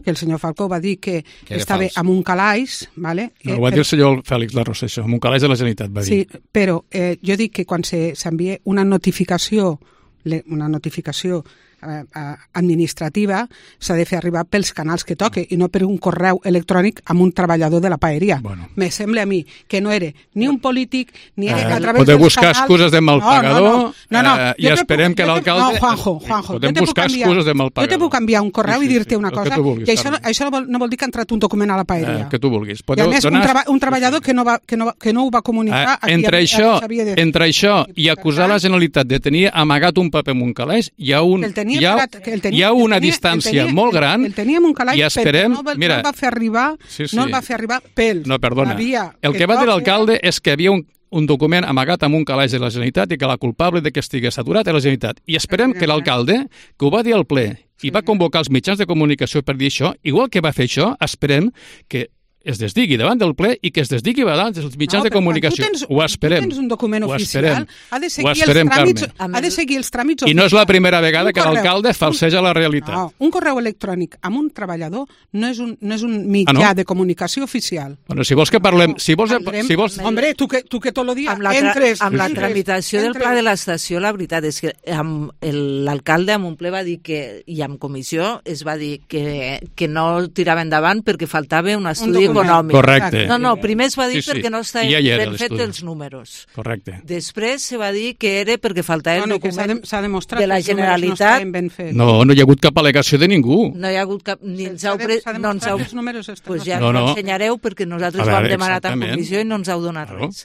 que el senyor Falcó va dir que, Que era estava fals. amb un calaix, ¿vale? No, Eh, ho va però- dir el senyor Fèlix Larrosa, això, amb un calaix de la Generalitat, va dir. Sí, però eh, jo dic que quan se- s'envia una notificació, le- una notificació eh, eh, administrativa, s'ha de fer arribar pels canals que toque i no per un correu electrònic amb un treballador de la paeria. Bueno. Me sembla a mi que no era ni un polític ni era Eh, a través podeu dels buscar canals... excuses de mal No, pagador, no, no, no, eh, i jo te esperem puc- que jo te- l'alcalde- No, Juanjo, Juanjo, Podem jo te puc buscar canviar- excuses de mal Jo te pagador. puc canviar un correu Sí, i sí, dir-te sí, una el que cosa, tu vulguis, i això, Carme. això no, vol, no vol dir que ha entrat un document a la paeria. Eh, que tu vulguis. I a Podeu més, un, donar... treba, un treballador que no, va, que, no va, que no ho va comunicar... Eh, a qui entre, havia- això, s'havia de fer. entre això i acusar la Generalitat de tenir amagat un paper en un calaix, hi ha, un, El tenia hi ha, parat- que el tenia- hi ha el una tenia- distància el tenia- molt gran El teníem un calaix, i esperem... però no, va- mira, no el va fer arribar, sí, sí. no el va fer arribar pel... No, perdona. la via El que va dir toca. l'alcalde és que hi havia un, un document amagat amb un calaix de la Generalitat i que la culpable de que estigués saturat era la Generalitat. I esperem que l'alcalde, que ho va dir al ple i va convocar els mitjans de comunicació per dir això, igual que va fer això, esperem que es desdigui davant del ple i que es desdigui davant dels mitjans no, de comunicació. Tens, ho esperem. Tu tens un document ho oficial, ha de seguir, esperem, els tràmits, Carme. ha de seguir els tràmits I oficials. no és la primera vegada un que l'alcalde falseja la realitat. No, un correu electrònic amb un treballador no és un, no és un mitjà ah, no? de comunicació oficial. Bueno, si vols que parlem... Si vols, Andrem, si vols... Hombre, tu que, tu que tot el dia amb la, entres... Amb la entres, tramitació entres. del pla de l'estació, la veritat és que l'alcalde amb un ple va dir que, i amb comissió es va dir que, que no tirava endavant perquè faltava un estudi un econòmic. Correcte. No, no, primer es va dir sí, sí. perquè no estaven ja ben fets els números. Correcte. Després se va dir que era perquè faltava no, no, el document de, demostrat de la Generalitat. No, ben fets. no, no hi ha hagut cap al·legació de ningú. No hi ha hagut cap... Ni ens heu pre... no ens heu... Pues ja no, no. ens ensenyareu perquè nosaltres veure, ho hem demanat a exactament. comissió i no ens heu donat claro. res.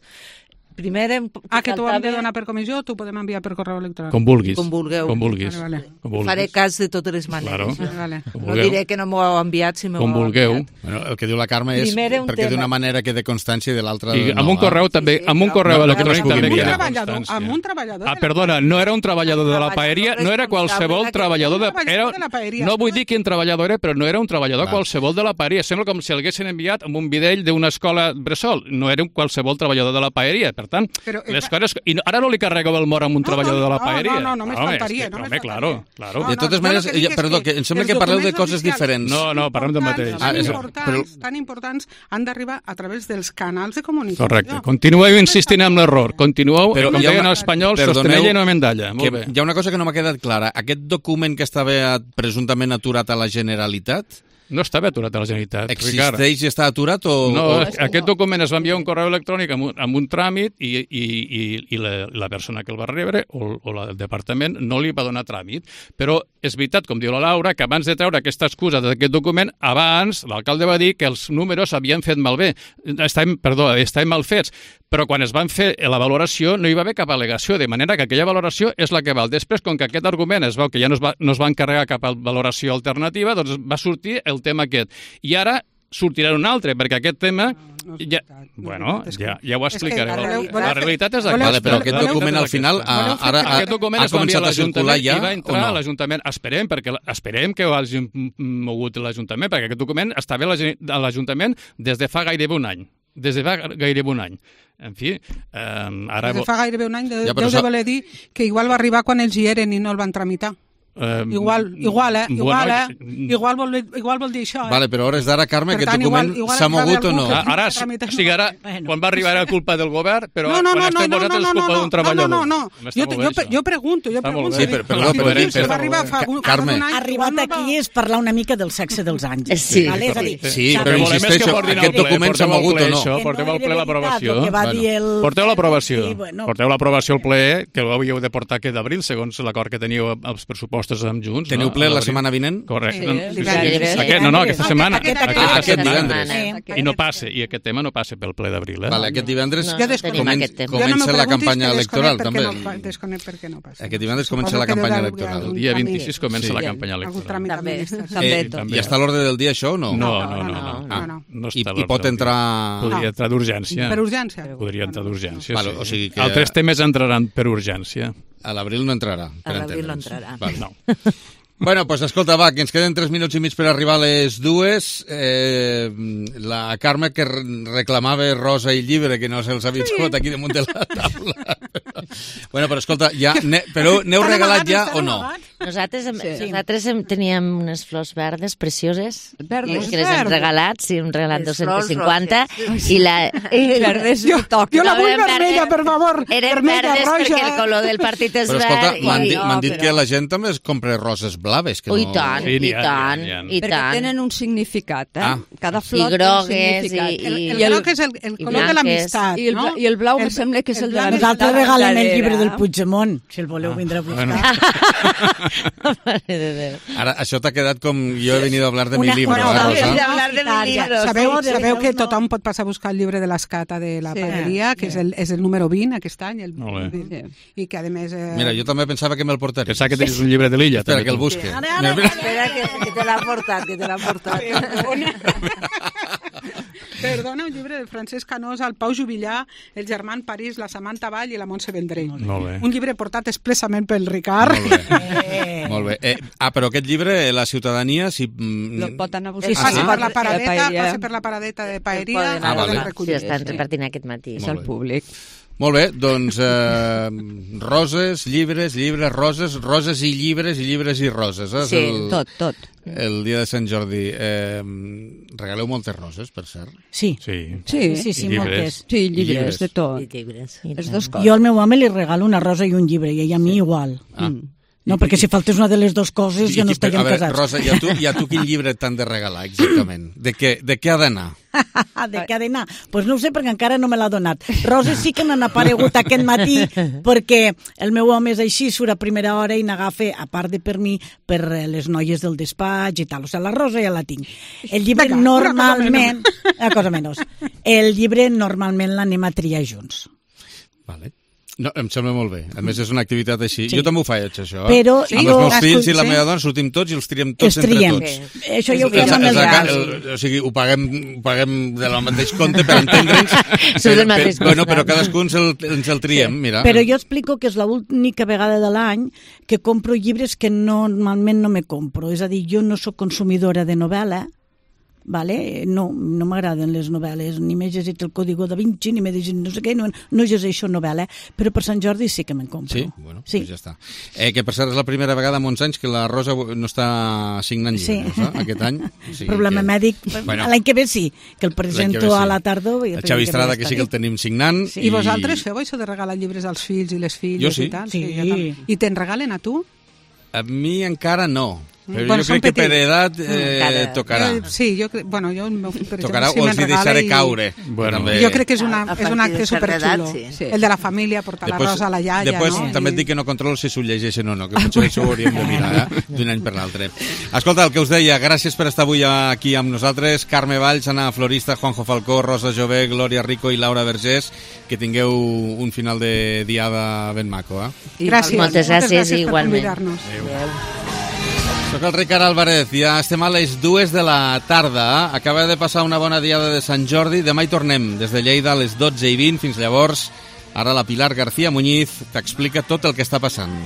Primer hem... Ah, que t'ho hem de donar per comissió o t'ho podem enviar per correu electrònic? Com vulguis. Com vulgueu. Com vulguis. Vale, vale. Com vulguis. Faré cas de totes les maneres. Claro. Vale. No diré que no m'ho heu enviat si m'ho Com heu vulgueu. enviat. Bueno, el que diu la Carme és perquè d'una manera quede constància i de l'altra no. Amb un correu eh? també, amb un correu electrònic també queda constància. Amb un treballador Ah, perdona, no era un treballador de la paeria, no era qualsevol treballador de... Era... No vull dir quin treballador era, però no era un treballador qualsevol de la paeria. Sembla com si l'haguessin enviat amb un videll d'una escola bressol. No era un qualsevol treballador de la paeria. Per tant, les coses... I ara no li carregueu el mort amb un treballador de la paeria. No, no, només faltaria. Home, claro, claro. De totes maneres, perdó, que em sembla que parleu de coses diferents. No, no, parlem del mateix. Tan importants, tan importants han d'arribar a través dels canals de comunicació. Correcte. Continueu insistint en l'error. Continueu, com deien els espanyols, sostenella i no mendalla. Molt bé. Hi ha una cosa que no m'ha quedat clara. Aquest document que estava presumptament aturat a la Generalitat... No estava aturat a la Generalitat, Existeix Ricard. i està aturat o...? No, o... aquest document es va enviar un correu electrònic amb un, amb un tràmit i, i, i, i la, la persona que el va rebre o, o la, el departament no li va donar tràmit. Però és veritat, com diu la Laura, que abans de treure aquesta excusa d'aquest document, abans l'alcalde va dir que els números havien fet malbé. Estaven, perdó, estaven mal fets. Però quan es van fer la valoració no hi va haver cap al·legació, de manera que aquella valoració és la que val. Després, com que aquest argument es veu que ja no es va, no es va encarregar cap valoració alternativa, doncs va sortir el tema aquest. I ara sortirà un altre, perquè aquest tema... Ja, bueno, ja, ja ho explicareu. La realitat és aquesta. Vale, però aquest document al final ha, ara ha, ha començat a circular ja i va entrar no? a l'Ajuntament. Esperem, perquè esperem que ho hagi mogut l'Ajuntament, perquè aquest document estava a l'Ajuntament des de fa gairebé un any. Des de fa gairebé un any. En fi, eh, ara... Des de fa gairebé un any deu ja, de so... voler dir que igual va arribar quan ells hi eren i no el van tramitar. Uh, igual, igual, eh? Igual, bueno, eh? Igual vol, igual vol dir això, eh? Vale, però a hores d'ara, Carme, aquest document s'ha mogut o no? Ara, o sigui, ara, quan va arribar era culpa del govern, però no, no, quan no, estem no, vosaltres no, és culpa d'un treballador. No, no, no, jo, jo, jo pregunto, jo pregunto. Sí, però, perdó, però, però, va arribar fa un Carme. any. Arribat aquí és parlar una mica del sexe dels àngels. Sí, vale? sí, sí, però insisteixo, aquest document s'ha mogut o no? Porteu al ple l'aprovació. Porteu l'aprovació. Porteu l'aprovació al ple, que ho havíeu de portar aquest d'abril, segons l'acord que teníeu als pressupostos amb Junts. Teniu ple la setmana vinent? Correcte. No, no, aquesta setmana. Aquest divendres. I no passa, i aquest tema no passa pel ple d'abril. Vale, aquest divendres comença la campanya electoral, també. Desconec per què no passa. Aquest divendres comença la campanya electoral. El dia vint-i-sis comença la campanya electoral. També. I està a l'ordre del dia, això, o no? No, no, no. I pot entrar... Podria entrar d'urgència. Per urgència? Podria entrar d'urgència, sí. que... Altres temes entraran per urgència. A l'abril no entrarà. A l'abril no entrarà. No. Bueno, pues escolta, va, que ens queden tres minuts i mig per arribar a les dues. Eh, la Carme que reclamava rosa i llibre, que no se'ls havia trobat aquí damunt de la taula. Bueno, però escolta, ja, ne, però n'heu regalat ja o no? Nosaltres, hem, sí. nosaltres hem, teníem unes flors verdes precioses verdes, que les hem regalat, sí, hem regalat dos-cents cinquanta i la... I verdes jo, jo la vull vermella, per favor. Eren vermella, verdes roja. perquè el color del partit és però, verd. Però escolta, m'han i... dit, no, dit però... que la gent també es compra roses blaves. Que oh, no... I tant, sí, i tant, i tant. Perquè tenen un significat, eh? Ah. Cada flor I grogues, té un significat. I, i, el, el groc és el, el color de l'amistat, I, el, no? I el blau el, em sembla que és el, el de l'amistat. Nosaltres regalem el llibre del Puigdemont, si el voleu vindre a buscar. Bueno. Ara, això t'ha quedat com jo he venido a hablar de Una, mi libro. Bueno, eh, de hablar de mi libro. Sabeu, sabeu que tothom pot passar a buscar el llibre de l'Escata de la sí, paeria, que sí. és, el, és el número vint aquest any, el, sí. i que a més... Eh... Mira, jo també pensava que me'l portaria. Pensava que tenies un llibre de l'Illa. Espera, que el busque. Sí. Ara, ara, espera, que, que te l'ha portat, que te l'ha portat. Perdona, un llibre de Francesc Canós, el Pau Juvillà, el Germán París, la Samantha Vall i la Montse Vendrell. Molt bé. Un llibre portat expressament pel Ricard. Molt bé. Molt bé. Eh, ah, però aquest llibre, la ciutadania, si... Lo pot anar a buscar. Sí, passi Ah, per la paradeta, paella. passi per la paradeta de paeria, Ah, vale. poden recollir. Sí, estan repartint aquest matí. És el públic. Molt bé, doncs eh, roses, llibres, llibres, roses, roses i llibres i llibres i roses. Eh? Sí, el, tot, tot. El dia de Sant Jordi. Eh, regaleu moltes roses, per cert. Sí. Sí, sí, sí, sí moltes. Sí, llibres, llibres. de tot. I llibres. Les dues coses. Jo al meu home li regalo una rosa i un llibre, i ell a mi igual. Ah. Mm. No, perquè si faltés una de les dues coses ja no I, estaríem a veure, casats. Rosa, i a, tu, i a tu quin llibre t'han de regalar, exactament? De què, de què ha d'anar? De què ha d'anar? Doncs pues no ho sé, perquè encara no me l'ha donat. Roses sí que n'han aparegut aquest matí, perquè el meu home és així, surt a primera hora i n'agafa, a part de per mi, per les noies del despatx i tal. O sigui, la rosa ja la tinc. El llibre Vinga, normalment... Una cosa menys. El llibre normalment l'anem a triar junts. Vale. No, em sembla molt bé. A més, és una activitat així. Sí. Jo també ho faig, això. Eh? Però amb jo- els meus fills i la sí. meva dona sortim tots i els triem tots Els triem. entre tots. Sí. Això ja ho fem Els- amb els- els els- altres. el- O sigui, ho paguem, ho paguem del mateix compte per entendre'ns. Surt del mateix però, bueno, costat. però cadascú ens el, ens el triem, mira. Però jo explico que és l'única vegada de l'any que compro llibres que normalment no me compro. És a dir, jo no sóc consumidora de novel·la, vale? No, no m'agraden les novel·les, ni m'he llegit el Código da Vinci, ni m'he llegit no sé què, no, no llegeixo novel·la, però per Sant Jordi sí que me'n compro. Sí? Bueno, Sí. Pues ja està. Eh, que per cert és la primera vegada en molts anys que la Rosa no està signant llibres, Sí. eh? Aquest any. O sigui Problema que... mèdic. Bueno. L'any que ve sí, que el L'any que presento ve sí. a la tardor. i El l'any Xavi ve Estrada, que està sí que el bé. tenim signant. I vosaltres feu això de regalar llibres als fills i les filles Jo sí. i tal? Sí. jo també. I te'n regalen a tu? A mi encara no. Però Bueno, jo són crec que per petits. edat eh, Encara. tocarà. Eh, sí, jo crec, bueno, jo el meu fill, per Tocarà exemple, o sí els hi me'n regala deixaré i- caure. Bueno. també. Jo crec que és, una, A- a és un partir acte de certa superxulo. edat, sí. El de la família, portar la rosa a la iaia, després no? també et dic que no controlo si s'ho llegeixen o no, que potser això ho hauríem de mirar eh? d'un any per l'altre. Escolta, el que us deia, gràcies per estar avui aquí amb nosaltres. Carme Valls, Anna Florista, Juanjo Falcó, Rosa Jové, Glòria Rico i Laura Vergés. Que tingueu un final de diada ben maco. Eh? Gràcies. Moltes gràcies, per igualment. convidar-nos. Soc el Ricard Álvarez, ja estem a les dues de la tarda. Acaba de passar una bona diada de Sant Jordi. Demà hi tornem, des de Lleida a les dotze i vint. Fins llavors, ara la Pilar García Muñiz t'explica tot el que està passant.